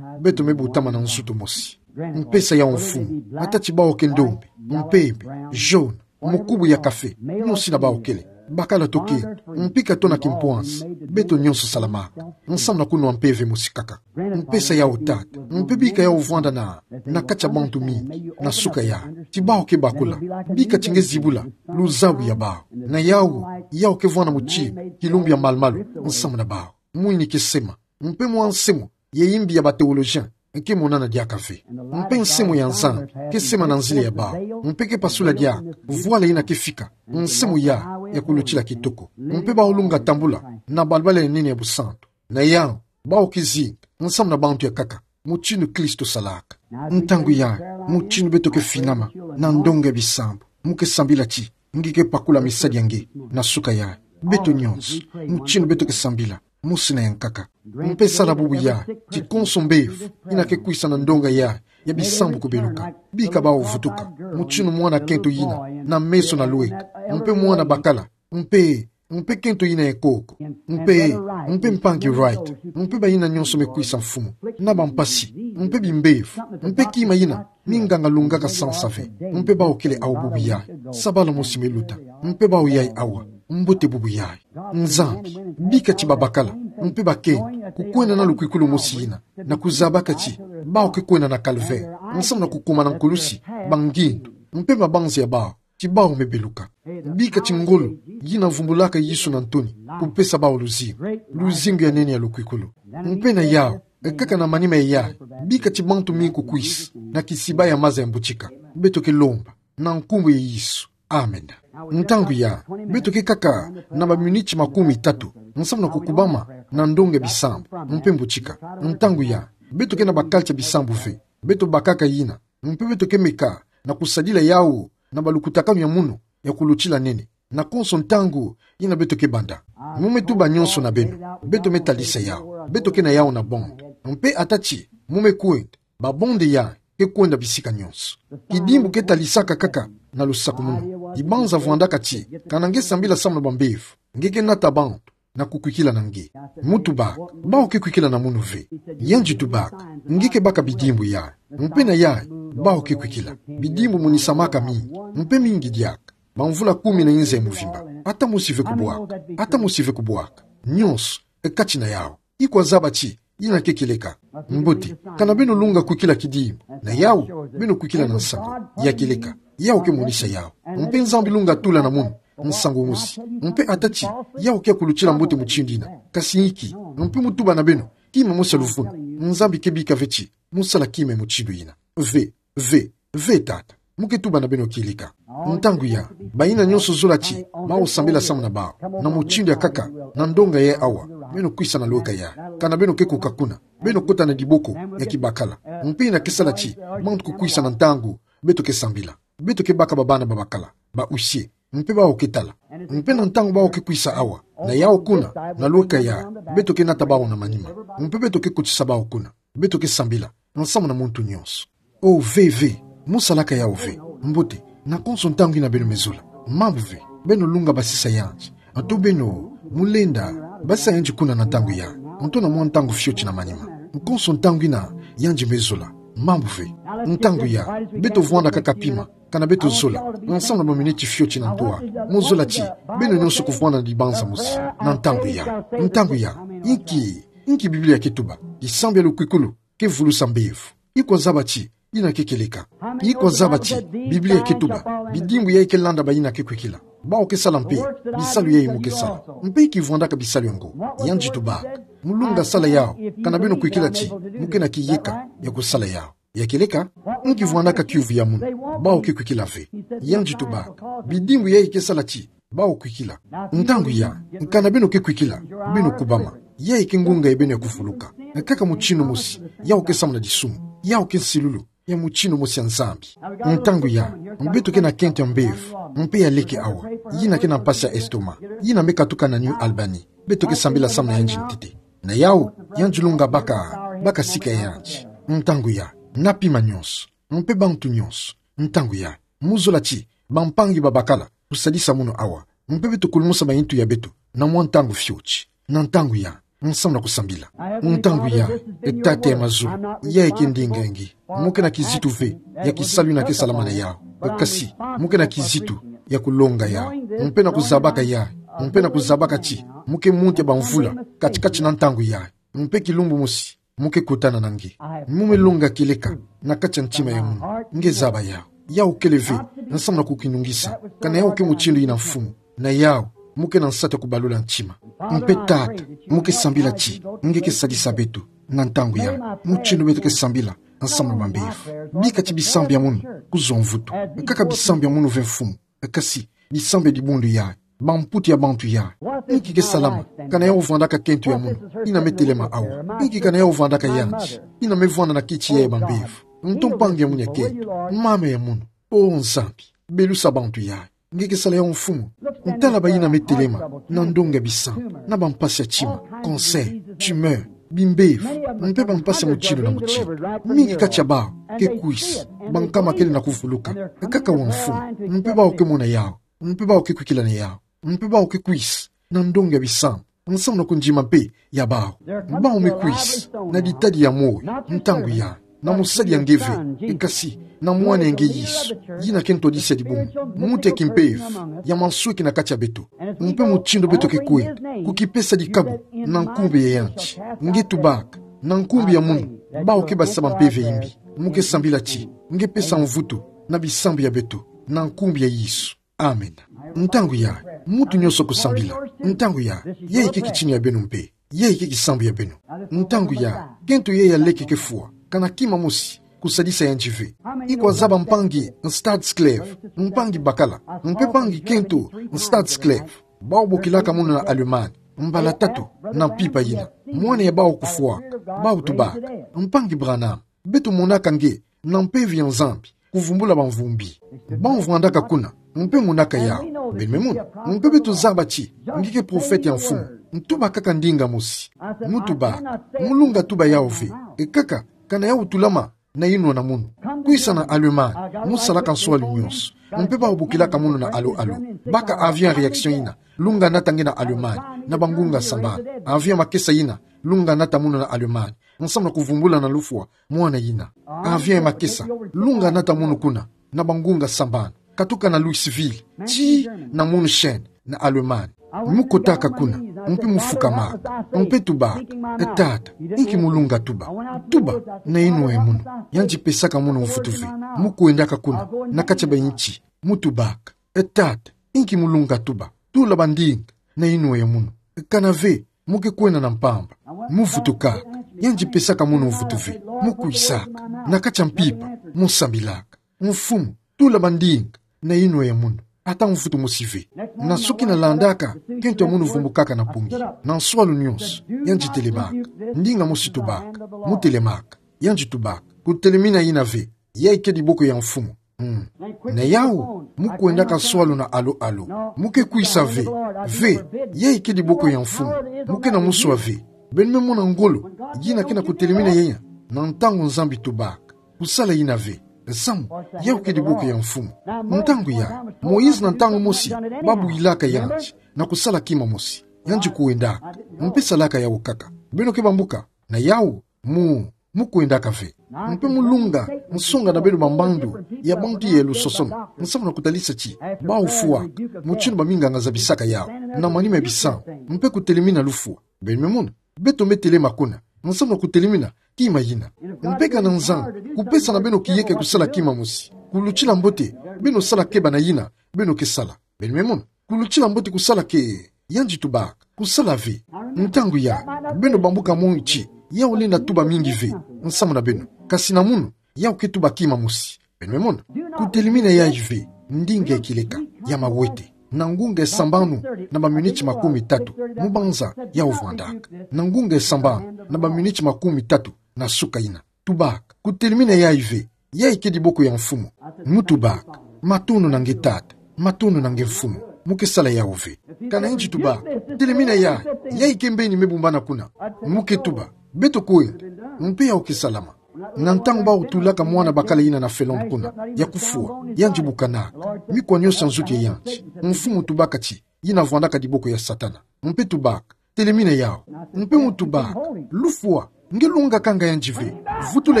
beto me butama na nzutu mosi. Mpesa yau mfumu, ata ti bawu ke ndombe, mpembe, jaune, mukubu ya café, nyosi na bawu kele, bakala tokento, mpika to na kimpwansi, beto nyonso salamaka, nsamu na kunwa mpeve mosi kaka. Mpesa yau Tata, mpe bika yau vwanda na, na kati ya bantu mingi, na suka yayi, ti bawu ke bakula, bika ti nge zibula luzabu ya bawu, na yau, yau ke vwanda mutinu, kilumbu ya malumalu, nsamu na bawu. Mwini ke sema, mpe mwa nsemo, ya yimbi ya ba théologien, ke monana diaka ve. Mpe nsemo ya Nzambi ke sema na nzila ya bawu, mpe ke pasula diaka vwala yina ke fika, nsemo yayi ya kulutila kitoko, mpe bawu lunga tambula na balabala ya nene ya busantu. Na yau, bawu ke zinga nsamu na bantu ya nkaka, mutinu Kristo salaka. Ntangu yayi, mutinu beto ke finama na ndonga ya bisambu, mu ke sambila ti nge ke pakula misadi ya nge na suka yayi. Beto nyonso, mutinu beto ke sambila, mosi na ya nkaka. Mpe sala bubu yayi, ti konso mbevo yina ke kwisa na ndonga yayi ya bisambu kubeluka, bika bawu vutuka, mutinu mwana kento yina na meso na lweka, mpe mwana bakala, mpe, mpe kento yina ya nkoko, mpe, mpe mpangi Wright, mpe bayina nyonso me kwisa mfumu, na bampasi, mpe bimbevo, mpe kima yina minganga lungaka sansa ve, mpe bawu kele awu bubu yayi, sabala mosi me luta, mpe bawu yayi awa, mbote bubu yayi. Nzambi, bika ti babakala, mpe bakento, kukwenda na lukwikulu mosi yina, na kuzabaka ti bawu ke kwenda na calvaire, nsamu na kukuma na nkulusi, bangindu, mpe mabanza ya bawu, ti bawu me beluka. Bika ti ngolo yina vumbulaka Yesu na ntoni, kupesa bawu luzingu, luzingu ya nene ya lukwikulu. Mpe na yau, e kaka na manima yayi, bika ti bantu mingi kukwisa na kisiba ya maza ya mbutika. Beto ke lomba na nkumbu ya Yesu. Amen. Ntangu yayi, beto ke kaka na baminiti makumi tatu, nsamu na kukubama na ndonga ya bisambu, mpe mbutika. Ntangu yayi, beto ke na bakalati ya bisambu ve, beto bakaka yina, mpe beto ke meka na kusadila yau na balukutakanu ya munu ya kulutila nene, na konso ntangu yina beto ke banda. Mu me tuba nyonso na beno, beto me talisa yau, beto ke na yau na bande. Mpe ata ti mu me kwenda, babande yayi ke kwenda bisika nyonso. Kidimbu ke talisaka kaka na lusakumunu. Ibanza vwandaka ti, kana nge sambila samu na bambevo, nge ke nata bantu na kukwikila na nge. Mu tubaka, bawu ke kwikila na munu ve. Yandi tubaka, nge ke baka bidimbu yayi. Mpe na yayi, bawu ke kwikila. Bidimbu monisamaka mingi, mpe mingi diaka. Bamvula kumi na inza ya muvimba, ata mosi ve kubwaka, ata mosi ve kubwaka. Nyonso e kati na yau. I kwa zaba ti yina ke kieleka. Mbote, kana beno lunga kwikila kidimbu, na yau, beno kwikila na nsango. Ya kieleka. Yau ke monisa yau. Mpe Nzambi lunga tula na munu nsango mosi. Mpe ata ti yau ke ya kulutila mbote mutindu yina, kasi inki, mpe mu tuba na beno, kima mosi ya luvunu, Nzambi ke bika ve ti mu sala kima mutindu yina. Ve, ve, ve tata. Mu ke tuba na beno kieleka. Ntangu yayi, bayina nyonso zola ti bawu sambila samu na bawu, na mutindu ya nkaka, na ndonga yayi awa, beno kwisa na lweka yayi. Kana beno ke kuka kuna, beno kota na diboko ya kibakala. Mpe yina ke sala ti bantu kukwisa na ntangu beto ke sambila. Beto ke baka babana babakala, ba huissier. Mpe bawu ke tala. Mpe na ntangu bawu ke kwisa awa, na yau kuna, na lweka yayi, beto ke nata bawu na manima. Mpe beto ke kotisa bawu kuna. Beto ke sambila nsamu na muntu nyonso. O ve, ve, mu salaka yau ve. Mbote, na konso ntangu yina beno me zola. Mambu ve, beno lunga basisa yandi. Anto beno, mu lenda basisa yandi kuna na ntangu yayi, anto na mwa ntangu fioti na manima. Konso ntangu yina yandi me zola. Mambu ve. Ntangu yayi, beto vwanda kaka pima, kana beto zola nsamu na baminiti fioti na ntwala. Mu zola ti beno nyonso kuvwanda na dibanza mosi na ntangu yayi. Ntangu yayi, inki, inki Biblia ke tuba? Kisambu ya lukwikulu ke vulusa mbevo. I kwa zaba ti yina ke kieleka. I kwa zaba ti Biblia ke tuba, bidimbu yayi ke landa bayina ke kwikila. Bawu ke sala mpe bisalu yayi mu ke sala. Mpe inki vwandaka bisalu yango? Yandi tubaka, mu lunga sala yau, kana beno kwikila ti mu ke na kiyeka ya kusala yau. Ya kieleka. Inki vwandaka kiuvu ya munu? Bawu ke kwikila ve. Yandi tubaka, bidimbu yayi ke sala ti bawu kwikila. Ntangu yayi, kana beno ke kwikila, beno kubama. Yayi ke ngunga ya beno ya kuvuluka. Kaka mutindu mosi yau ke samu na disumu. Yau ke nsilulu ya mutindu mosi ya Nzambi. Ntangu yayi, beto ke na kento ya mbevo, mpe ya leke awa, yina ke na mpasi ya estomac, yina me katuka na New Albany. Beto ke sambila samu na yandi ntete. Na yau, yandi lunga baka, baka sika ya yandi. Ntangu yayi, na pima nyonso, mpe bantu nyonso. Ntangu yayi, Mu zola ti bampangi babakala kusadisa munu awa. Mpe beto kulumusa mayintu ya beto na mwa ntangu fioti. Na ntangu ya, nsamu na kusambila. Ntangu ya, e Tata ya mazu, ya eke ndinga nge. Mu ke na kizitu ve ya kisalu ina ke salamana yawu. Kasi, mu ke na kizitu ya kulonga yawu. Mpe na kuzabaka yawu. Mpe na kuzabaka ti mu ke muntu ya bamvula katikati na ntangu ya. Mpe kilumbu mosi, mu ke kutana na nge. Mu me longa kieleka na kati ya ntima ya munu. Nge zaba yawu. Yawu kele ve nsamu na kukinungisa. Kana yawu ke mutindu ina, Mfumu. Na yawu, mu ke na nsatu ya kubalula ntima. Mpe Tata, mu ke sambila ti nge ke sadisa beto na ntangu ya, mutindu beto ke sambila nsamu na bambevo. Bika ti bisambu ya munu kuzwa mvutu. Kaka bisambu ya munu ve, Mfumu. Kasi bisambu ya dibundu ya, bamputu ya bantu ya. Inki ke salama kana yawu vandaka kento ya munu ina me telema awa? Inki kana yawu vandaka yandi ina me vanda na kiti ya bambevo? Nto mpangi ya munu ya kento, mama ya munu. O Nzambi, belusa bantu ya. Nge ke sala yawu, Mfumu. Ntala bayi ina me telema na ndonga bisambu, na bampasi ya ntima, cancer, tumeur, bimbevo, mpe bampasi ya mutindu na mutindu. Mingi kati ya bawu ke kwisa, bankama kele na kuvuluka. Kaka wa, Mfumu. Mpe bawu ke mona yawu. Mpe bawu ke kwikila na yawu. Mpe bawu ke kwisa na ndonga bisambu, nsamu na kundima mpe ya bawu. Bawu me kwisa na ditadi ya moyo, ntangu ya, na mosali ya nge ve, e kasi na mwana ya nge Yesu, yina ke ntwadisi ya dibundu, muntu ya kimpeve ya mansweki na kati ya beto. Mpe mutindu beto ke kwenda kukipesa dikabu na nkumbu ya yandi, nge tubaka, na nkumbu ya munu, bawu ke basisa bampeve ya imbi. Mu ke sambila ti nge pesa mvutu na bisambu ya beto, na nkumbu ya Yesu. Amen. Ntangu ya, muntu nyonso kusambila. Ntangu ya, yayi ke kitini ya beno mpe yayi ke kisambu ya beno. Ntangu ya, kento yayi ya leke ke fwa, kana kima mosi kusadisa yandi ve. Iko azaba mpangi Stadskleve, mpangi bakala, mpe mpangi kento Stadskleve, bawu bokilaka munu na Allemagne, mbala tatu na mpimpa yina, mwana ya bawu kufwaka. Bawu tubaka: Mpangi Branham, beto monaka nge na mpeve ya Nzambi kuvumbula bamvumbi. Bawu vandaka kuna, mpe monaka yawu. Beno me mona. Mpe beto zaba ti nge ke profete ya Mfumu. Ntuba kaka ndinga mosi. Mu tubaka. Mu lunga tuba yawu ve. E kaka, kana yawu tulama na inwa na munu. Kwisa na Allemagne, mu salaka nswalu nyonso. Mpe bawu bokilaka munu na Allô Allô. Baka avion ya réaction yina lunga nata nge na Allemagne na bangunga sambanu. Avion ya makesa yina lunga nata munu na Allemagne, nsamu na kuvumbula na lufwa mwana yina. Avion ya makesa lunga nata munu kuna na bangunga sambanu, katuka na Louisville tii na München, na Allemagne. Mu kotaka kuna, mpe mu fukamaka, mpe tubaka: E Tata, inki mu lunga tuba? Tuba na inwa ya munu. Yandi pesaka munu mvutu ve. Mu kwendaka kuna na kati ya bayinti, mu tubaka: E Tata, inki mu lunga tuba? Tula bandinga na inwa ya munu. Kana ve, mu ke kwenda na mpamba. Mu vutukaka. Yandi pesaka munu mvutu ve. Mu kwisaka na kati ya mpimpa, mu sambilaka: Mfumu, tula bandinga na inwa ya munu. Ata mvutu mosi ve. Nasuki na landaka, kento ya munu vumbukaka na mpungi. Na nswalu nyonso, yandi telemaka. Ndinga mosi tubaka. Mu telemaka. Yandi tubaka: Kutelemina yina ve. Yayi ke diboko ya Mfumu. Mm. Na yawu, mu kwendaka nswalu na Allô Allô. Mu ke kwisa ve. Ve, yayi ke diboko ya Mfumu. Mu ke na muswa ve. Beno me mona ngolo yina ke na kutelemina yina. Na ntangu Nzambi tubaka: Kusala yina ve. Samu, yawu ke diboko ya Mfumu. Ntangu ya, Moïse na ntangu mosi, ba builaka yandi na kusala kima mosi. Yandi kwendaka. Mpe salaka yawu kaka. Beno ke bambuka. Na yawu, mu, mu kwendaka ve. Mpe mu lunga nsonga na beno bambandu ya bantu ya lusosono, nsamu na kutalisa ti bawu fwaka mutindu baminganga zabisaka yawu na manima ya bisambu, mpe kutelemina lufwa. Beno me mona. Beto me telema kuna, nsamu na kutelemina kima yina. Mpe kana Nzambi kupesa na beno kiyeke kusala kima mosi, kulutila mbote beno sala keba na yina beno ke sala. Beno me mona. Kulutila mbote kusala ke, yandi tubaka: Kusala ve. Ntangu ya, beno bambuka mona ti yawu lenda tuba mingi ve nsamu na beno. Kasi na munu, yawu ke tuba kima mosi. Beno me mona. Kutelemina yayi ve, ndinga ya kieleka ya mawete, na ngunga ya sambanu na baminiti makumi tatu, mu banza yawu vandaka. Na ngunga ya sambanu na baminiti makumi tatu na suka yina. Tubaka: Kutelemina yayi ve. Yayi ke diboko ya Mfumu. Mu tubaka: Matondo na nge Tata. Matondo na nge Mfumu. Mu ke sala yawu ve. Kana yandi tubaka: Telemina yayi. Yayi ke mbeni me bumbana kuna. Mu ke tuba: Beto kwenda. Mpe yawu ke salama. Na ntangu bawu tolaka mwana bakala yina na felombo kuna, ya kufwa, yandi bukanaka. Mikuwa nyoso ya nzuti ya yandi. Mfumu, tubaka ti yina vwandaka diboko ya Satana. Mpe tubaka, telemina yawu. Mpe mu tubaka, lufwa, nge lungakanga yandi ve. Vutula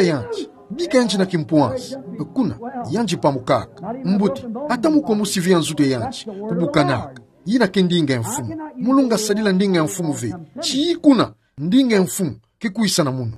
yandi. Bika yandi na kimpwansa. Kuna, yandi pamukaka. Mbote, ata mukwa mosi ve ya nzuti ya yandi kubukanaka. Yina ke ndinga ya mfumu. Mu lunga sadila ndinga ya mfumu ve. Ti kuna, ndinga ya mfumu ke kwisa na munu.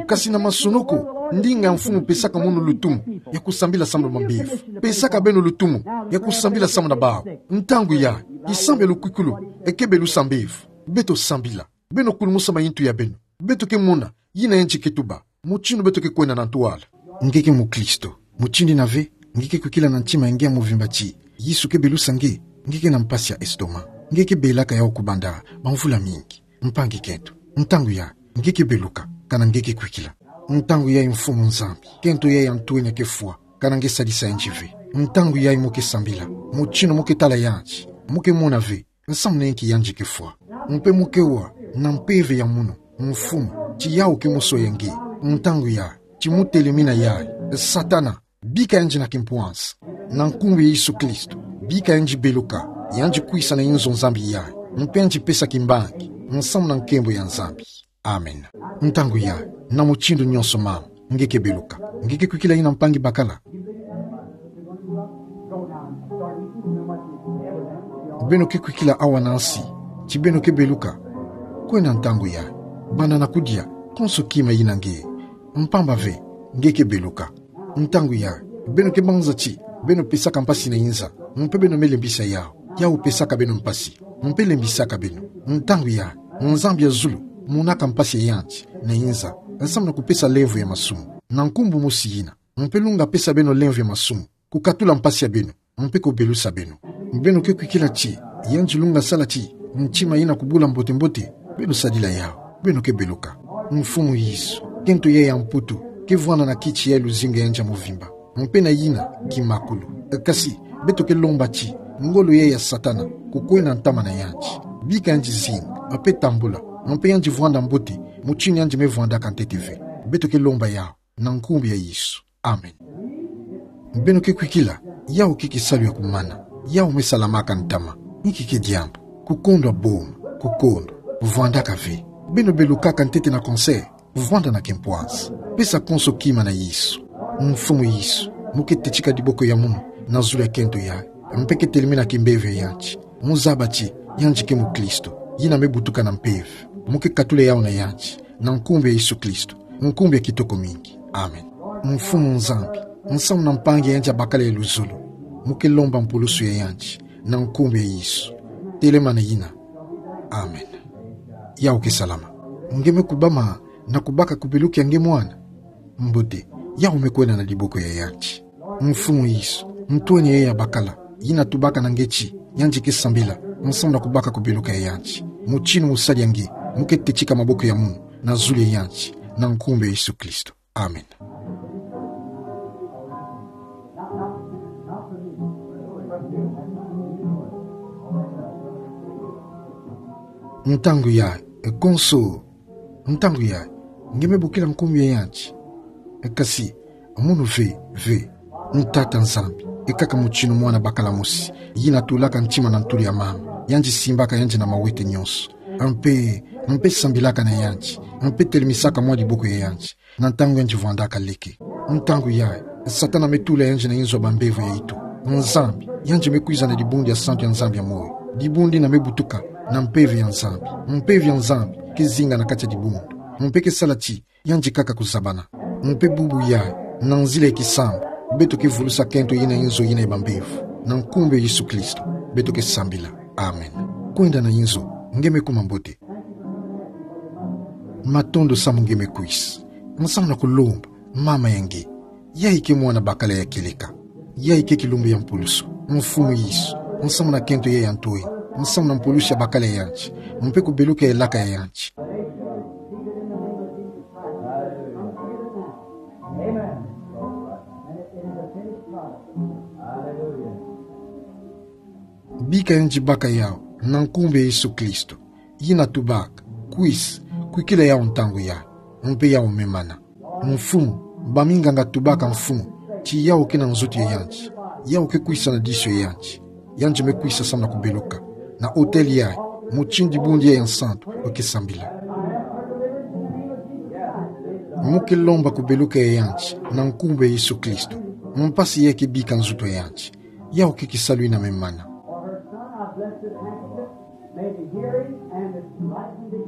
Kasi na masonoko, ndinga ya mfumu pesaka munu lutumu ya kusambila samu na bambevo. Pesaka beno lutumu ya kusambila samu na bawu. Ntangu yayi, kisambia lukwikulu eke belusa mbevo. Beto sambila. Beno kulumusa mayintu ya beno. Beto ke mona yina yandi ke tuba, mutindu beto ke kwenda na ntwala. Nge ke mukristo. Mutindu yina ve, nge ke kwikila na ntima ya nge ya muvimba ti Yesu ke belusa nge, nge ke na mpasi ya estomac. Nge ke belaka yawu kubanda bamvula mingi. Mpangi kento, ntangu yayi, nge ke beluka, kana nge ke kwikila. Ntangu yayi, Mfumu Nzambi, kento yayi ya ntwenya ke fwa, kana nge sadisa yandi ve. Ntangu yayi mu ke sambila, mutindu mu ke tala yandi, mu ke mona ve, nsamu na inki yandi ke fwa. Mpe mu ke wa na mpeve ya munu, Mfumu, ti yawu ke musoya nge. Ntangu yayi, ti mu telemina yayi, Satana, bika yandi na kimpwansa. Na nkumbu ya Yesu Kristo, bika yandi beluka, yandi kwisa na inzo Nzambi yayi, mpe yandi pesa kimbangi nsamu na nkembo ya Nzambi. Amen. Ntangu yayi, na mutindu nyoso mama, nge ke beluka. Nge ke kwikila yina mpangi bakala. Beno ke kwikila awa na nsi, ti beno ke beluka. Kwenda ntangu yayi, banda na kudia, konso kima yina nge. Mpamba ve, nge ke beluka. Ntangu yayi, beno ke banza ti beno pesaka mpasi na inza, mpe beno me lembisa yawu, yawu pesaka beno mpasi, mpe lembisaka beno. Ntangu yayi, Nzambi ya zulu monaka mpasi ya yandi na inza, nsamu na kupesa lemvo ya masumu. Na nkumbu mosi yina, mpe lunga pesa beno lemvo ya masumu, kukatula mpasi ya beno, mpe kubelusa beno. Beno ke kwikila ti yandi lunga sala ti ntima yina kubula mbote-mbote, beno sadila yawu, beno ke beluka. Mfumu Yesu, kento yayi ya mputu ke vwanda na kiti yayi luzingu ya yandi ya muvimba, mpe na yina kimakulu. Kasi, beto ke lomba ti ngolo yayi ya Satana kukwenda ntama na yandi. Bika yandi zinga, mpe tambula, mpe yandi vwanda mbote, mutindu yandi me vwandaka ntete ve. Beto ke lomba yawu na nkumbu ya Yesu. Amen. Beno ke kwikila, yawu ke kisalu ya kumana, yawu me salamaka ntama. Inki ke diambu? Kukondwa boma, kukondwa, vwandaka ve. Beno belukaka ntete na cancer, vwanda na kimpwansa. Pesa konso kima na Yesu. Mfumu Yesu, mu ke tetika diboko ya munu na zulu ya kento yayi, mpe ke telemina kimpeve ya yandi. Mu zaba ti yandi ke mukristo yina me butuka na mpeve. Mu ke katula yawu na yandi, na nkumbu ya Yesu Kristo, nkumbu ya kitoko mingi. Amen. Mfumu Nzambi, nsamu na mpangi ya yandi ya bakala ya luzolo, mu ke lomba mpulusu ya yandi, na nkumbu ya Yesu. Telemana yina. Amen. Yawu ke salama. Nge me kubama na kubaka kubeluka ya nge mwana? Mbote, yawu me kwenda na diboko ya yandi. Mfumu Yesu, ntwenya yayi ya bakala, yina tubaka na nge ti yandi ke sambila nsamu na kubaka kubeluka ya yandi. Mutindu mu sadia nge, mu ke tetika maboko ya munu na zulu ya yandi, na nkumbu ya Yesu Kristo. Amen. Ntangu yayi, konso, ntangu yayi, nge me bokila nkumbu ya yandi. Kasi, munu ve, ve. Tata Nzambi, ekaka mutindu mwana bakala mosi yina tulaka ntima na ntulu ya mama, yandi simbaka yandi na mawete nyoso, mpe, mpe sambilaka na yandi, mpe telemisaka mwa diboko ya yandi na ntangu yandi vwandaka leke. Ntangu yayi, Satana me tula yandi na inzo ya bambevo ya itu. Nzambi, yandi me kwiza na dibundu ya santu ya Nzambi ya moyo. Dibundu yina me butuka na mpeve ya Nzambi. Mpeve ya Nzambi ke zinga na kati ya dibundu, mpe ke sala ti yandi kaka kuzabana. Mpe bubu yayi, na nzila ya kisambu, beto ke vulusa kento yina inzo yina ya bambevo, na nkumbu ya Yesu Kristo, beto ke sambila. Amen. Kwenda na inzo, nge me kuma mbote. Matondo samu nge me kwisa. Nsamu na kulomba mama ya nge. Yayi ke mwana bakala ya kieleka. Yayi ke kilumbu ya mpulusu. Mfumu Yesu, nsamu na kento yayi ya ntwenya, nsamu na mpulusu ya bakala ya yandi, mpe kubeluka ya elaka ya yandi. Bika yandi baka yawu, na nkumbu ya Yesu Kristo, yina tubaka, kwisa, kwikila yawu ntangu yayi, mpe yawu me mana. Mfumu, Baminganga tubaka mfumu ti yau ke na nzoto ya yandi, yau ke kwisa na diso ya yandi. Yandi me kwisa samu na kubeluka na otele yayi, motindi bundu yayi ya nsantu, weke sambila. Mo ke lomba kubeluka ya yandi na nkumbu ya Yesu Kristo. Mpasi yayi ke bika nzoto ya yandi. Yau ke kisalu ina me mana.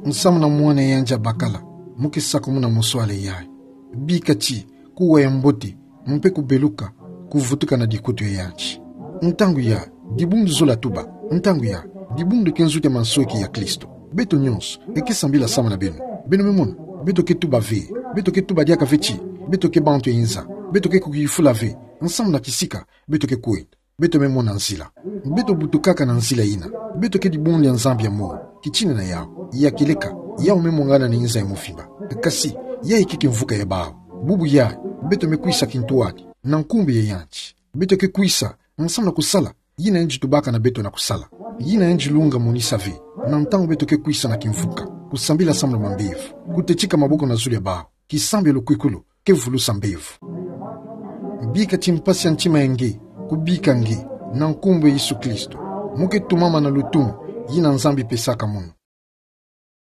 Nsamu na mwana ya yandi ya bakala, mo ke sakumuna moswala yayi. Bika ti kuwa ya mbote, mpe kubeluka kuvutuka na dikutu ya yandi. Ntangu yayi, dibundu zola tuba. Ntangu yayi, dibundu ke nzoto ya mansweki ya Kristo. Beto nyonso, eke sambila samu na beno. Beno me mona, beto ke tuba ve, beto ke tuba diaka ve ti beto ke bantu ya nza, beto ke kuyufula ve. Nsamu na kisika beto ke kwenda, beto me mona nzila. Beto butukaka na nzila ina. Beto ke dibundu ya Nzambi ya moro. Kitina na yau, ya kieleka, yau me mwangana na nza ya mvimba. Kasi, yayi ke kimvuka ya bawu. Bubu yayi, beto me kwisa kintwadi na nkumbu ya yandi. Beto ke kwisa nsamu na kusala yina yandi tubaka na beto na kusala. Yina yandi lunga monisa ve. Na ntangu beto ke kwisa na kimvuka, kusambila samu na bambevo, kutetika maboko na zulu ya bawu, kisambi ya lukwikulu ke vulusa mbevo. Bika ti mpasi ya ntima ya nge kubika nge na nkumbu ya Yesu Kristo. Mo ke tumama na lutumu yina Nzambi pesaka mono.